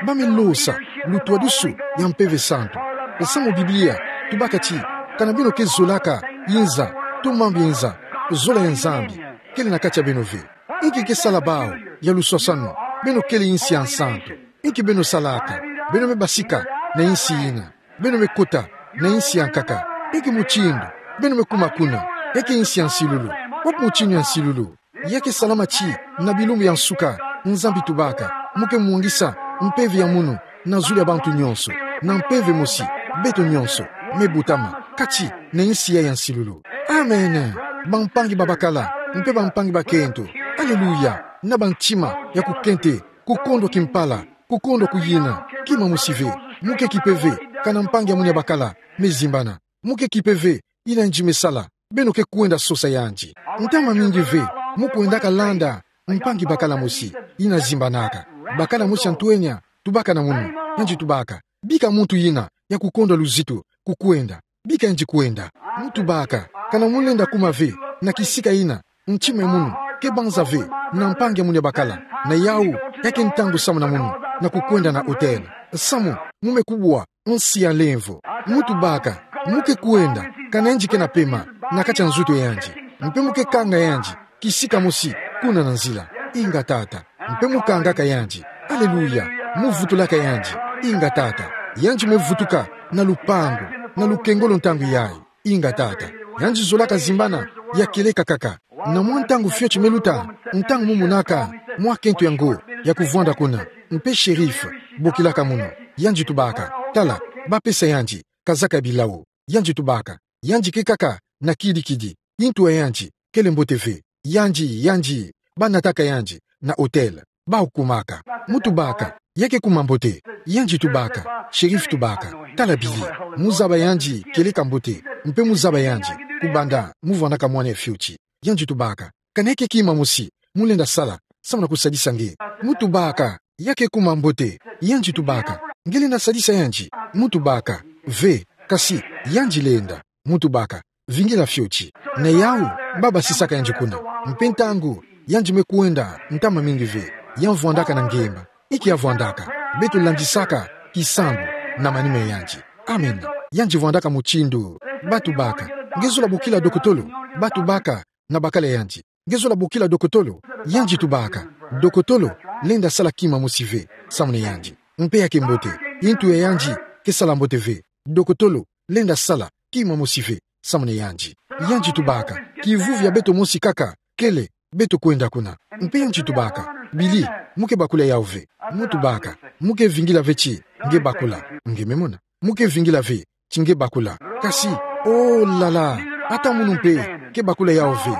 Ba me losa lutwadusu ya Mpeve Santu. Samu Biblia tubaka ti: Kana beno ke zolaka inza, to mambu ya inza, zola ya Nzambi kele na kati ya beno ve. Inki ke sala bawu ya luswaswanu? Beno kele insi ya nsantu. Inki beno salaka? Beno me basika na insi yina. Beno me kota na insi ya nkaka. Inki mutindu beno me kuma kuna? Ya ke insi ya nsilulu. Wapi mutindu ya nsilulu? Ya ke salama ti na bilumbu ya nsuka, Nzambi tubaka mu ke mwangisa mpeve ya munu na zulu ya bantu nyonso. Na mpeve mosi, beto nyonso me butama kati na insi ya, ya nsilulu. Amen. Bampangi babakala mpe bampangi bakento. Aleluya. Na bantima ya kukente, kukondwa kimpala, kukondwa kuyina, kima mosi ve. Mu ke kipe ve kana mpangi ya munu ya bakala me zimbana. Mu ke kipe ve yina yandi me sala. Beno ke kwenda sosa yandi. Ntama mingi ve mu kwendaka landa mpangi bakala mosi yina zimbanaka. Bakala mosi ya ntwenya tubaka na munu, yandi tubaka: Bika muntu yina ya kukondwa luzitu kukwenda, bika yandi kwenda. Mu tubaka: Kana mu lenda kuma ve na kisika yina ntima ya munu ke banza ve na mpangi ya munu ya bakala, na yawu ya ke ntangu samu na munu na kukwenda na hotel, samu mu me kubwa nsi ya lemvo? Mu tubaka: Mu ke kwenda kana yandi ke na pema na kati ya nzutu ya yandi, mpe mu ke kanga yandi kisika mosi kuna na nzila? Inga, Tata. Mpe mu kangaka yandi. Aleluya. Mu vutulaka yandi. Inga, Tata. Yandi me vutuka na lupangu, na lukengolo ntangu yayi. Inga, Tata. Yandi zolaka zimbana, ya kieleka kaka. Na mwa ntangu fioti me luta, ntangu mu monaka mwa kento yango ya kuvwanda kuna, mpe shérif bokilaka munu. Yandi tubaka: Tala, ba pesa yandi kazaka ya bilau. Yandi tubaka: Yandi ke kaka na kidi-kidi. Yintu ya yandi kele mbote ve. Yandi, yandi, ba nataka yandi na hotel. Bawu kumaka. Mu tubaka: Ya ke kuma mbote. Yandi tubaka, Sheriff tubaka, tala Billy. Mu zaba yandi kieleka mbote, mpe mu zaba yandi, kubanda mu vwandaka mwana ya fioti. Yandi tubaka, kana ke kima mosi mu lenda sala, samu na kusadisa nge. Mu tubaka, ya ke kuma mbote. Yandi tubaka, nge lenda sadisa yandi. Mu tubaka, ve, kasi, yandi lenda. Mu tubaka, vingila fioti. Na yawu, ba basisaka yandi kuna. Mpe ntangu yandi me kwenda ntama mingi ve, ya vwandaka na ngemba. Inki ya vwandaka? Beto landisaka kisambu na manima ya yandi. Amen. Yandi vwandaka mutindu. Ba tubaka, nge zola bokila dokotolo? Ba tubaka na bakala yandi, nge zola bokila dokotolo? Yandi tubaka, dokotolo lenda sala kima mosi ve samu na yandi. Mpe ya ke mbote. Ntu ya yandi ke sala mbote ve. Dokotolo lenda sala kima mosi ve samu na yandi. Yandi tubaka, kivuvi ya beto mosi kaka kele, beto kwenda kuna. Mpe yandi tubaka, Billy, mu ke bakula yawu ve? Mu tubaka, mu ke vingila ve ti nge bakula. Nge me mona. Mu ke vingila ve ti nge bakula. Kasi, oh là là, ata munu mpe ke bakula yawu ve.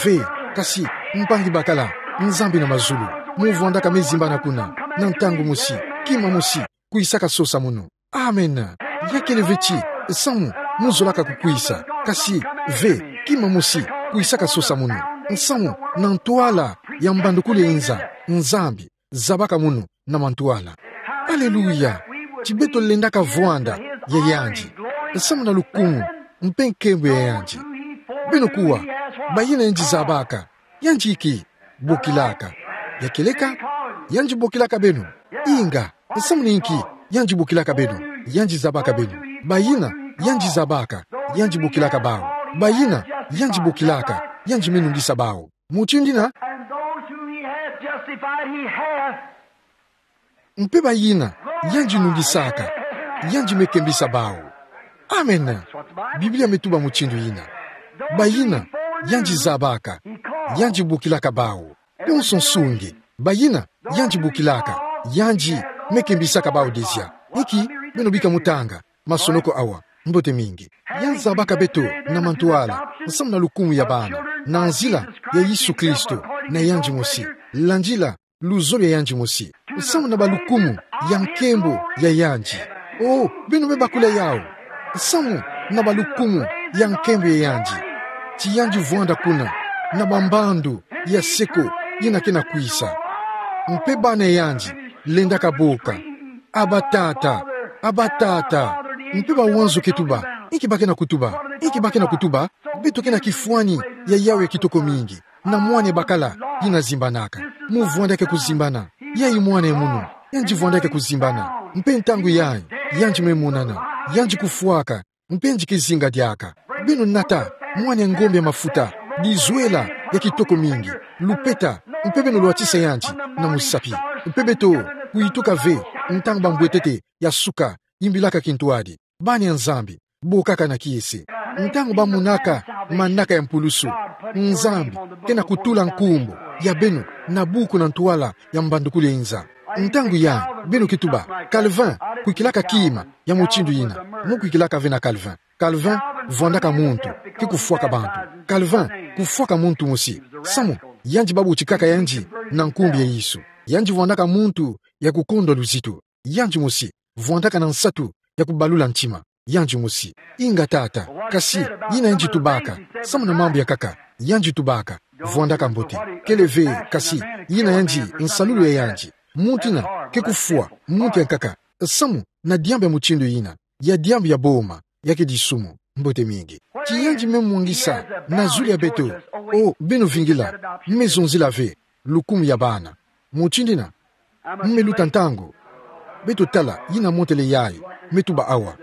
Ve, kasi, mpangi bakala, Nzambi na mazulu, mu vwandaka me zimbana kuna, na ntangu mosi, kima mosi kwisaka sosa munu. Amen. Ya kele ve ti, samu mu zolaka kukwisa. Kasi, ve, kima mosi kwisaka sosa munu. Samu na ntwala ya mbandukulu ya inza, Nzambi zabaka munu na mantwala. Aleluya! Ti beto lendaka vwanda ya yandi, samu na lukumu mpe nkembo ya yandi. Beno kuwa, bayina yandi zabaka, yandi ke bokilaka. Ya kieleka, yandi bokilaka beno. Inga, samu na inki yandi bokilaka beno? Yandi zabaka beno. Bayina yandi zabaka, yandi bokilaka bawu. Bayina yandi bokilaka, yandi me nungisa bawu. Mutindu yina. And those whom he hath justified, he hath. Mpe bayina yandi nungisaka, yandi me kembisa bawu. Amen. Biblia me tuba mutindu yina. Bayina yandi zabaka, yandi bokilaka bawu. Bonso nsungi, bayina yandi bokilaka, yandi me kembisaka bawu déjà. Inki, beno bika mu tanga masonoko awa. Mbote mingi. Yandi zabaka beto na mantwala, samu na lukumu ya bana, na nzila ya Yesu Kristo, na yandi mosi. Landila luzolo ya yandi mosi, samu na balukumu ya nkembo ya yandi. Oh, beno me bakula yawu. Samu na balukumu ya nkembo ya yandi. Ti yandi vwanda kuna na bambandu ya seko yina ke na kwisa. Mpe bana ya yandi lendaka boka: Abba Tata, Abba Tata. Mpe bawanzo ke tuba. Inki ba ke na kutuba? Inki ba ke na kutuba? Beto ke na kifwani ya yawu ya kitoko mingi, na mwana ya bakala yina zimbanaka. Mu vwanda ke kuzimbana. Yayi mwana ya munu. Yandi vwanda ke kuzimbana. Mpe ntangu yayi, yandi me monana. Yandi kufwaka. Mpe yandi ke zinga diaka. Beno nata mwana ya ngombe ya mafuta, dizwela ya kitoko mingi, lupeta, mpe beno lwatisa yandi na musapi. Mpe beto kuyituka ve, ntangu bambwetete ya suka yimbilaka kintwadi. Bana ya Nzambi, bokaka na kiese. Ntangu bamonaka manaka ya mpulusu, Nzambi ke na kutula nkumbu ya beno na buku na ntwala ya mbandukulu ya inza. Ntangu yayi, beno ke tuba: Calvin kwikilaka kima ya mutindu yina. Mu kwikilaka ve na Calvin. Calvin vwandaka muntu ke kufwaka bantu. Calvin kufwaka muntu mosi. Samu yandi babutikaka yandi na nkumbu ya Yesu. Yandi vwandaka muntu ya kukondwa luzitu. Yandi mosi vwandaka na nsatu ya kubalula ntima. Yandi mosi. Inga Tata. Kasi yina yandi tubaka, samu na mambu ya nkaka, yandi tubaka, vwandaka mbote. Kele ve, kasi yina yandi nsalulu ya yandi. Muntu yina ke kufwa muntu ya nkaka, samu na diambu ya mutindu yina, ya diambu ya boma, ya ke disumu. Mbote mingi. Ti yandi me mwangisa na zulu ya beto. Oh, beno vingila, me zonzila ve lukumu ya bana. Mutindu yina, me luta ntangu. Beto tala yina motele yayi me tuba awa.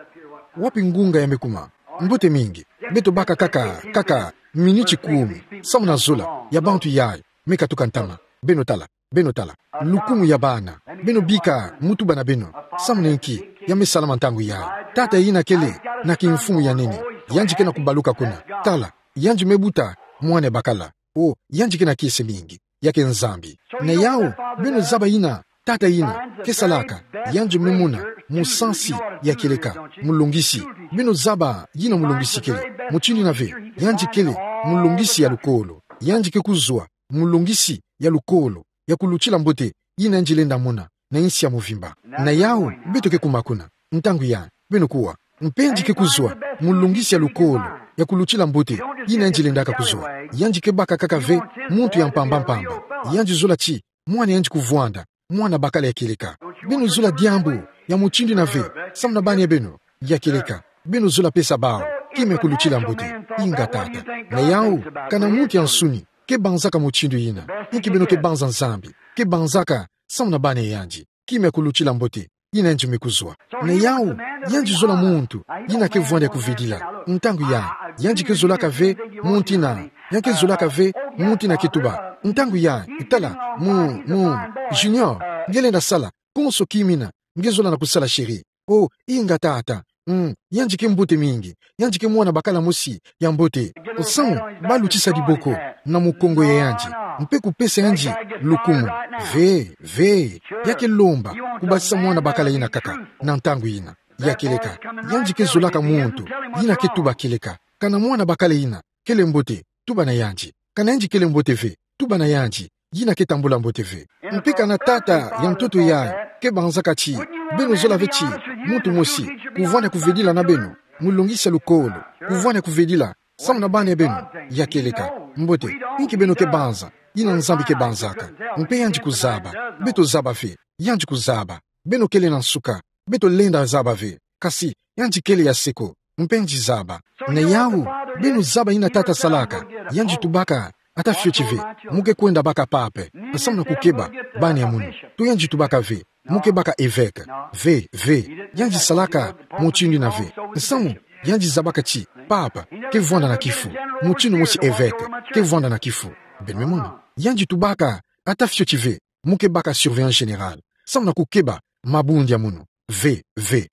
Wapi ngunga ya me kuma? Mbote mingi. Beto baka kaka, kaka miniti kumi, samu na zola ya bantu yayi me katuka ntama. Beno tala, beno tala. Lukumu ya bana. Beno bika mu tuba na beno: Samu na inki ya me salama ntangu yayi? Tata yina kele na kimfumu ya nene. Yandi ke na kubaluka kuna. Tala, yandi me buta mwana ya bakala. Oh, yandi ke na kiese mingi. Ya ke Nzambi. Na yawu, beno zaba yina tata yina ke salaka. Yandi me mona musansi ya kieleka, mulongisi. Beno zaba yina mulongisi kele. Mutindu yina ve, yandi kele mulongisi ya lukolo. Yandi ke kuzwa mulongisi ya lukolo, ya kulutila mbote yina yandi lenda mona. na nsi ya mvimba. Na yau, beto ke kuma kuna. Ntangu yai, beno kuwa. Mpe yandi ke kuzwa mu longisi ya lukolo, ya kulutila mbote, yina yandi lendaka kuzwa. Yandi ke baka kaka ve muntu ya mpamba-mpamba. Yandi zola ti mwana yandi kuvwanda mwana bakala ya kieleka. Beno zola diambu ya mutindu yina ve, samu na bana ya beno ya kieleka. Beno zola pesa bawu kima ya kulutila mbote. Inga tata. Na yau, kana muntu ya nsuni ke banzaka mutindu yina, inki beno ke banza Nzambi ke banzaka samu na bana ya yandi, kima ya kulutila mbote yina yandi me kuzwa. Na yau, yandi zola muntu yina ke vwanda ya kuvedila. Ntangu yai, yandi ke zolaka ve muntu yina, yandi ke zolaka ve muntu yina ke tuba. Ntangu yai, tala, mu, mu, Junior, nge lenda sala, konso kima yina nge zola na kusala, chéri. Oh, inga tata. Mm, yandi ke mbote mingi. Yandi ke mwana bakala mosi ya mbote. Samu ba lutisa diboko na mukongo ya yandi, mpe kupesa yandi lukumu. Ve, ve. Ya ke lomba kubasisa mwana bakala yina kaka na ntangu yina ya kieleka. Yandi ke zolaka muntu yina ke tuba kieleka. Kana mwana bakala yina kele mbote, tuba na yandi. Kana yandi kele mbote ve, tuba na yandi yina ke tambula mbote ve. Mpe kana tata ya ntoto yai ke banzaka ti beno zola ve ti muntu mosi kuvwanda kuvedila na beno mu longisi ya lukolo, kuvwanda kuvedila samu na bana ya beno ya kieleka. Mbote, inki beno ke banza yina Nzambi ke banzaka? Mpe yandi kuzaba. Beto zaba ve. Yandi kuzaba. Beno kele na nsuka. Beto lenda zaba ve. Kasi yandi kele ya seko. Mpe yandi zaba. Na yau, beno zaba yina tata salaka. Yandi tubaka ata fioti ve: Mu ke kwenda baka pape samu na kukeba bana ya munu. To yandi tubaka ve: Mu ke baka évêque. Ve, ve. Yandi salaka mutindu yina ve. Samu yandi zabaka ti pape ke vwanda na kifu mutindu mosi évêque ke vwanda na kifu. Beno me mona. Yandi tubaka ata fioti ve: Mu ke baka surveillant général samu na kukeba mabundi ya munu. Ve, ve.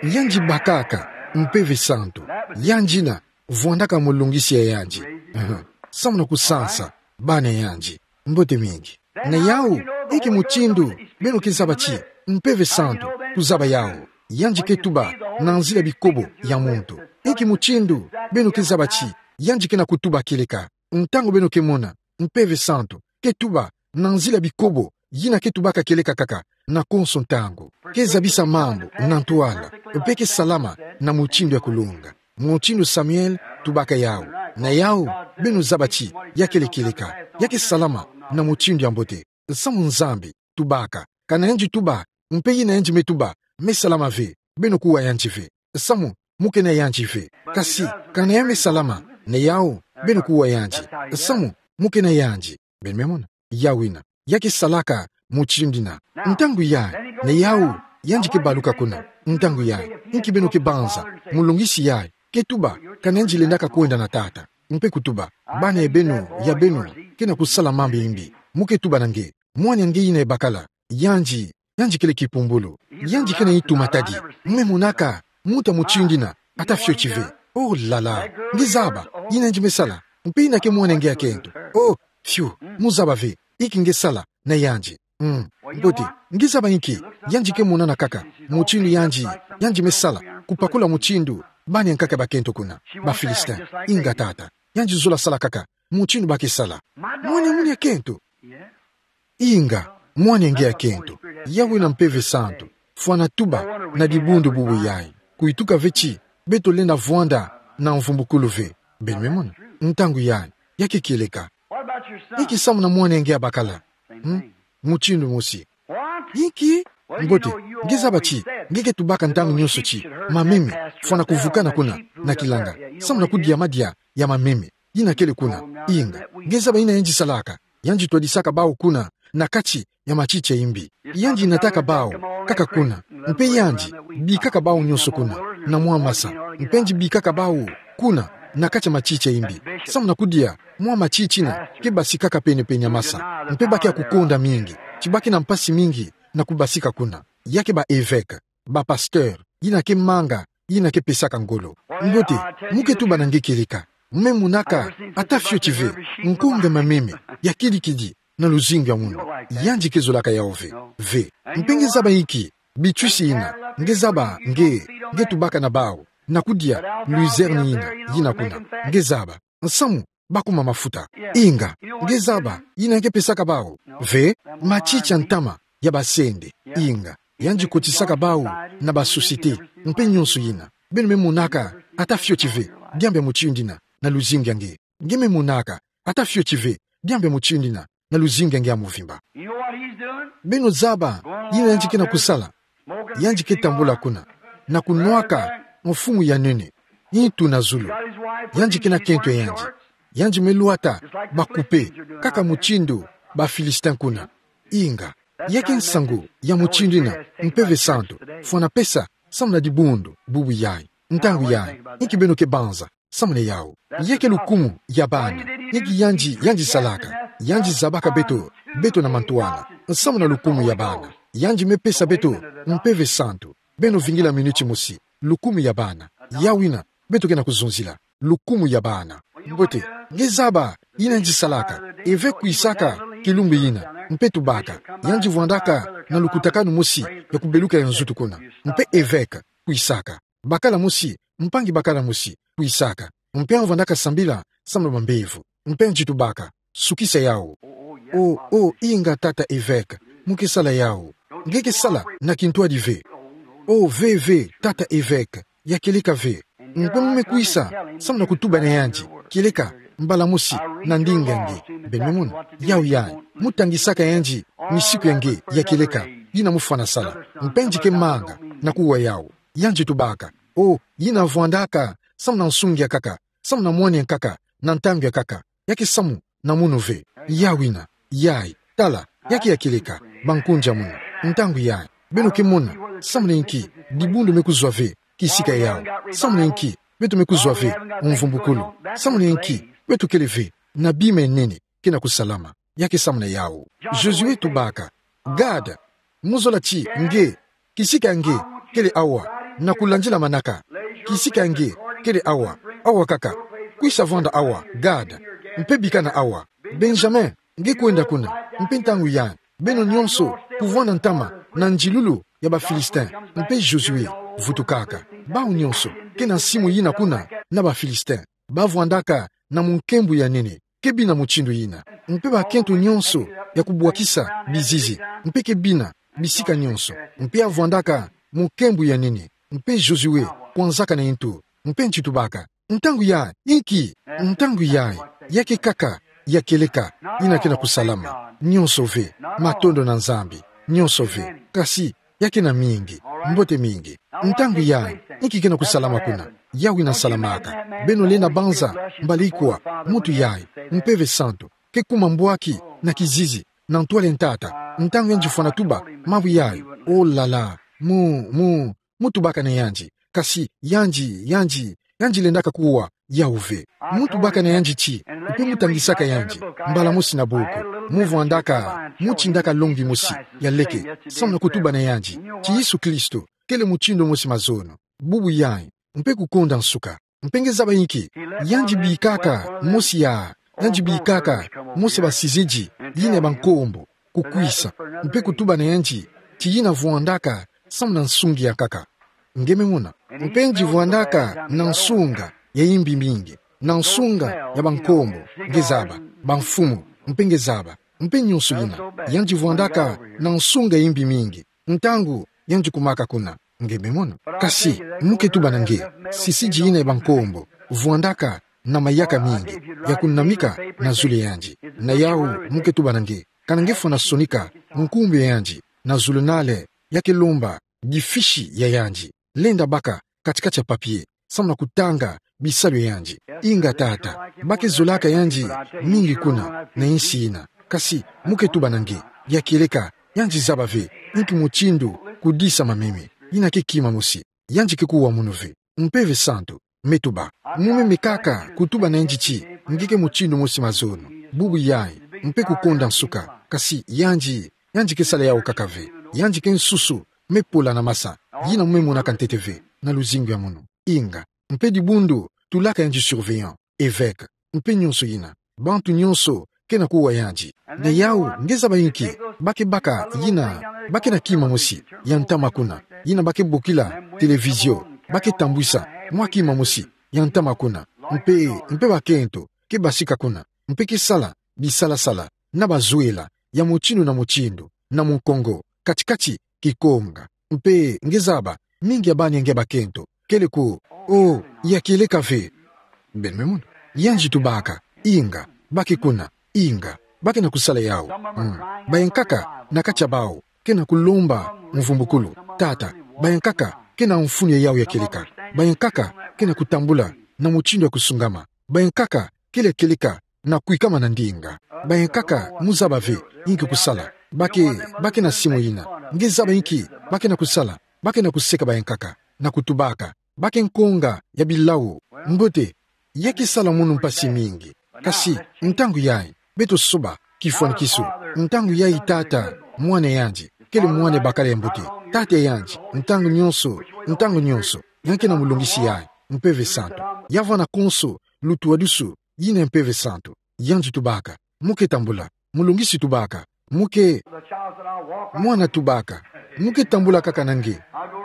Yandi bakaka Mpeve Santu. Yandi yina vwandaka mu longisi ya yandi. Mhm. Samu na kusansa bana ya yandi. Mbote mingi. Na yau, inki mutindu beno ke zaba ti Mpeve Santu kuzaba yau? Yandi ke tuba na nzila bikobo ya muntu. Inki mutindu beno ke zaba ti yandi ke na kutuba kieleka? Ntangu beno ke mona Mpeve Santu ke tuba na nzila bikobo yina ke tubaka kieleka kaka na konso ntangu, ke zabisa mambu na ntwala, mpe ke salama na mutindu ya kulonga, mutindu Samuel tubaka yau. Na yau, beno zaba ti ya kele kieleka, ya ke salama na mutindu ya mbote. Samu Nzambi tubaka, kana yandi tuba, mpe yina yandi me tuba me salama ve, beno kuwa yandi ve. Samu mu ke na yandi ve. Kasi kana ya me salama, na yau, beno kuwa yandi. Samu mu ke na yandi. Beno me mona. Yau yina ya ke salaka mutindu yina. Ntangu yai, na yau, yandi ke baluka kuna. Ntangu yai, inki beno ke banza? Mulungisi yai ke tuba kana yandi lendaka kwenda na tata, mpe kutuba: Bana ya beno, ya beno ke na kusala mambu ya imbi. Mu ke tuba na nge: Mwana ya nge yina ya bakala, yandi, yandi kele kipumbulu. Yandi ke na itu matadi. Mu me monaka muntu ya mutindu yina ata fioti ve. Oh là là. Nge zaba yina yandi me sala, mpe yina ke mwana ya nge ya kento. Oh, fiu, mu zaba ve inki nge sala na yandi. Mm. Mbote, nge zaba inki? Yandi ke monana kaka mutindu yandi, yandi me sala, kupakula mutindu bana ya nkaka bakento kuna, ba Philistin. Inga tata. Yandi zola sala kaka mutindu ba ke sala. Mwana ya munu ya kento. Inga, mwana ya nge ya kento. Yau yina Mpeve Santu fwana tuba na dibundu bubu yai, kuituka ve ti beto lenda vwanda na mvumbukulu ve. Beno me mona. Ntangu yai ya ke kieleka. Inki samu na mwana ya nge ya bakala? Hmm? Mutindu mosi. Inki? Mbote, nge zaba ti nge ke tubaka ntangu nyonso ti mameme fwana kuvukana kuna na kilanga, samu na kudia madia ya mameme yina kele kuna. Inga, nge zaba yina yandi salaka? Yandi twadisaka bawu kuna na kati ya matiti ya imbi. Yandi nataka bawu kaka kuna, mpe yandi bikaka bawu nyonso kuna na mwa masa, mpe yandi bikaka bawu kuna na kati ya matiti ya imbi, samu na kudia mwa matiti yina ke basikaka pene-pene ya masa, mpe ba ke ya kukonda mingi, ti ba ke na mpasi mingi na kubasika kuna. Ya ke ba évêque, ba pasteur, yina ke manga, yina ke pesaka ngolo. Mbote, mu ke tuba na nge kieleka: Mu me monaka ata fioti ve nkonga mameme ya kidi-kidi na luzingu ya munu? Yandi ke zolaka yau ve. Ve. Mpe nge zaba inki bitwisi yina? Nge zaba nge, nge tubaka na bawu na kudia luzerne yina, yina kuna? Nge zaba nsamu ba kuma mafuta? Inga, nge zaba yina nge pesaka bawu? Ve. Matiti ya ntama ya basende. Inga, yandi kotisaka bau na ba société, mpe nionso yina. Beno me monaka, ata fioti ve, diambu ya mutindu yina, na luzingu ya nge. Nge me monaka, ata fioti ve, diambu ya mutindu yina, na luzingu ya nge ya mvimba. You know what he's doing? Beno zaba, yina yandi ke na kusala. Yandi ke tambula kuna, na kunwaka mfumu ya nene, ntu na zulu. Yandi ke na kento ya yandi. Yandi me lwata ba kupe, kaka mutindu ba Philistin kuna. Inga, ya ke nsangu ya mutindu yina, Mpeve Santu, fwana pesa, samu na dibundu, bubu yayi. Ntangu yayi, inki beno ke banza, samu na yawu. Ya ke lukumu ya bana, inki yandi, yandi salaka, yandi zabaka beto, beto na mantwala, samu na lukumu ya bana. Yandi me pesa beto, Mpeve Santu. Beno vingila miniti mosi, lukumu ya bana. Yawu yina, beto ke na kuzonzila, lukumu ya bana. Mbote, nge zaba, yina yandi salaka, évêque kwisaka, kilumbu yina, mpe tubaka, yandi vwandaka, na lukutakanu mosi, ya kubeluka ya nzutu kuna. Mpe évêque, kwisaka. Bakala mosi, mpangi bakala mosi, kwisaka. Mpe avwandaka sambila, samu na bambevo. Mpe yandi tubaka, sukisa yawu. Oh, oh, inga tata évêque, mu ke sala yawu. Nge ke sala, na kintwadi ve. Oh, ve, ve, tata évêque, ya kieleka ve. Mpe mu me kwisa, samu na kutuba na yandi, kieleka, mbala mosi, na ndinga nge, beno me mona, yawu yayi, mu tangisaka yandi, misiku ya nge, ya kieleka, yina mu fwana sala. Mpe yandi ke manga, na kuwa yawu. Yandi tubaka. Oh, yina vwandaka, samu na nsungi ya nkaka, samu na mwani ya nkaka, na ntangu ya nkaka, ya ke samu, na munu ve, yawu yina, yayi, tala, ya ke ya kieleka, bankunzi ya munu, ntangu yayi, beno ke mona, samu na inki, dibundu me kuzwa ve, kisika yawu, samu na inki, beto me kuzwa ve, mvumbukulu, samu na inki, beto kele ve, na bima ya nene, ke na kusalama, ya ke samu na yawu. Josué tubaka, Gad, mu zola ti nge, kisika nge, kele awa, na kulandila manaka. Kisika nge, kele awa, awa kaka. Kwisa vwanda awa, Gad. Mpe bikana awa. Benjamin, nge kwenda kuna. Mpe ntangu yayi, beno nionso, kuvwanda ntama, na nzilulu, ya ba Philistin. Mpe Josué, vutukaka. Bau nionso, ke na nsimu yina kuna, na ba Philistin. Bavwandaka, na munkembo ya nene. Ke bina mutindu yina. Mpe bakento nionso ya kubwakisa bizizi. Mpe ke bina bisika nionso. Mpe avwandaka mu nkembo ya nene. Mpe Josué kwanzaka na ntu. Mpe yandi tubaka. Ntangu yayi, inki? Ntangu yayi, ya ke kaka, ya kieleka, yina ke na kusalama. Nionso ve, matondo na Nzambi. Nionso ve. Kasi, ya ke na mingi, mbote mingi. Ntangu yayi, inki ke na kusalama kuna? Yawu yina salamaka. Beno lenda banza, mbala ikwa, muntu yayi, Mpeve Santu, ke kuma mbwaki, na kizizi, na ntwala ya ntata, ntangu yandi fwana tuba, mabu yayi, oh là là, mu, mu, mu tubaka na yandi, kasi, yandi, yandi, yandi lendaka kuwa, yawu ve. Mu tubaka na yandi ti, mpe mu tangisaka yandi, mbala mosi na buku, mu vwandaka, mu tindaka longui mosi, ya leke, samu na kutuba na yandi, ti Yesu Kristo, kele mutindu mosi mazono, bubu yayi, mpe kukonda nsuka, mpe nge zaba inki, yandi bikaka, mosi ya, yandi bikaka, mosi ya basizidi, yina ya bankombo, kukwisa, mpe kutuba na yandi, ti yina vwandaka, samu na nsungi ya nkaka. Nge me mona. Mpe yandi vwandaka na nsunga ya imbi mingi, na nsunga ya bankombo, nge zaba, bamfumu, mpe nge zaba, mpe nionso yina, yandi vwandaka na nsunga ya imbi mingi, ntangu yandi kumaka kuna, nge me mona. Kasi, mu ke tuba na nge, sisidi yina ya bankombo, vwandaka na mayaka mingi, ya kunamika na zulu ya yandi. Na yawu, mu ke tuba na nge, kana nge fwana sonika nkumbu ya yandi, na zulu nale, ya ke lomba, difishi ya yandi. Lenda baka, kati-kati ya papier, samu na kutanga, bisalu ya yandi. Inga tata, ba ke zolaka yandi, mingi kuna, na insi yina. Kasi, mu ke tuba na nge, ya kieleka, yandi zaba ve, inki mutindu, kudisa mameme. Yina ke kima mosi, yandi ke kuwa munu ve. Mpeve Santu, me tuba. Mu me mekaka, kutuba na yandi ti, nge ke mutindu mosi mazono. Bubu yayi, mpe kukonda nsuka. Kasi, yandi, yandi ke sala yawu kaka ve. Yandi ke nsusu, me pola na masa. Yina mu me monaka ntete ve, na luzingu ya munu. Inga, mpe dibundu, tulaka yandi surveillant, évêque, mpe nionso yina. Bantu nionso, ke na kuwa yandi. Na yawu, nge zaba inki, ba ke baka, yina, ba ke na kima mosi, ya ntama kuna, yina ba ke bokila, télévision, ba ke tambwisa, mwa kima mosi, ya ntama kuna, mpe, mpe bakento, ke basika kuna, mpe ke sala, bisala-sala, na bazwela, ya mutindu na mutindu, na mukongo, kati-kati kikonga. Mpe nge zaba, mingi ya bani ya nge bakento, kele ko, o, ya kieleka ve. Beno me mona. Yandi tubaka, inga, bake kuna, inga, bake na kusala yawu. Mm. Bayankaka, na kati ya bawu, ke na kulomba mvumbukulu, tata, bayankaka, ke na mfunu ya yawu ya kieleka, bayankaka, ke na kutambula na mutindu ya kusungama, bayankaka, kele kieleka, na kwikama na ndinga. Bayankaka, mu zaba ve, inki kusala, bake, bake na simu yina, nge zaba inki, bake na kusala, bake na kuseka bayankaka, na kutubaka, bake nkonga ya bilau, mbote, ya ke sala munu mpasi mingi. Kasi, ntangu yayi, beto soba, kifwanikiso, ntangu yayi tata, mwana yandi, kele mwana bakala ya mbote, tata yandi, ntangu nyonso, ntangu nyonso, ya ke na mulungisi yayi, Mpeve Santu. Ya vwanda konso, lutuwadusu, yina Mpeve Santu. Yandi tubaka, mu ke tambula, mulungisi tubaka, mu ke, mwana tubaka, mu ke tambula kaka na nge,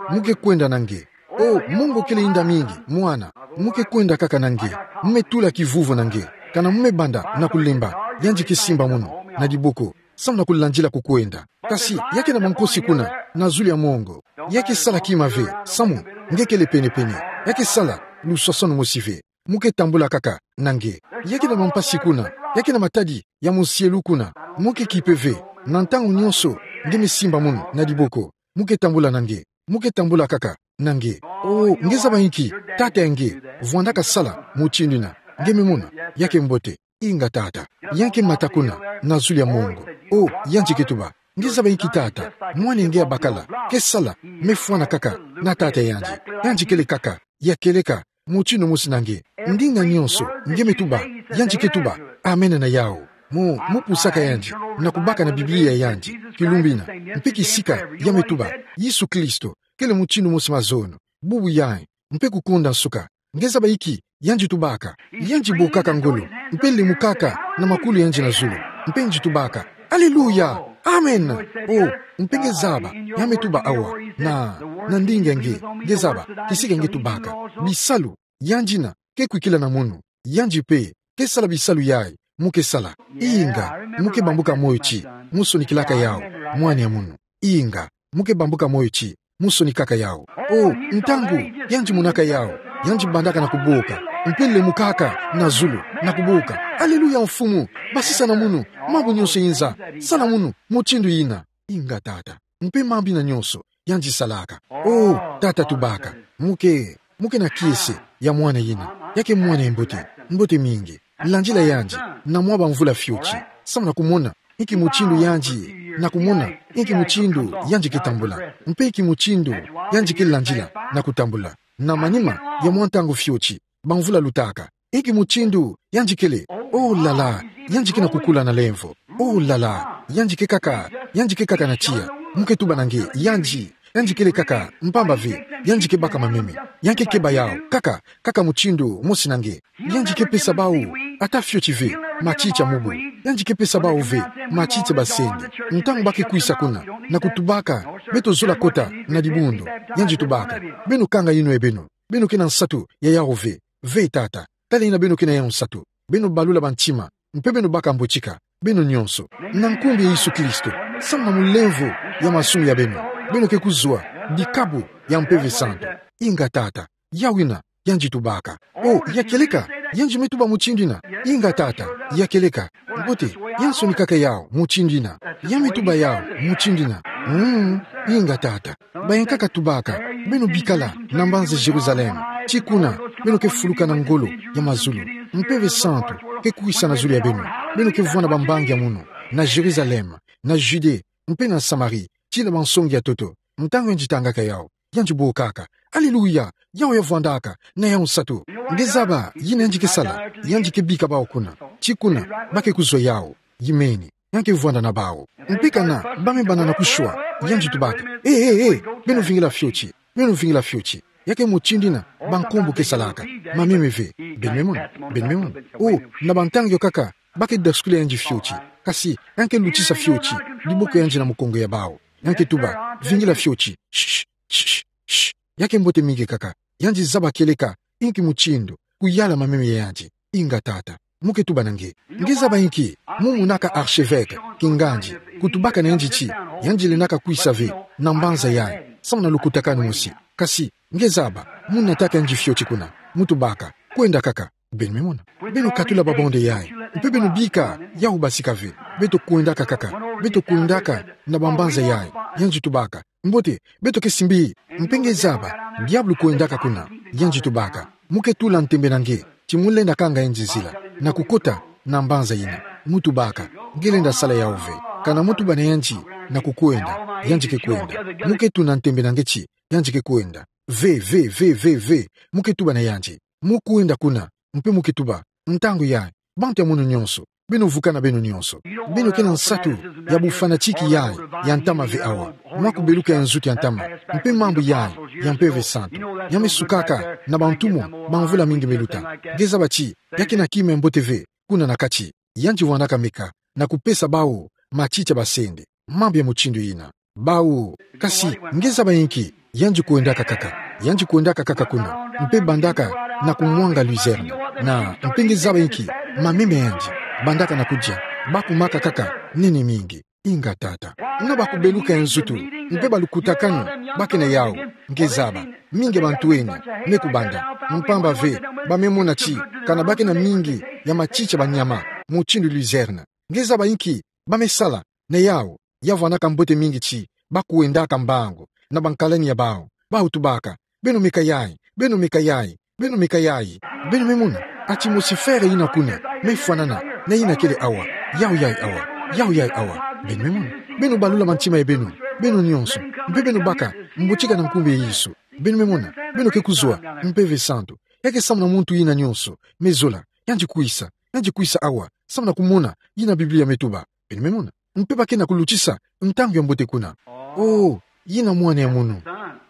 mu ke kwenda na nge. O, Mungu kele inda mingi, mwana, mu ke kwenda kaka na nge, mu me tula kivuvu na nge, kana mu me banda na kulemba, yandi ke simba munu, na diboko, samu na kulandila kukwenda. Kasi, ya ke na mankosi kuna, na zulu ya mongo, ya ke sala kima ve, samu, nge kele pene-pene, ya ke sala, luswaswanu mosi ve. Mu ke tambula kaka na nge. Ya ke na mampasi kuna, ya ke na matadi ya musielu kuna, mu ke kipe ve, na ntangu nyonso, nge me simba munu na diboko, mu ke tambula na nge, mu ke tambula kaka na nge. O, nge zaba inki, tata ya nge, vwandaka sala mutindu yina, nge me mona, ya ke mbote, inga tata, ya ke mata kuna, na zulu ya mongo. O, yandi ke tuba, nge zaba inki tata, mwana ya nge ya bakala, ke sala, me fwana kaka, na tata yandi, yandi kele kaka, ya kieleka, mutindu mosi na nge. Ndinga nyonso, nge me tuba, yandi ke tuba, amen na yawu. Mu, mu pusaka yandi, na kubaka na Biblia ya yandi, kilumbu yina, mpe kisika, ya me tuba, Yesu Kristo, kele mutindu mosi mazono, bubu yayi, mpe kukonda nsuka. Nge zaba inki, yandi tubaka, yandi bokaka ngolo, mpe lemukaka, na makulu yandi na zulu, mpe yandi tubaka, Aleluya! Amen! O, mpe nge zaba, ya me tuba awa, na, na ndinga nge, nge zaba, kisika nge tubaka, bisalu, yandi yina, ke kwikila na munu, yandi mpe, ke sala bisalu yayi, mu ke sala, inga, mu ke bambuka moyo ti, mu sonikilaka yawu, mwana ya munu, inga, mu ke bambuka moyo ti, mu sonikaka yawu. O, ntangu, yandi monaka yawu, yandi bandaka na kuboka, mpe lemukaka, na zulu, na kuboka, Aleluya Mfumu, basisa na munu, mambu nyonso yinza, sala munu, mutindu yina, inga tata, mpe mambu yina nyonso, yandi salaka. O, tata tubaka, mu ke, mu ke na kiese, ya mwana yina, ya ke mwana ya mbote, mbote mingi, landila yandi, na mwa bamvula fioti, samu na kumona, inki mutindu yandi, na kumona, inki mutindu, yandi ke tambula, mpe inki mutindu, yandi ke landila, na kutambula, na manima, ya mwa ntangu fioti, bamvula lutaka, inki mutindu, yandi kele, oh là là, yandi ke na kukula na lemvo, oh là là, yandi ke kaka, yandi ke kaka na tiya, mu ke tuba na nge, yandi, yandi kele kaka, mpamba ve, yandi ke baka mameme, ya ke keba yawu, kaka, kaka mutindu, mosi na nge, yandi ke pesa bawu, ata fioti ve, matiti ya mubu, yandi ke pesa bawu ve, matiti ya basende, ntangu ba ke kwisa kuna, na kutubaka, beto zola kota, na dibundu, yandi tubaka, beno kanga yinwe beno, beno ke na nsatu, ya yawu ve, ve tata, tala yina beno ke na yawu nsatu, beno balula bantima, mpe beno baka mbotika, beno nyonso, na nkumbu ya Yesu Kristo, samu na mulemvo, ya masumu ya beno, beno ke kuzwa, dikabu, ya Mpeve Santu, inga tata, yawu yina, yandi tubaka. Oh, ya kieleka, yandi me tuba mutindu yina, inga tata, ya kieleka, mbote, ya sonikaka yawu, mutindu yina, ya me tuba yawu, mutindu yina, mm, inga tata. Bayankaka tubaka, beno bikala, na mbanza Jérusalem. Ti kuna, beno ke fuluka na ngolo, ya mazulu. Mpeve Santu, ke kwisa na zulu ya beno. Beno ke vwanda bambangi ya munu, na Jérusalem, na Judée, mpe na Samarie, ti na bansongi ya ntoto. Ntangu yandi tangaka yawu, yandi bokaka. Aleluya, yawu ya vwandaka, na yawu nsatu. Nge zaba, yina yandi ke sala, yandi ke bika bawu kuna. Ti kuna, ba ke kuzwa yawu, yimeni. Ya ke vwanda na bawu. Mpe kana, ba me banda na kushwa, yandi tubaka. Eh, eh, eh, beno vingila fioti, beno vingila fioti. Ya ke mutindu yina, bankombo ke salaka. Mameme ve, beno me mona, beno me mona. Oh, na bantangu yo kaka, ba ke dasukila yandi fioti. Kasi, ya ke lutisa fioti, diboko yandi na mukongo ya bawu. Ya ke tuba, vingila fioti, shh, shh, shh, shh. Ya ke mbote mingi kaka, yandi zaba kieleka, inki mutindu, kuyala mameme ya yandi, inga tata. Mu ke tuba na nge. Nge zaba inki, mu monaka archevêque, kingandi, kutubaka na yandi ti, yandi lendaka kwisa ve, na mbanza yayi, samu na lukutakanu mosi. Kasi, nge zaba, mu nataka yandi fioti kuna, mu tubaka, kwenda kaka, beno me mona. Beno katula babonde yayi, mpe beno bika, yawu basika ve, beto kwendaka kaka, beto kwendaka, na bambanza yayi, yandi tubaka, mbote, beto ke simbi, mpe nge zaba, diabulu kwendaka kuna, yandi tubaka, mu ke tula ntembe na nge, ti mu lenda kanga yandi nzila, na kukota, na mbanza yina, mu tubaka, nge lenda sala yawu ve, kana mu tuba na yandi, na kukwenda, yandi ke kwenda, mu ke tuna ntembe na nge ti, yandi ke kwenda, ve, ve, ve, ve, ve, mu ke tuba na yandi, mu kwenda kuna, mpe mu ke tuba, ntangu yayi, bantu ya munu nyonso, beno vukana beno nyonso. Beno ke na nsatu ya bufanatique yayi ya ntama ve awa. Mwa kubeluka ya nzutu ya ntama, mpe mambu yayi ya Mpeve Santu. Ya me sukaka na bantumwa, bamvula mingi me luta. Nge zaba ti, ya ke na kima ya mbote ve, kuna na kati. Yandi vwandaka meka, na kupesa bawu, matiti ya basende. Mambu ya mutindu yina. Bawu, kasi, nge zaba inki, yandi kwendaka kaka, yandi kwendaka kaka kuna, mpe bandaka na kumwanga luzerne, na, mpe nge zaba inki, mameme ya yandi, bandaka na kudia, bakumaka kaka, nene mingi, inga tata. Na ba kubeluka ya nzutu, mpe balukutakanu, ba ke na yawu, nge zaba, mingi ya bantu eni, me kubanda, mpamba ve, ba me mona ti, kana ba ke na mingi, ya matiti ya banyama, mutindu luzerne, nge zaba inki, ba me sala, na yawu, ya vwandaka mbote mingi ti, ba kwendaka mbangu, na bankalani ya bawu, bawu tubaka, beno meka yayi, beno meka yayi, beno meka yayi, beno me mona, atmosphère yina kuna, me fwanana, na yina kele awa, yawu yayi awa, yawu yayi awa, beno me mona, beno balula mantima ya beno, beno nyonso, mpe beno baka, mbotika na nkumbu ya Yesu, beno me mona, beno ke kuzwa, Mpeve Santu, ya ke samu na muntu yina nyonso, me zola, yandi kwisa, yandi kwisa awa, samu na kumona, yina Biblia me tuba, beno me mona. Mpe ba ke na kulutisa, ntangu ya mbote kuna. Oh, yina mwana ya munu.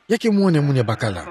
Ya ke mwana ya munu ya bakala.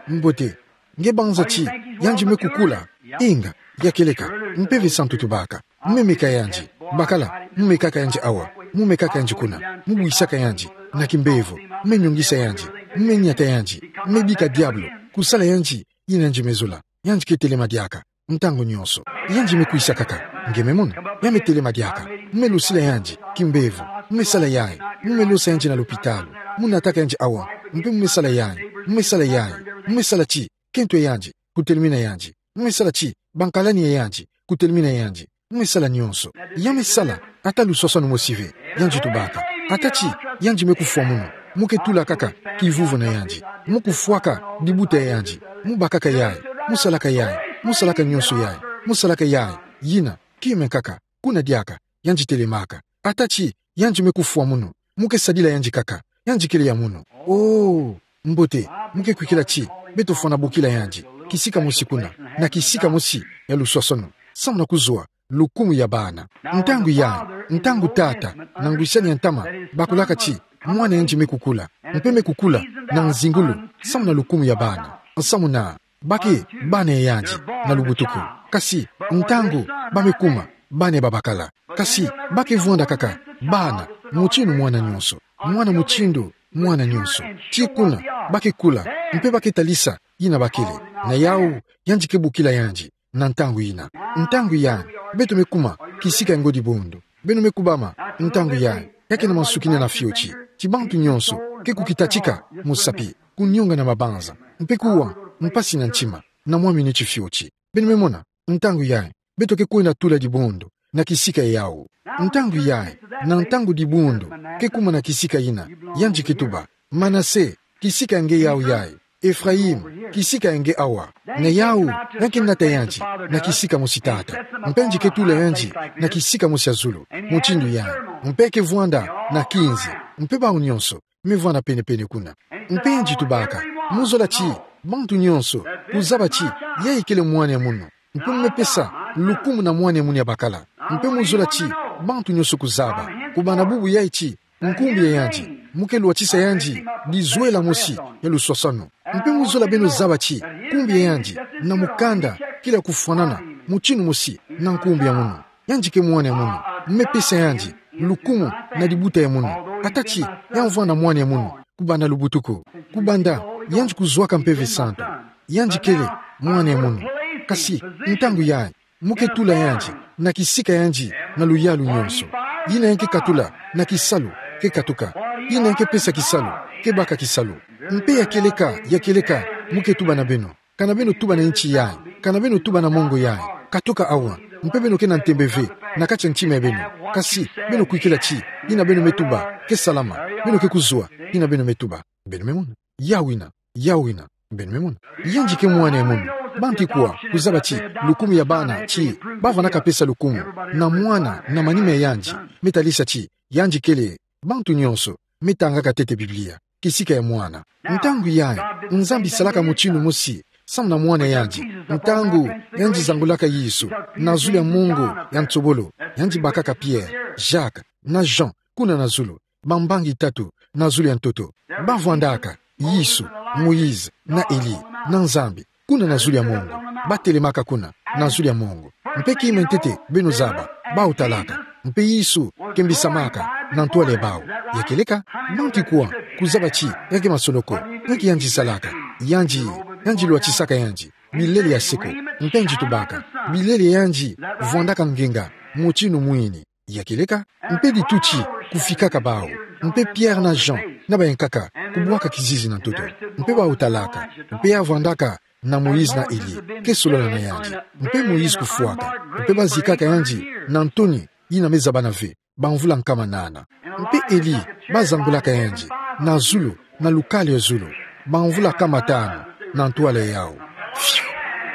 Mbote. Nge banza ti, yandi me kukula. Inga, ya kieleka, Mpeve Santu tubaka. Mu me meka yandi. Bakala, mu mekaka yandi awa. Mu mekaka yandi kuna. Mu bwisaka yandi. Na kimbevo. Mu me nyongisa yandi. Mu me niata yandi. Mu me bika diabulu. Kusala yandi, yina yandi me zola. Yandi ke telema diaka. Ntangu nyonso. Yandi me kwisa kaka. Nge me mona. Ya me telema diaka. Mu me losila yandi. Kimbevo. Mu me sala yayi. Mu me losa yandi na lopitalo. Mu nataka yandi awa. Mpe mu me sala yayi. Mu me sala yayi. Mu me sala ti. Kento ya yandi. Kutelemina yandi. Mu me sala ti. Bankalani ya yandi. Kutelemina yandi. Mu me sala nyonso. Ya me sala. Ata luswaswanu mosi ve. Yandi tubaka. Ata ti. Yandi me kufwa munu. Mu ke tula kaka. Kivuvu na yandi. Mu kufwaka. Dibuta ya yandi. Mu bakaka yayi. Mu salaka yayi. Mu salaka nyonso yayi. Mu salaka yayi. Yina. Kima kaka. Kuna diaka. Yandi telemaka. Ata ti. Yandi me kufwa munu. Mu ke sadila yandi kaka. Yandi kele ya munu. Oh. Mbote. Mu ke kwikila ti. Beto fwana bokila yandi. Kisika mosi kuna. Na kisika mosi. Ya luswaswanu. Samu na kuzwa. Lukumu ya bana. Ntangu yayi, ntangu tata, na ngwisani ya ntama, bakulaka ti, mwana yandi me kukula, mpe me kukula, na nzingulu, samu na lukumu ya bana, samu na, ba ke, bana ya yandi, na lubutuku. Kasi, ntangu, ba me kuma, bana ya babakala. Kasi, ba ke vwanda kaka, bana, mutindu mwana nyonso, mwana mutindu, mwana nyonso. Ti kuna, ba ke kula, mpe ba ke talisa, yina ba kele. Na yawu, yandi ke bokila yandi. Na ntangu yina. Ntangu yayi, beto me kuma, kisika ngo dibundu. Beno me kubama, ntangu yayi, ya ke na mansukina na fioti. Ti bantu nyonso, ke kukitatika, musapi, kunyonga na mabanza. Mpe kuwa, mpasi na ntima, na mwa miniti fioti. Beno me mona, ntangu yayi, beto ke kwenda tula dibundu, na kisika yawu. Ntangu yayi, na ntangu dibundu, ke kuma na kisika yina, yandi ke tuba, Manase, kisika nge yawu yayi. Efrayim, kisika nge awa. Na yawu, ya ke nata yandi, na kisika mosi tata. Mpe yandi ke tula yandi, na kisika mosi ya zulu. Mutindu yayi. Mpe ke vwanda, na kinzi. Mpe bawu nyonso, me vwanda pene-pene kuna. Mpe yandi tubaka. Mu zola ti, bantu nyonso, kuzaba ti, yayi kele mwana ya munu. Mpe mu me pesa, lukumu na mwana ya munu ya bakala. Mpe mu zola ti, bantu nyonso kuzaba. Kubana bubu yayi ti, nkumbu ya yandi, mu ke lwatisa yandi, dizwela mosi, ya luswaswanu. Mpe mu zola beno zaba ti, nkumbu ya yandi, na mukanda, kele ya kufwanana, mutindu mosi, na nkumbu ya munu. Yandi ke mwana ya munu, mu me pesa yandi, lukumu, na dibuta ya munu. Ata ti, ya vwanda mwana ya munu, kubanda lubutuku. Kubanda, yandi kuzwaka Mpeve Santu. Yandi kele, mwana ya munu. Kasi, ntangu yayi, Mo ke tula yandi na kisika yandi na luyalu nyonso. Yina yandi ke katula na kisalu, ke katuka. Yina yandi ke pesa kisalu, ke baka kisalu. Mpe ya kieleka, ya kieleka, mo ke tuba na beno. Ka na beno tuba na inti yayi, ka na beno tuba na mongo yayi. Katuka awa, mpe beno ke na ntembe ve na kati ya ntima ya beno. Kasi beno kwikila ti yina beno me tuba ke salama. Beno ke kuzwa yina beno me tuba. Beno me mona? Yawu ina, yawu ina. Beno me mona? Yandi ke mwana ya munu. Bantu ikwa kuzaba ti lukumu ya bana ti ba vandaka pesa lukumu na mwana na manima ya yandi, me talisa ti yandi kele bantu nyonso me tangaka ntete Biblia kisika ya mwana. Ntangu yayi, Nzambi salaka mutindu mosi samu na mwana ya yandi. Ntangu yandi zangulaka Yesu na zulu ya mongo ya nsobolo, yandi bakaka Pierre, Jacques, na Jean kuna na zulu, bambangi tatu na zulu ya ntoto. Ba vwandaka Yesu, Moïse, na Elie, na Nzambi kuna na zulu ya mongo. Ba telemaka kuna na zulu ya mongo. Mpe kima ntete beno zaba, bawu talaka. Mpe Yesu kembisamaka na ntwala ya bawu. Ya kieleka, bantu ikwa kuzaba ti ya ke masonoko. Ya ke yandi salaka? Yandi, yandi lwatisaka yandi milele ya seko. Mpe yandi tubaka milele ya yandi vwandaka ngenga mutindu mwini. Ya kieleka, mpe dituti kufikaka bawu, mpe Pierre na Jean na bayankaka kubwaka kizizi na ntoto. Mpe bawu talaka, mpe ya vwandaka na Moïse na Elie ke solola na yandi. Mpe Moïse kufwaka, mpe ba zikaka yandi na ntoni yina me zabana ve, bamvula nkama nana. Mpe Elie ba zangulaka yandi na zulu, na lukalu ya zulu, bamvula nkama tanu na ntwala yawu. Fiu!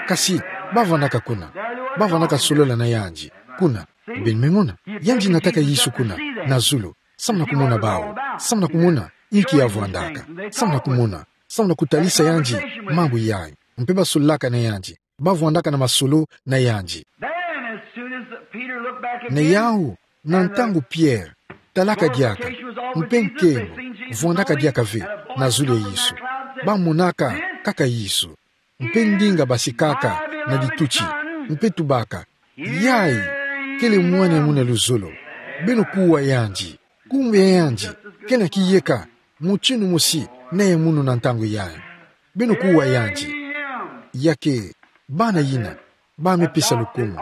Kasi ba vwandaka kuna, ba vwandaka solola na yandi kuna. Beno me mona? Yandi nataka Yesu kuna na zulu samu na kumona bawu, samu na kumona inki ya vwandaka, samu na kumona, samu na kutalisa yandi mambu yayi. Mpe ba sololaka na yandi, ba vwandaka na masolo na yandi. Then, as soon as Peter looked back again, na yawu, na ntangu Pierre talaka diaka, mpe nkembo vwandaka diaka ve na zulu ya Yesu, ba monaka kaka Yesu. Mpe ndinga basikaka na dituti, mpe tubaka: Yayi kele Mwana ya munu ya luzolo. Beno kuwa yandi. Kumbi ya yandi kena kiyeka mutindu mosi na ya munu na ntangu yayi. Beno kuwa yandi. Ya ke bana yina ba me pesa lukumu,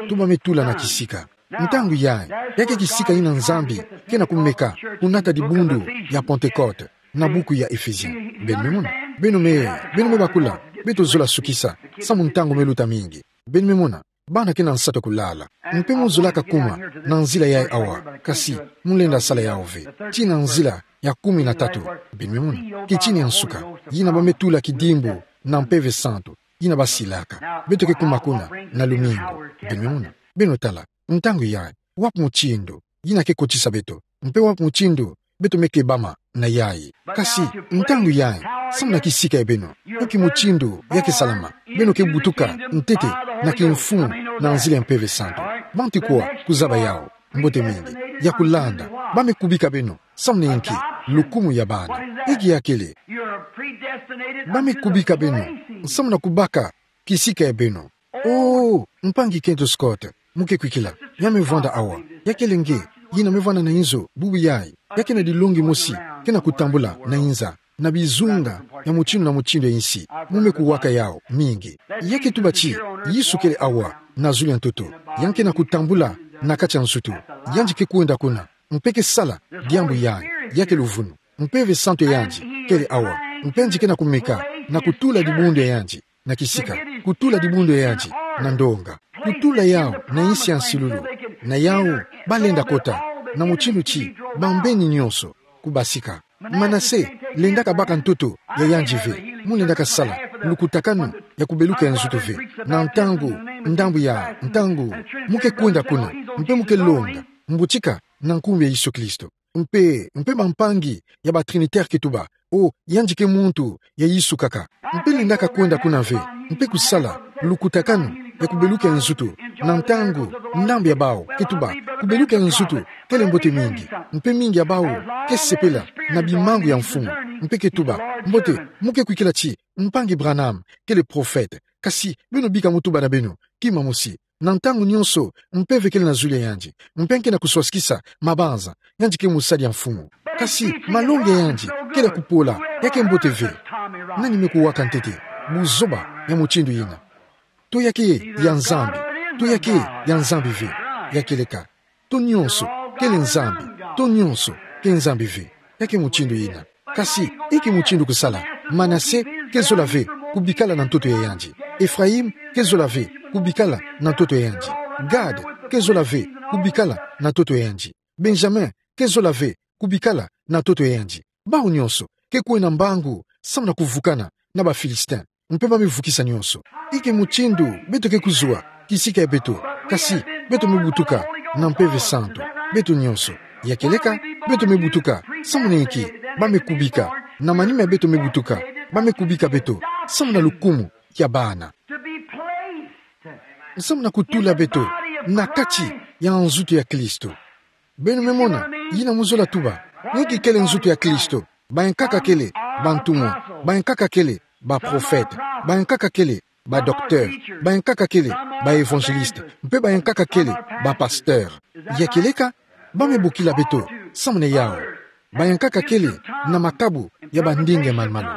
to ba me tula na kisika. Ntangu yayi, ya ke kisika yina Nzambi kena kumeka kunata dibundu ya Pentecôte na buku ya Éphésiens. Beno me mona? Beno me, beno me bakula. Beto zola sukisa samu ntangu me luta mingi. Beno me mona? Bana kena nsatu kulala. Mpe mo zolaka kuma na nzila yayi awa, kasi mo lenda sala yawu ve. Tii na nzila ya kumi na tatu. Beno me mona? Kitini ya nsuka, yina ba me tula kidimbu na Mpeve Santu, yina ba silaka. Beto ke kuma kuna na lumingu. Beno me mona? Beno tala, ntangu yayi, wapi mutindu yina ke kotisa beto, mpe wapi mutindu beto me kebama na yayi? Kasi ntangu yayi, samu na kisika ya beno, inki mutindu ya ke salama? Beno ke butuka ntete na kimfumu na nzila ya Mpeve Santu. Bantu ikwa kuzaba yawu, mbote mingi, ya kulanda. Ba me kubika beno samu na inki? Lukumu ya bana. Inki ya kele? Ba me kubika beno samu na kubaka kisika ya beno. Oh, mpangi Kent Scott, mo ke kwikila ya me vwanda awa. Ya kele nge yina me vwanda na inzo bubu yayi. Ya kena dilongi mosi kena kutambula na inza, na bizunga ya mutindu na mutindu ya insi. Mo me kuwaka yawu mingi. Ya ke tuba ti Yesu kele awa na zulu ya ntoto. Yandi kena kutambula na kati ya nsutu. Yandi ke kwenda kuna, mpe ke sala diambu yayi. Ya ke luvunu. Mpeve Santu ya yandi kele awa, mpe yandi kena kumeka na kutula dibundu ya yandi na kisika, kutula dibundu ya yandi na ndonga, kutula yawu na insi ya nsilulu. Na yawu ba lenda kota na mutindu ti bambeni nyonso kubasika. Manase lendaka baka ntoto ya yandi ve. Mo lendaka sala lukutakanu ya kubeluka ya nzutu ve. Na ntangu, ndambu ya ntangu, mo ke kwenda kuna, mpe mo ke longa mbutika na nkumbu ya Yesu Kristo. Mpe, mpe bampangi ya ba Trinitaire ke tuba: Oh, yandi ke muntu ya Yesu kaka. Mpe lendaka kwenda kuna ve, mpe kusala lukutakanu ya kubeluka ya nzutu. Na ntangu, ndambu ya bawu ke tuba kubeluka ya nzutu kele mbote mingi, mpe mingi ya bawu ke sepela na bimangu ya mfumu, mpe ke tuba: Mbote, mo ke kwikila ti mpangi Branham kele prophète. Kasi beno bika mo tuba na beno kima mosi. Na ntangu nyonso, mpeve kele na zulu ya yandi, mpe yandi kena kuswasikisa mabanza. Yandi ke mosali ya mfumu. Kasi malongi ya yandi kele ya kupola, ya ke mbote ve. Nani me kuwaka ntete buzoba ya mutindu yina? To ya ke ya Nzambi? to ya ke ya Nzambi ve. Ya kieleka, to nyonso kele Nzambi, to nyonso ke Nzambi ve. Ya ke mutindu yina. Kasi, inki mutindu kusala? Manase ke zola ve kubikala na ntoto ya yandi. Ephraïm ke zola ve kubikala na ntoto ya yandi. Gad ke zola ve kubikala na ntoto ya yandi. Benjamin ke zola ve kubikala na ntoto ya yandi. Bawu nyonso ke kwenda mbangu samu na kuvukana na ba Philistin. Mpe ba me vukisa nyonso. Inki mutindu beto ke kuzwa kisika ya beto? Kasi beto me butuka na Mpeve Santu, beto nyonso. Ya kieleka, beto me butuka. Samu na inki? Ba me kubika. Na manima ya beto me butuka, ba me kubika beto samu na lukumu ya bana. Samu na kutula beto na kati ya nzutu ya Kristo. Beno me mona yina mu zola tuba. Inki kele nzutu ya Kristo? Bayankaka kele bantumwa, bayankaka kele baprofete, bayankaka kele badocteur, bayankaka kele baévangéliste, mpe bayankaka kele bapasteur. Ya kieleka, ba me bokila beto samu na yawu. Bayankaka kele na makabu ya bandinga ya malumalu,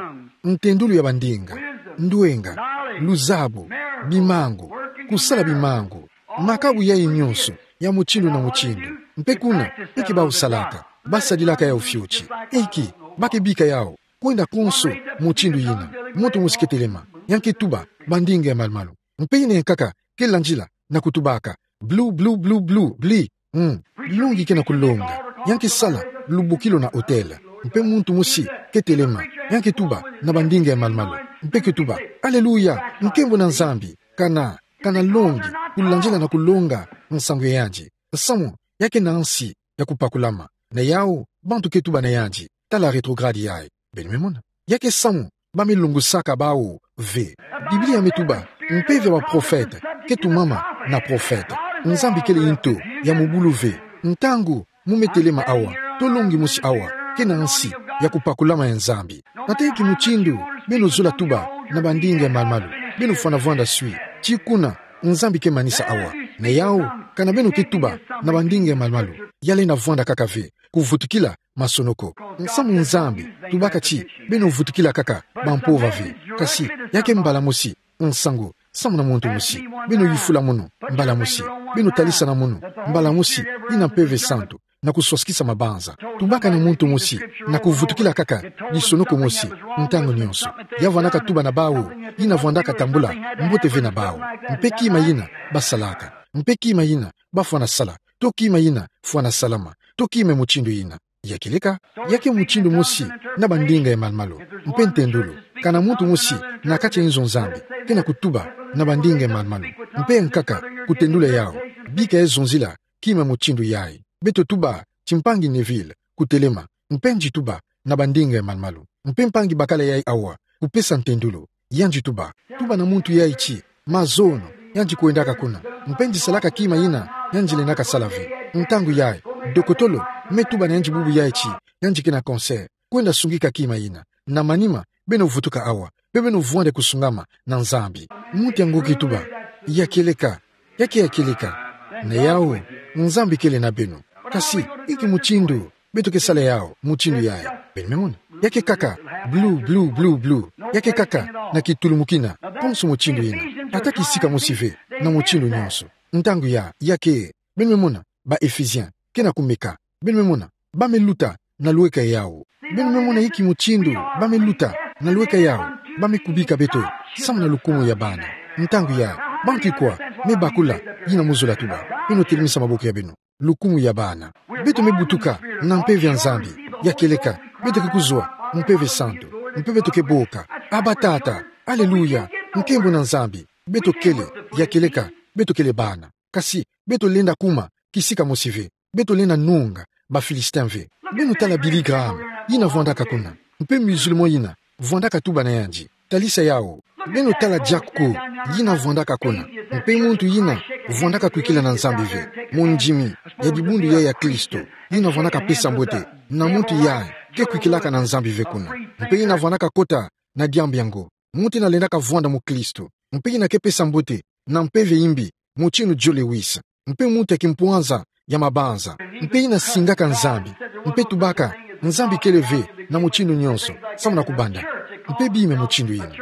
ntendulu ya bandinga, ndwenga, luzabu, bimangu, kusala bimangu, makabu yayi nyonso ya mutindu na mutindu. Mpe kuna, inki bawu salaka? Ba sadilaka yawu fioti. Inki? Ba ke bika yawu kwenda konso mutindu yina. Muntu mosi ke telema, yandi ke tuba bandinga ya malumalu. Mpe yina yankaka ke landila na kutubaka: Blu, blu, blu, blu, bli. Mm. Longi ke na kulonga. Yandi ke sala lubokilo na autel. Mpe muntu mosi ke telema, yandi ke tuba na bandinga ya malumalu. Mpe ke tuba: Aleluya, nkembo na Nzambi. Kana, kana longi kulandila na kulonga nsangu ya yandi, samu ya ke na nsi ya kupakulama. Na yawu, bantu ke tuba na yandi: Tala rétrograde yayi. Beno me mona. Ya ke samu ba me longosaka bawu ve. Biblia me tuba: Mpeve ya baprofete ke tumama na profete. Nzambi kele nto ya mubulu ve. Ntangu mu me telema awa, to longi mosi awa ke na nsi ya kupakulama ya Nzambi. Nata inki mutindu beno zola tuba na bandinga ya malumalu? Beno fwana vwanda swi. Ti kuna Nzambi ke manisa awa. Na yawu, kana beno ke tuba na bandinga ya malumalu, ya lenda vwanda kaka ve kuvutukila masonoko. Nsamu Nzambi tubaka ti beno vutukila kaka bampova ve. Kasi ya ke mbala mosi nsangu samu na muntu mosi. Beno yufula mono mbala mosi. Beno talisana mono mbala mosi, yina Mpeve Santu, na kuswasikisa mabanza. Tubaka na muntu mosi na kuvutukila kaka lisonoko mosi ntangu nyonso. Ya vwandaka tuba na bawu, yina vwandaka tambula mbote ve na bawu. Mpe kima yina ba salaka. Mpe kima yina ba fwana sala. To kima yina fwana salama. To kima mutindu yina. Ya kieleka, ya ke mutindu mosi na bandinga ya malumalu. Mpe ntendulu, kana muntu mosi na kati ya inzo Nzambi ke na kutuba na bandinga ya malumalu, mpe yankaka kutendula yawu, bika ya zonzila kima mutindu yayi. Beto tuba ti mpangi Neville kutelema, mpe yandi tuba na bandinga ya malumalu. Mpe mpangi bakala yayi awa kupesa ntendulu, yandi tuba. Tuba na muntu yayi ti mazono, yandi kwendaka kuna. Mpe yandi salaka kima yina yandi lendaka sala ve. Ntangu yayi, dokotolo me tuba na yandi bubu yayi ti yandi ke na cancer. Kwenda sungika kima yina. Na manima, beno vutuka awa, mpe beno vwanda kusungama na Nzambi. Muntu yango ke tuba: Ya kieleka, ya ke ya kieleka. Na yawu, Nzambi kele na beno. Kasi inki mutindu beto ke sala yawu mutindu yayi? Beno me mona. Ya ke kaka blu, blu, blu, blu. Ya ke kaka na kitulumukina konso mutindu yina. Ata kisika mosi ve na mutindu nyonso. Ntangu yayi, ya ke, beno me mona, ba Ephésiens ke na kumeka. Beno me mona, ba me luta na lweka yawu. Beno me mona inki mutindu ba me luta na lweka yawu. Ba me kubika beto samu na lukumu ya bana. Ntangu yayi, bantu ikwa me bakula yina mu zola tuba? Beno telemisa maboko ya beno. Lukumu ya bana. Beto me butuka na mpeve ya Nzambi. Ya kieleka, beto ke kuzwa Mpeve Santu, mpe beto ke boka: Abba Tata. Aleluya. Nkembo na Nzambi. Beto kele, ya kieleka, beto kele bana. Kasi beto lenda kuma kisika mosi ve. Beto lenda nunga ba Philistin ve. Beno tala Billy Graham, yina vwandaka kuna. Mpe musulman yina vwandaka tuba na yandi. Talisa yawu. Beno tala Jack Coe, yina vwandaka kuna. Mpe muntu yina vwandaka kwikila na Nzambi ve. Mondimi ya dibundu yayi ya Kristo, yina vwandaka pesa mbote na muntu yayi ke kwikilaka na Nzambi ve kuna. Mpe yina vwandaka kota na diambu yango. Muntu yina lendaka vwanda mukristo. Mpe yina ke pesa mbote na mpeve yimbi, mutindu Joe Lewis. Mpe muntu ya kimpwanza ya mabanza. Mpe yina singaka Nzambi. Mpe tubaka: Nzambi kele ve na mutindu nyonso samu na kubanda. Mpe bima mutindu yina.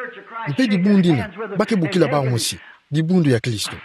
Mpe dibundu yina ba ke bokila bawu mosi dibundu ya Kristo.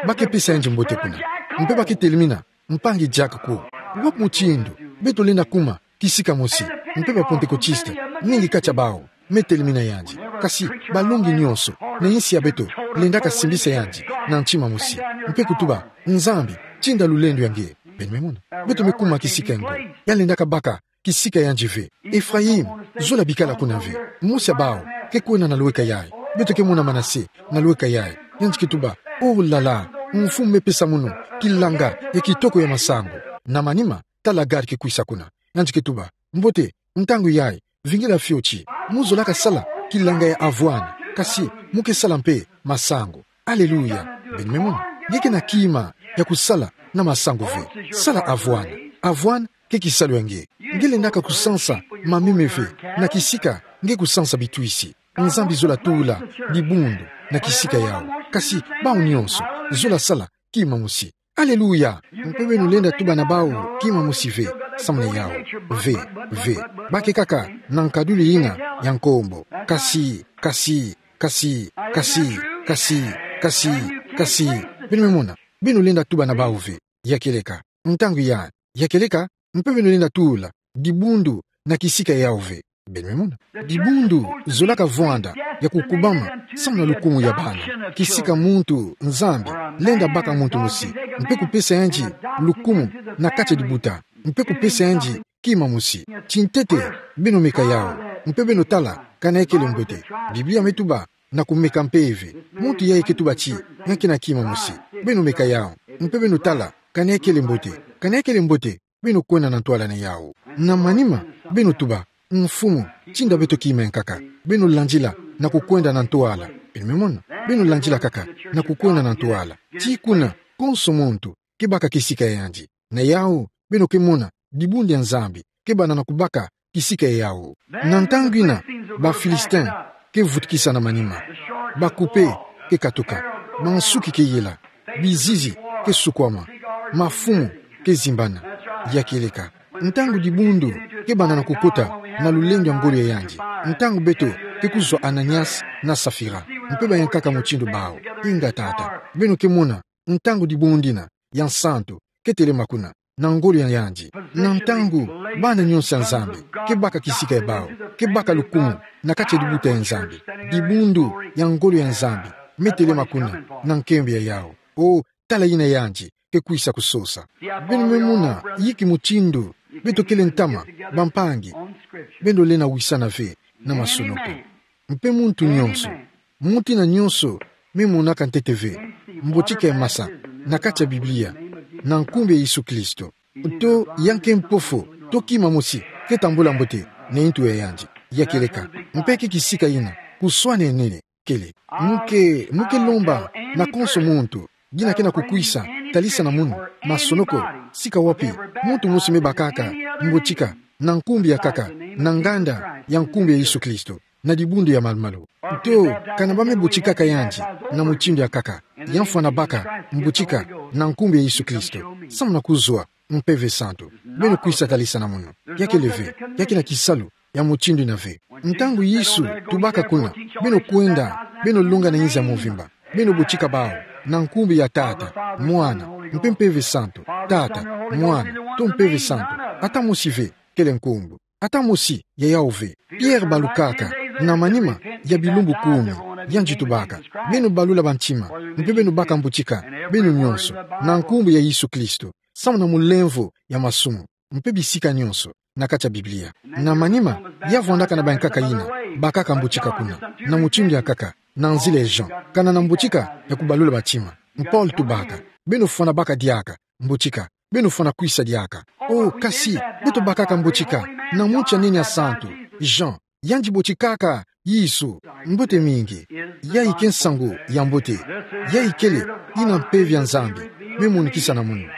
ba ke pesa yandi mbote kuna. Mpe ba ke telemina mpangi Jack ko. Wapi mutindu beto lenda kuma kisika mosi? Mpe ba Pentekotiste, mingi kati abao me telemina yandi. Kasi balongi nyonso na insi ya beto lendaka simbisa yandi na ntima mosi, mpe kutuba: Nzambi, tinda lulendo ya nge. Beno me mona? Beto me kuma kisika ngo. Ya lendaka baka kisika yandi ve. Ephraïm, zola bikala kuna ve. Mosi ya bao ke kwenda na lweka yayi. Beto ke mona Manase na lweka yayi. Yandi ke tuba: Oh là là, mfumu me pesa mono kilanga ya kitoko ya masangu. Na manima, tala Gad ke kwisa kuna. Yandi ke tuba: Mbote, ntangu yayi, vingila fioti. Mu zolaka sala kilanga ya avoine, kasi mu ke sala mpe masangu. Alléluia. Beno me mona? Nge ke na kima ya kusala na masangu ve. Sala avoine. Avoine ke kisalu ya nge. Nge lendaka kusansa mameme ve na kisika nge kusansa bitwisi. Nzambi zola tula dibundu na kisika yawu. Kasi bawu nyonso, zola sala kima mosi. Alléluia. Mpe beno lenda tuba na bawu kima mosi ve, samu na yawu. Ve, ve. Ba ke kaka na nkadulu yina ya nkombo. Kasi, kasi, kasi, kasi, kasi, kasi, kasi. Beno me mona? Beno lenda tuba na bawu ve. Ya kieleka. Ntangu ya, ya kieleka, mpe beno lenda tula dibundu na kisika yawu ve. Beno me mona? Dibundu zolaka vwanda ya kukubama samu na lukumu ya bana. Kisika muntu Nzambi lenda baka muntu mosi, mpe kupesa yandi lukumu na kati ya dibuta, mpe kupesa yandi kima mosi. Tintete, beno meka yawu, mpe beno tala kana ya kele mbote. Biblia me tuba na kumeka mpeve. Muntu yayi ke tuba ti, nga ke na kima mosi. Beno meka yawu, mpe beno tala kana ya kele mbote. Kana ya kele mbote, beno kwenda na ntwala na yawu. Na manima, beno tuba: Mfumu, tinda beto kima ya nkaka. Beno landila na kukwenda na ntwala. Beno me mona? Beno landila kaka na kukwenda na ntwala. Tii kuna, konso muntu ke baka kisika ya yandi. Na yawu, beno ke mona dibundu ya Nzambi ke banda na kubaka kisika ya yawu. Na ntangu yina, ba Philistin ke vutukisa na manima. Ba kupe ke katuka. Mansuki ke yela. Bizizi ke sukwama. Mafumu ke zimbana. Ya kieleka. Ntangu dibundu ke banda na kukota na lulendo ya ngolo ya yandi. Ntangu beto ke kuzwa Ananias na Safira, mpe bayankaka mutindu bawu: Inga Tata. Beno ke mona ntangu dibundu yina ya nsantu ke telema kuna na ngolo ya yandi. Na ntangu bana nyonso ya Nzambi ke baka kisika ya bawu, ke baka lukumu na kati ya dibuta ya Nzambi, dibundu ya ngolo ya Nzambi me telema kuna na nkembo ya yawu. O, tala yina yandi ke kwisa kusosa. Beno me mona yinki mutindu beto kele ntama, bampangi, beno lenda wisana ve na masonoko. Mpe muntu nyonso, muntu yina nyonso me monaka ntete ve mbotika ya masa na kati ya Biblia, na nkumbu ya Yesu Kristo, to ya nke mpofu, to kima mosi ke tambula mbote na ntu ya yandi. Ya kieleka. Mpe ke kisika yina kuswana nene kele. Mu ke, mu ke lomba na konso muntu yina ke na kukwisa talisa na munu, masonoko, sika wapi muntu mosi me bakaka mbotika, na nkumbu ya nkaka, na nganda ya nkumbu ya Yesu Kristo, na dibundu ya malumalu. To kana ba me botikaka yandi na mutindu ya nkaka, ya mfwana baka mbotika na nkumbu ya Yesu Kristo, samu na kuzwa Mpeve Santu. Beno kwisa talisa na munu. Ya kele ve, ya ke na kisalu ya mutindu yina ve. Ntangu Yesu tubaka kuna, beno kwenda, beno longa na inza mvimba, beno botika bawu na nkumbu ya Tata, Mwana, mpe Mpeve Santu. Tata, Mwana, to Mpeve Santu. Ata mosi ve kele nkumbu. Ata mosi ya yawu ve. Pierre balukaka na manima ya bilumbu kumi, yandi tubaka: Beno balula bantima, mpe beno baka mbotika, beno nyonso, na nkumbu ya Yesu Kristo, samu na mulemvo ya masumu, mpe bisika nyonso na kati ya Biblia. Na manima, ya vwandaka na bankaka yina bakaka mbotika kuna, na mutindu ya nkaka, na nzila ya Jean, kana na mbotika ya kubalula bantima. Paul tubaka: Beno fwana baka diaka mbotika, beno fwana kwisa diaka. O, kasi beto bakaka mbotika na muntu ya nene ya santu, Jean, yandi botikaka Yesu. Mbote mingi. Yayi ke nsangu ya mbote. Yayi kele yina Mpeve ya Nzambi me monikisa na munu.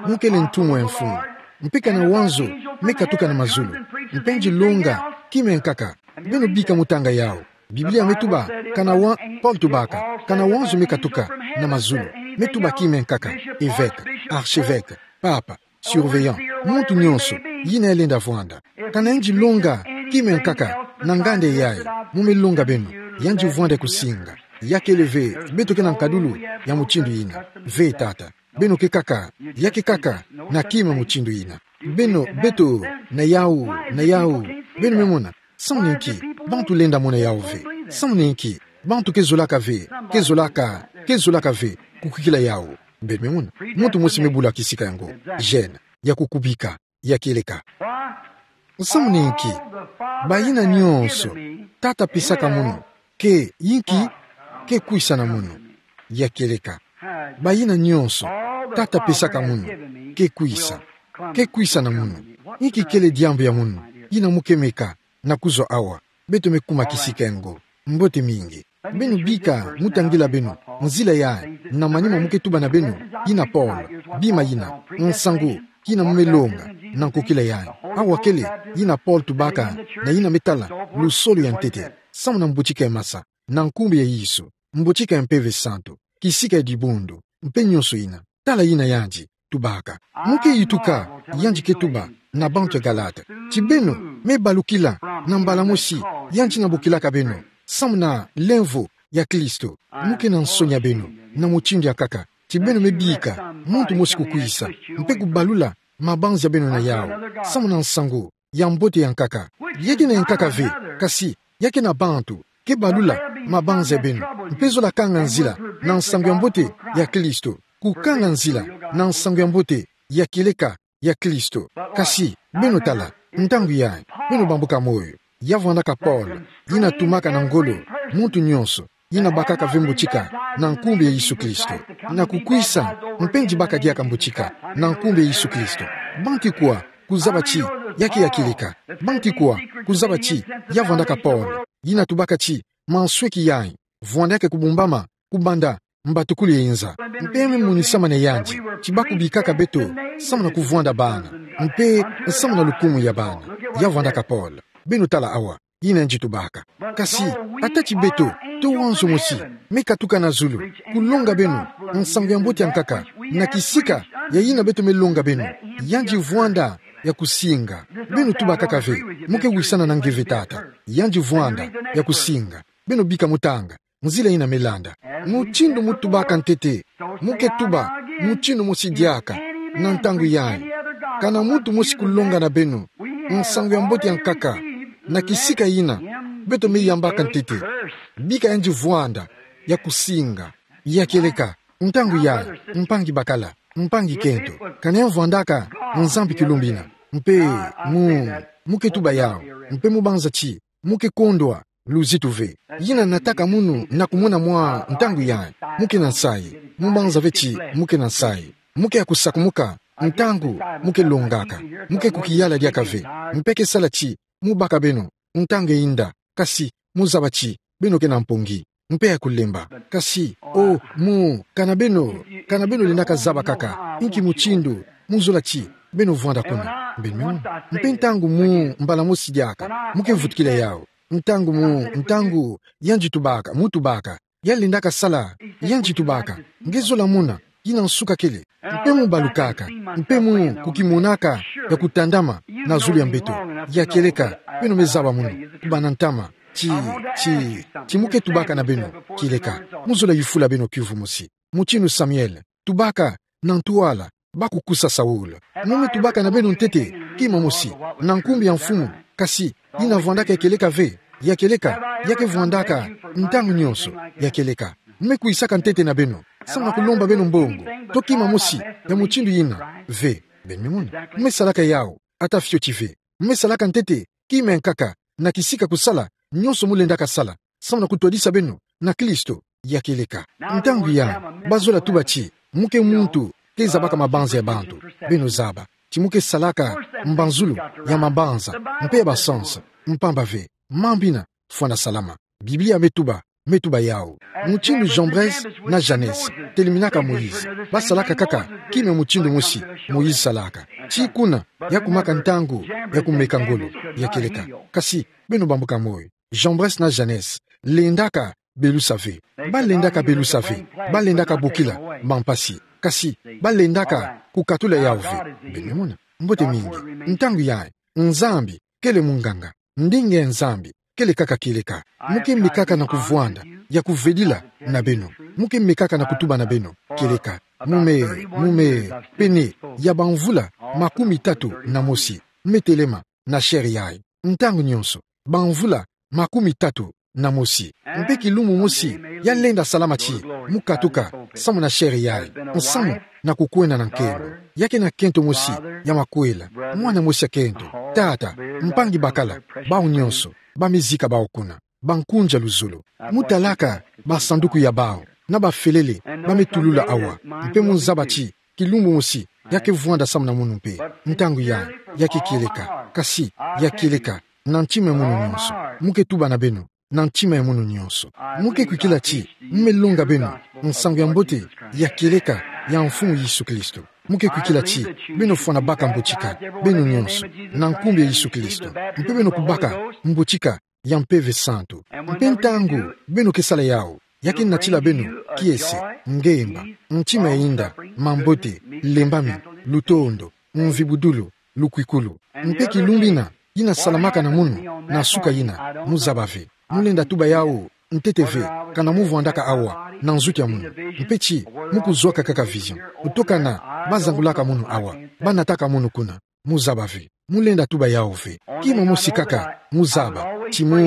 Mu kele ntumwa ya Mfumu. Mpe kana wanzo me katuka na mazulu, mpe ngiloka kima ya nkaka. Beno bika mu tanga yawu. Biblia me tuba, kana wa, Paul tubaka, kana wanzo me katuka na mazulu, me tuba kima ya nkaka: évêque, archevêque, papa, surveillant, muntu nyonso yina ya lenda vwanda. Kana ngiloka kima ya nkaka na nganda yayi, mu me longa beno, yandi vwanda kusinga. Ya kele ve, beto ke na nkadulu ya mutindu ina. Ve tata. Beno ke kaka, ya ke kaka, na kima mutindu ina. Beno, beto, na yau, na yau. Beno me mona, samu na inki, bantu lenda mona yau ve. Samu na inki, bantu ke zolaka ve, ke zolaka, ke zolaka ve, kukikila yau. Beno me mona, muntu mosi me bula kisika yango. Gêne, ya kukubika, ya kieleka. Samu na inki, bayina nionso, Tata pesaka munu, ke, inki, ke kwisa na munu, ya kieleka. Bayina nionso, Tata pesaka munu, ke kwisa, ke kwisa na munu. Inki kele diambu ya munu, yina mu ke meka, na kuzwa awa, beto me kuma kisika yango. Mbote mingi. Beno bika, mu tangila beno, nzila ya, na manima mu ke tuba na beno, yina pole, bima yina, nsangu, yina mu me longa, na nkokila ya. Awa kele, yina pole tubaka, na yina me tala, lusolo ya ntete, samu na mbutika ya masa, na nkumbu ya Yesu, mbutika ya Mpeve Santu, kisika ya dibundu, mpe nionso yina. Tala yina yandi tubaka. Mu ke yituka, yandi ke tuba na bantu ya Galate. Ti beno me balukila na mbala mosi yandi na bokilaka beno, samu na lemvo ya Kristo. Mu ke na nsoni ya beno, na mutindu ya nkaka. Ti beno me bika, muntu mosi kukwisa, mpe kubalula mabanza ya beno na yau, samu na nsangu ya mbote ya nkaka. Ya ke na ya nkaka ve, kasi, ya ke na bantu ke balula mabanza ya beno, mpe zola kanga nzila na nsangu ya mbote ya Kristo, kukanga nzila na nsangu ya mbote ya kieleka ya Kristo. Kasi, beno tala, ntangu ya, beno bambuka moyo, ya vwandaka pole, yina tumaka na ngolo muntu nionso, yina bakaka ve mbutika, na nkumbu ya Yesu Kristo. Na kukwisa, mpe nzibaka diaka mbutika, na nkumbu ya Yesu Kristo. Banki kwa, kuzaba ti, ya ke ya kieleka. Banki kwa, kuzaba ti, ya vwandaka pole. Yina tubaka ti, mansweki yayi, vwanda ya ke kubumbama, kubanda, mbatukulu ya inza. Mpe me monisama na yandi, ti ba kubikaka beto, samu na kuvwanda bana. Mpe, samu na lukumu ya bana. Ya vwandaka pole. Beno tala awa. Yina yandi tubaka. Kasi, ata ti beto, to wanzo mosi, me katuka na zulu, kulonga beno, nsangu ya mbote ya nkaka, na kisika, ya yina beto me longa beno, yandi vwanda, ya kusinga. Beno tubakaka ve, mu ke wisana na nge ve tata, yandi vwanda, ya kusinga. Beno bika mu tanga, nzila yina me landa. Mutindu mu tubaka ntete, mu ke tuba, mutindu mosi diaka, na ntangu yayi. Kana muntu mosi kulonga na beno, nsangu ya mbote ya nkaka, na kisika yina, beto me yambaka ntete. Bika yandi vwanda, ya kusinga, ya kieleka, ntangu yayi, mpangi bakala, mpangi kento. Kana ya vwandaka, Nzambi kilumbina. Mpe, mu, mu ke tuba yau, mpe mu banza ti, mu ke kondwa, luzitu ve. Yina nataka munu na kumona mwa ntangu yayi, mu ke na nsayi, mu banza ve ti, mu ke na nsayi. Mu ke ya kusakumuka, ntangu, mu ke longaka, mu ke kukiyala diaka ve, mpe ke sala ti, mu baka beno, ntangu ya inda, kasi, mu zaba ti, beno ke na mpongi, mpe ya kulemba. Kasi, o, mu, kana beno, kana beno lendaka zaba kaka, inki mutindu, mu zola ti, beno vwanda kuna, beno me mona. Mpe ntangu mu, mbala mosi diaka, mu ke vutukila yau. Ntangu mu, ntangu, yandi tubaka, mu tubaka. Ya lendaka sala, yandi tubaka. Nge zola mona, yina nsuka kele. Mpe mu balukaka, mpe mu kukimonaka, ya kutandama, na zulu ya mbeto. Ya kieleka, beno me zaba munu, kubana ntama. Ti, ti, ti mu ke tubaka na beno, kieleka. Mu zola yufula beno kiuvu mosi. Mutindu Samuel, tubaka, na ntwala, ba kukusa Saul. Mu me tubaka na beno ntete, kima mosi, na nkumbu ya mfumu, kasi, yina vwandaka ya kieleka ve, ya kieleka, ya ke vwandaka, ntangu nionso, ya kieleka. Mu me kwisaka ntete na beno, samu na kulomba beno mbongo, to kima mosi, ya mutindu yina, ve, beno me mona. Mu me salaka yau, ata fioti ve. Mu me salaka ntete, kima ya nkaka, na kisika kusala, nionso mu lendaka sala, samu na kutwadisa beno, na Kristo, ya kieleka. Ntangu ya, ba zola tuba ti, mu ke muntu, ke zabaka mabanza ya bantu, beno zaba, ti mu ke salaka, mbanzulu, ya mabanza, mpe ya basansa, mpamba ve, mambu yina, fwana salama. Biblia me tuba, me tuba yau. Mutindu Jambres na Jannes, teliminaka Moïse, ba salaka kaka, kima mutindu mosi, Moïse salaka. Ti kuna, ya kumaka ntangu, ya kumeka ngolo, ya kieleka. Kasi, beno bambuka moyo. Jambres na Jannes, lendaka, belusa ve. Ba lendaka belusa ve, ba lendaka bokila, bampasi. Kasi, ba lendaka, kukatula yau ve. Beno me mona, mbote mingi. Ntangu yayi, Nzambi, kele munganga. Ndinga ya Nzambi, kele kaka kieleka. Mo ke mekaka na kuvwanda ya kuvedila na beno. Mo ke mekaka na kutuba na beno kieleka. Mo me, mo me, pene ya bamvula makumi tatu na mosi, me telema na chaire yayi. Ntangu nyonso, bamvula makumi tatu na mosi. Mpe kilumbu mosi, ya lenda salama ti mo katuka samu na chaire yayi, nsamu na kukwenda na nkento. Ya ke na kento mosi ya makwela, mwana mosi ya kento, tata, mpangi bakala, bawu nyonso ba me zika bawu kuna, bankunzi ya luzolo. Mo talaka basanduku ya bawu, na bafelele ba me tulula awa, mpe mo zaba ti kilumbu mosi ya ke vwanda samu na munu mpe. Ntangu yayi, ya ke kieleka, kasi ya kieleka na ntima ya munu nyonso. Mo ke tuba na beno na ntima ya munu nyonso. Mo ke kwikila ti mo me longa beno nsangu ya mbote ya kieleka ya Mfumu Yesu Kristo. Mo ke kwikila ti beno fwana baka mbotika, beno nyonso, na nkumbu ya Yesu Kristo. Mpe beno kubaka mbotika ya Mpeve Santu. Mpe ntangu beno ke sala yawu, ya ke natila beno kiese, ngemba, ntima ya inda, mambote, lembami, lutondo, mvibudulu, lukwikulu. Mpe kilumbu ina, ina salamaka na munu na suka ina, mo zaba ve. Mo lenda tuba yawu ntete ve, kana mo vwandaka awa na nzuki ya munu. Mpe ti mo kuzwaka kaka vision kutoka na bazangulaka munu awa, ba nataka munu kuna. Mo zaba ve. Mo lenda tuba yawu ve. Kima mosi kaka mo zaba, ti mo,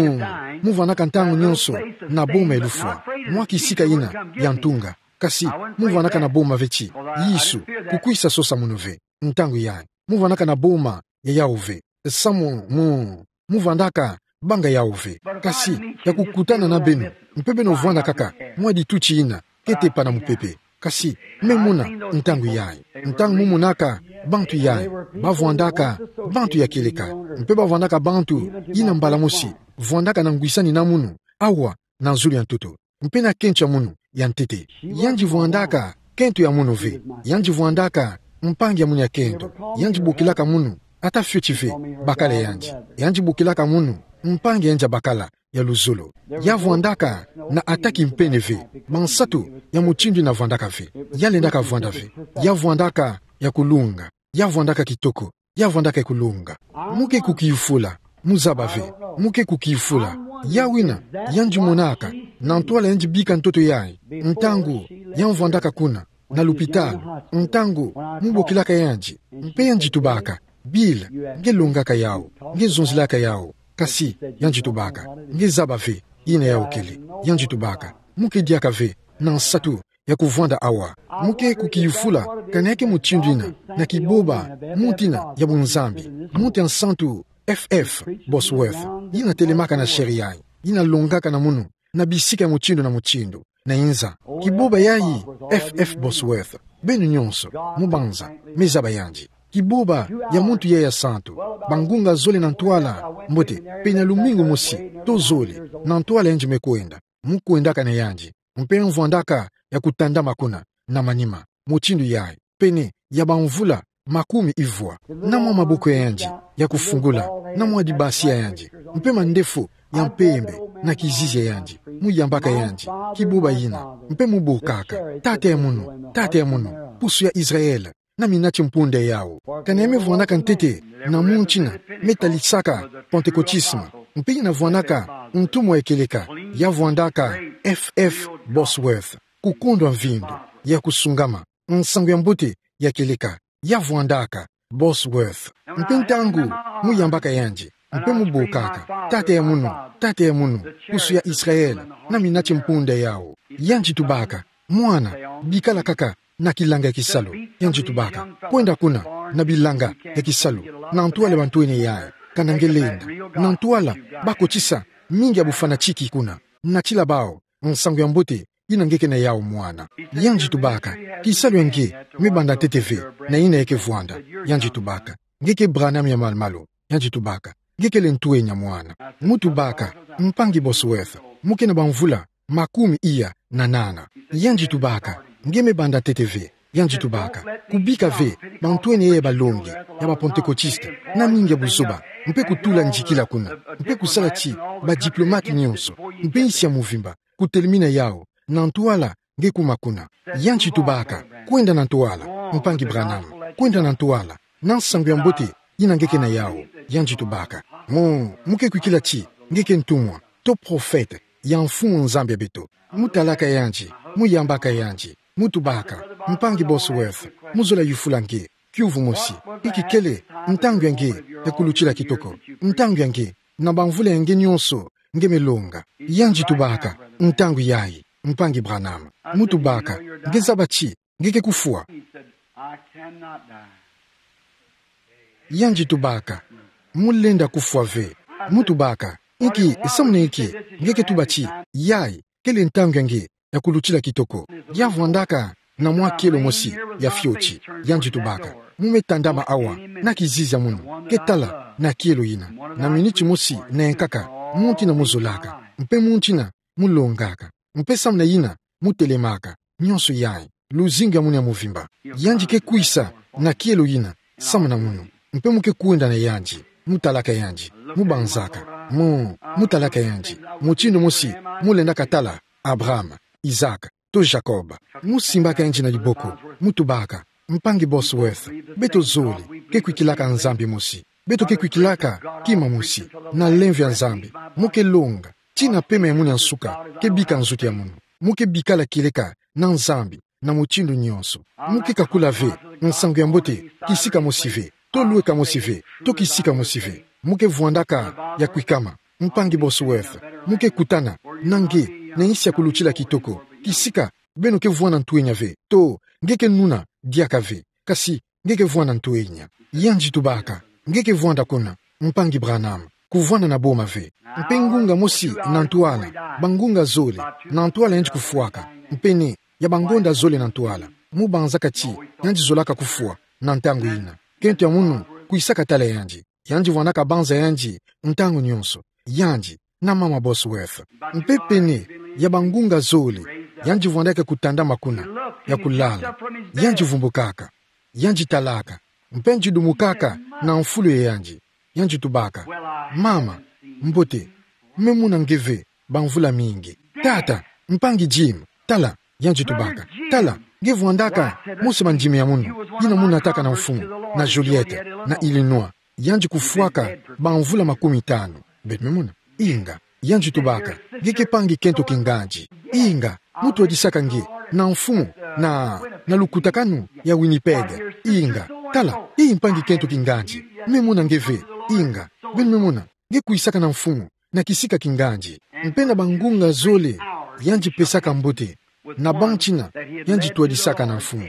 mo vwandaka ntangu nyonso na boma ya lufwa, mwa kisika ina ya ntunga. Kasi mo vwandaka na boma ve ti Yesu kukwisa sosa munu ve. Ntangu yayi, mo vwandaka na boma ya yawu ve. Samu mo, mo vwandaka banga yawu ve. Kasi ya kukutana na beno, mpe beno vwanda kaka mwa dituti ina ke tepa na mupepe. Kasi me mona ntangu yayi, ntangu mo monaka bantu yayi, ba vwandaka bantu ya kieleka, mpe ba vwandaka bantu ina mbala mosi vwandaka na ngwisani na munu awa na zulu ya ntoto, mpe na kento ya munu ya ntete. Yandi vwandaka kento ya munu ve. Yandi vwandaka mpangi ya munu ya kento. Yandi bokilaka munu ata fioti ve bakala yandi. Yandi bokilaka munu mpangi ya yandi ya bakala ya luzolo. Ya vwandaka na ata kimpene ve bansatu ya mutindu ina vwandaka ve. Ya lendaka vwanda ve. Ya vwandaka ya kulunga. Ya vwandaka kitoko. Ya vwandaka ya kulunga. Mo ke kukiyufula. Mo zaba ve. Mo ke kukiyufula. Yawu ina yandi monaka na ntwala yandi bika ntoto yayi, ntangu ya mvwandaka kuna na lupitalu, ntangu mo bokilaka yandi, mpe yandi tubaka: Bill, nge longaka yawu, nge zonzilaka yawu. Kasi yandi tubaka: Nge zaba ve ina yawu kele. Yandi tubaka: Mo ke diaka ve na nsatu ya kuvwanda awa. Mo ke kukiyufula kana ya ke mutindu ina na kiboba muntu ina ya bunzambi, muntu ya nsantu F F Bosworth, ina telemaka na chaire yayi, ina longaka na munu na bisika ya mutindu na mutindu na inza. Kiboba yayi, F F Bosworth, beno nyonso, mo banza, me zaba yandi. Kiboba ya muntu yayi ya santu. Bangunga zole na ntwala mbote, pene ya lumingu mosi to zole, na ntwala yandi me kwenda. Mo kwendaka na yandi, mpe mvwandaka ya kutandama kuna na manima, mutindu yayi, pene ya bamvula makumi ivwa. Na mwa maboko ya yandi ya kufungula, na mwa dibasi ya yandi, mpe mandefu ya mpembe na kizizi ya yandi, mo yambaka yandi: Kiboba ina, mpe mo bokaka: Tata ya munu, tata ya munu, pusu ya Israel, na minati mpunda yawu. Kana ya me vwandaka ntete na muntu ina me talisaka Pantekotisme, mpe ina vwandaka ntumwa ya kieleka, ya vwandaka F F Bosworth, kukondwa mvindu, ya kusungama, nsangu ya mbote ya kieleka, ya vwandaka Bosworth. Mpe ntangu mo yambaka yandi, mpe mo bokaka: Tata ya munu, tata ya munu, pusu ya Israel, na minati mpunda yawu, yandi tubaka: Mwana, bikala kaka na kilanga ya kisalu. Yandi tubaka: Kwenda kuna na bilanga ya kisalu, na ntwala ya bantwenia yayi, kana nge lenda, na ntwala bakotisa mingi ya bufanatiki kuna, natila bawu nsangu ya mbote ina nge ke na yawu, mwana. Yandi tubaka: Kisalu ya nge me banda ntete ve na ina ya ke vwanda. Yandi tubaka: Nge ke Branham ya malu-malu. Yandi tubaka: Nge kele ntwenya, mwana. Mo tubaka: Mpangi Bosworth, mo ke na bamvula makumi iya na nana. Yandi tubaka: Nge me banda ntete ve. Yandi tubaka: Kubika ve bantwenia ya balongi ya ba Pantekotiste, na mingi ya buzoba, mpe kutula ndikila kuna, mpe kusala ti ba diplomate nyonso, mpe insi ya mvimba kutelemina yawu, na ntwala nge kuma kuna. Yandi tubaka: Kwenda na ntwala, Mpangi Branham, kwenda na ntwala, na nsangu ya mbote ina nge ke na yawu. Yandi tubaka: Mo, mo ke kwikila ti nge ke ntumwa, to profete, ya Mfumu Nzambi ya beto. Mu talaka yandi, mu yambaka yandi, mu tubaka, Mpangi Bosworth, mu zola yufula nge, kiuvu mosi, inki kele ntangu ya nge ya kulutila kitoko, ntangu ya nge, na bamvula ya nge nyonso, nge me longa. Yandi tubaka, ntangu yayi, Mpangi Branham. Mu tubaka, nge zaba ti nge ke kufwa? Yandi tubaka, mu lenda kufwa ve. Mu tubaka, inki, samuna inki nge ke tuba ti yayi kele ntangu ya nge ya kulutila kitoko? Ya vwandaka na mwa kielo mosi ya fioti. Yandi tubaka, mu me tandama awa na kizizi ya munu, ke tala na kielo yina, na miniti mosi na yankaka, muntu yina mu zolaka, mpe muntu yina mu longaka, mpe samuna yina mu telemaka, nyonso yayi, luzingu ya munu ya muvimba. Yandi ke kwisa na kielo yina samuna munu, mpe mu ke kwenda na yandi, mu talaka yandi, mu banzaka, mu, mu talaka yandi mutindu mosi mu lendaka tala Abraham, Isaac, to Jacob. Mu simbaka yandi na diboko, mu tubaka, Mpangi Bosworth, beto zole ke kwikilaka Nzambi mosi, beto ke kwikilaka kima mosi, na lemvo ya Nzambi. Mu ke longa tina pema ya munu ya nsuka ke bika nzutu ya munu. Mu ke bikala kieleka na Nzambi na mutindu nyonso. Mu ke kakula ve nsangu ya mbote kisika mosi ve, to lweka mosi ve, to kisika mosi ve. Mu ke vwandaka ya kwikama, Mpangi Bosworth, mu ke kutana na nge na insi ya kulutila kitoko, kisika beno ke vwanda ntwenya ve, to nge ke nuna diaka ve, kasi nge ke vwanda ntwenya. Yandi tubaka, nge ke vwanda kuna, Mpangi Branham, kuvwanda na boma ve. Mpe ngunga mosi na ntwala, bangunga zole na ntwala yandi kufwaka, mpe ne, ya bangonda zole na ntwala, mu banzaka ti yandi zolaka kufwa na ntangu yina. Kento ya munu kwisaka tala yandi, yandi vwandaka banza yandi ntangu nyonso. Yandi na mama Bosworth. Mpe pene ya bangunga zole, yandi vwandaka kutandama kuna, ya kulala. Yandi vumbukaka, yandi talaka, mpe yandi dumukaka na mfulu ya yandi. Yandi tubaka, mama, mbote, me mona nge ve bamvula mingi. Tata, Mpangi Jim, tala, yandi tubaka, tala, nge vwandaka mosi mandimi ya munu, yina mu nataka na Mfumu, na Joliet, na Illinois. Yandi kufwaka bamvula makumi tanu. Beno me mona? Inga. Yandi tubaka, nge ke mpangi kento kingandi. Inga. Mu twadisaka nge na Mfumu, na, na lukutakanu ya Winnipeg. Inga. Tala, i mpangi kento kingandi. Me mona nge ve. Inga. Beno me mona? Nge kwisaka na Mfumu na kisika kingandi. Mpe na bangunga zole, yandi pesaka mbote na bantu yina yandi twadisaka na Mfumu.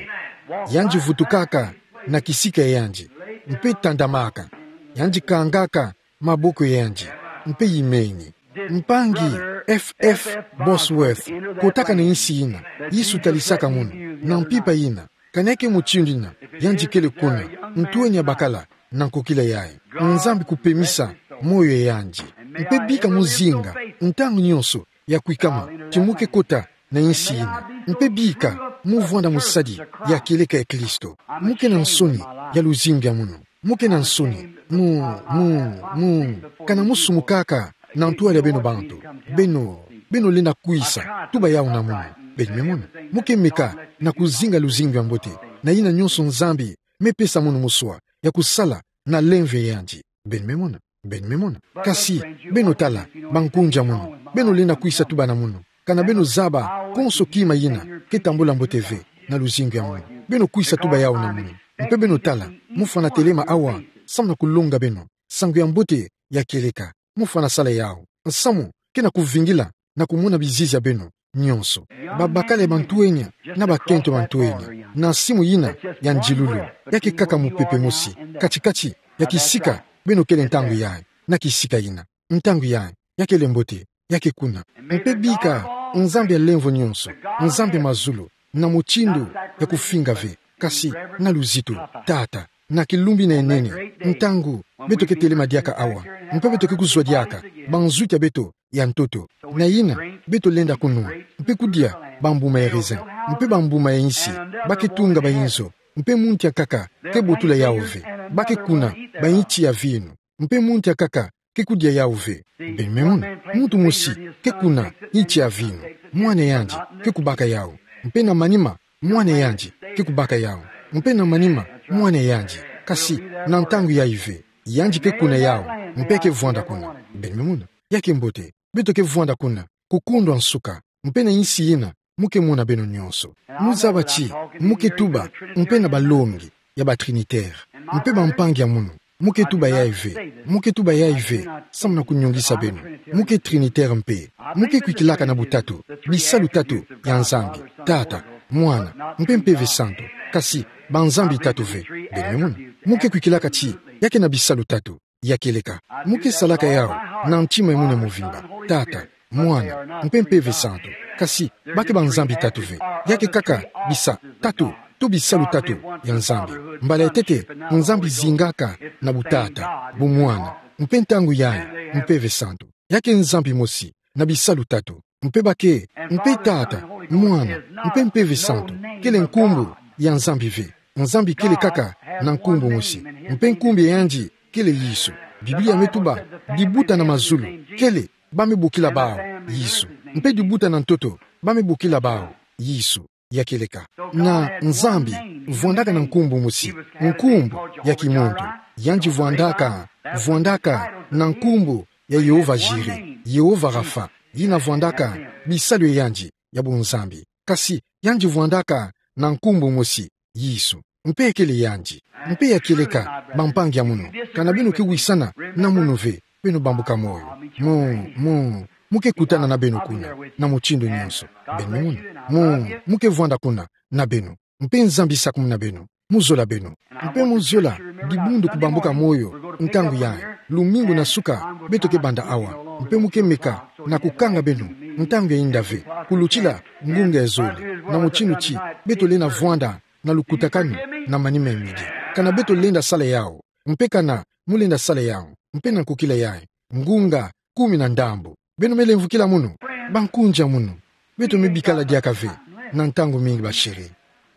Yandi vutukaka na kisika ya yandi, mpe tandamaka, yandi kangaka maboko ya yandi, mpe yimeni. Mpangi F F Bosworth kotaka na insi yina Yesu talisaka munu, na mpimpa yina, kaneke mutindu yina yandi kele kuna, ntwenya bakala na nkokila yayi. Nzambi kupemisa moyo ya yandi. Mpe bika mu zinga ntangu nyonso ya kwikama ti mu ke kota na insi yina. Mpe bika mu vwanda musadi ya kieleka ya Kristo. Mu ke na nsoni ya luzingu ya munu. Mu ke na nsoni. Mu, mu, mu, kana mu sumukaka na ntwala ya beno bantu. Beno, beno lenda kwisa tuba yawu na munu. Beno me mona? Mu ke meka na kuzinga luzingu ya mbote, na yina nyonso Nzambi me pesa munu muswa ya kusala na lemvo ya yandi. Beno me mona? Beno me mona? Kasi, beno tala, bankunzi ya munu, beno lenda kwisa tuba na munu, kana beno zaba konso kima yina ke tambula mbote ve na luzingu ya munu. Beno kwisa tuba yawu na munu. Mpe beno tala, mu fwana telema awa, samu na kulonga beno nsangu ya mbote ya kieleka. Mu fwana sala yawu. Nsamu ke na kuvingila na kumona bizizi ya beno nyonso. Babakala ya bantwenya na bakento bantwenya, na simu yina ya ndilulu, ya ke kaka mupepe mosi, kati-kati ya kisika beno kele ntangu yayi, na kisika yina. Ntangu yayi, ya kele mbote, ya ke kuna. Mpe bika Nzambi ya lemvo nyonso, Nzambi ya mazulu, na mutindu ya kufinga ve, kasi na luzitu, Tata, na kilumbu yina ya nene, ntangu beto ke telema diaka awa, mpe beto ke kuzwa diaka banzuki ya beto ya ntoto, na yina beto lenda kunwa, mpe kudia bambuma ya raisin, mpe bambuma ya insi, ba ke tunga bayinzo, mpe muntu ya nkaka ke botula yawu ve, ba ke kuna bayinti ya vinu, mpe muntu ya nkaka ke kudia yawu ve. Beno me mona? Muntu mosi ke kuna yinti ya vinu, mwana yandi ke kubaka yawu, mpe na manima mwana yandi ke kubaka yawu, mpe na manima mwana yandi, kasi na ntangu yayi ve, yandi ke kuna yawu, mpe ke vwanda kuna. Beno me mona? ya ke mbote. Beto ke vwanda kuna, kukundwa nsuka, mpe na insi ina, mu ke mona beno nyonso. Mu zaba ti, mu ke tuba, mpe na balongi ya ba Trinitaire, mpe bampangi ya munu. Mu ke tuba yayi ve, mu ke tuba yayi ve, samu na kunyongisa beno. Mu ke Trinitaire mpe, mu ke kwikilaka na butatu, bisalu tatu ya Nzambi, Tata, Mwana, mpe Mpeve Santu, kasi banzambi tatu ve, beno me mona. Mu ke kwikilaka ti, ya ke na bisalu tatu, ya kieleka. Mu ke salaka yawu, na ntima ya munu mobimba, Tata, Mwana, mpe Mpeve Santu. Kasi, ba ke banzambi tatu ve. Ya ke kaka, bisa, tatu, to bisalu tatu, ya Nzambi. Mbala ya ntete, Nzambi zingaka, na butata, bumwana, mpe ntangu yayi, Mpeve Santu. Ya ke Nzambi mosi, na bisalu tatu. Mpe ba ke, mpe Tata, Mwana, mpe Mpeve Santu, kele nkumbu, ya Nzambi ve. Nzambi kele kaka, na nkumbu mosi. Mpe nkumbu ya yandi, kele Yesu. Biblia me tuba, dibuta na mazulu, kele, ba me bokila bawu, Yesu. Mpe dibuta na ntoto, ba me bokila bawu, Yesu. Ya kieleka. Na Nzambi, vwandaka na nkumbu mosi, nkumbu, ya kimuntu. Yandi vwandaka, vwandaka, na nkumbu, ya Yehova Jireh, Yehova Rapha, yina vwandaka, bisalu ya yandi, ya bunzambi. Kasi, yandi vwandaka, na nkumbu mosi, Yesu. Mpe kele yandi. Mpe ya kieleka, bampangi ya munu. Kana beno ke wisana, na munu ve, beno bambuka moyo. Mu, mu, mu ke kutana na beno kuna, na mutindu nyonso. Beno me mona. Mu, mu ke vwanda kuna, na beno. Mpe Nzambi sakumuna beno. Mu zola beno. Mpe mu zola, dibundu kubambuka moyo, ntangu yayi, lumingu na suka, beto ke banda awa. Mpe mu ke meka, na kukanga beno, ntangu ya inda ve, kulutila, ngunga ya zole, na mutindu ti, beto lenda vwanda, na lukutakanu, na manima ya midi. Kana beto lenda sala yawu, mpe kana, mu lenda sala yawu, mpe na nkokila yayi, ngunga, kumi na ndambu. Beno me lemvukila munu, bankunzi ya munu. Beto me bikala diaka ve, na ntangu mingi ba chéri.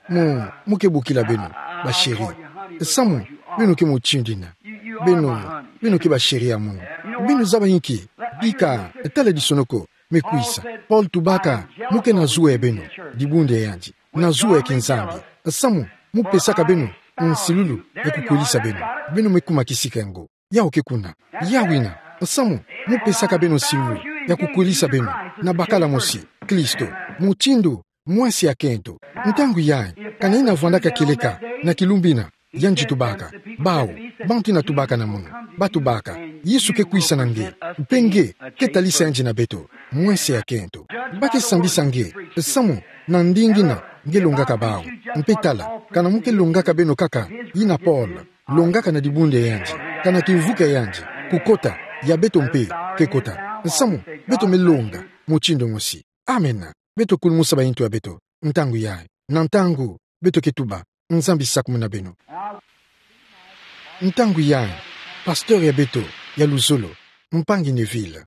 Mu, mu ke bokila beno, ba chéri. Samu, beno ke mutindu ina. Beno, beno ke ba chéri ya munu. Beno zaba inki, bika, taladisonoko, me kwisa. Paul tubaka, mu ke na zuwa ya beno, dibundu ya yandi. Na zuwa ya kinzambi. Samu, mu pesaka beno, nsilulu, ya kukwelisa beno. Beno me kuma kisika ngo. Yawu ke kuna. Yawu ina, samu, mu pesaka beno nsilulu, ya kukwelisa beno, na bakala mosi, Kristo, mutindu, mwese ya kento. Ntangu yayi, kana yina vwandaka kieleka, na kilumbu ina, yandi tubaka, bawu, bantu yina tubaka na munu, ba tubaka, Yesu ke kwisa na nge, mpe nge, ke talisa yandi na beto, mwese ya kento. Ba ke sambisa nge, samu, na ndinga ina, nge longaka bawu, mpe tala, kana mu ke longaka beno kaka, yina Paul, longaka na dibundu ya yandi, kana kivuka ya yandi, kukota, ya beto mpe, ke kota. Samu, beto me longa, mutindu mosi. Amen. Beto kulumusa bayintu ya beto, ntangu yayi, na ntangu, beto ke tuba, Nzambi sakumuna beno. Ntangu yayi, pasteur ya beto, ya luzolo, mpangi Neville.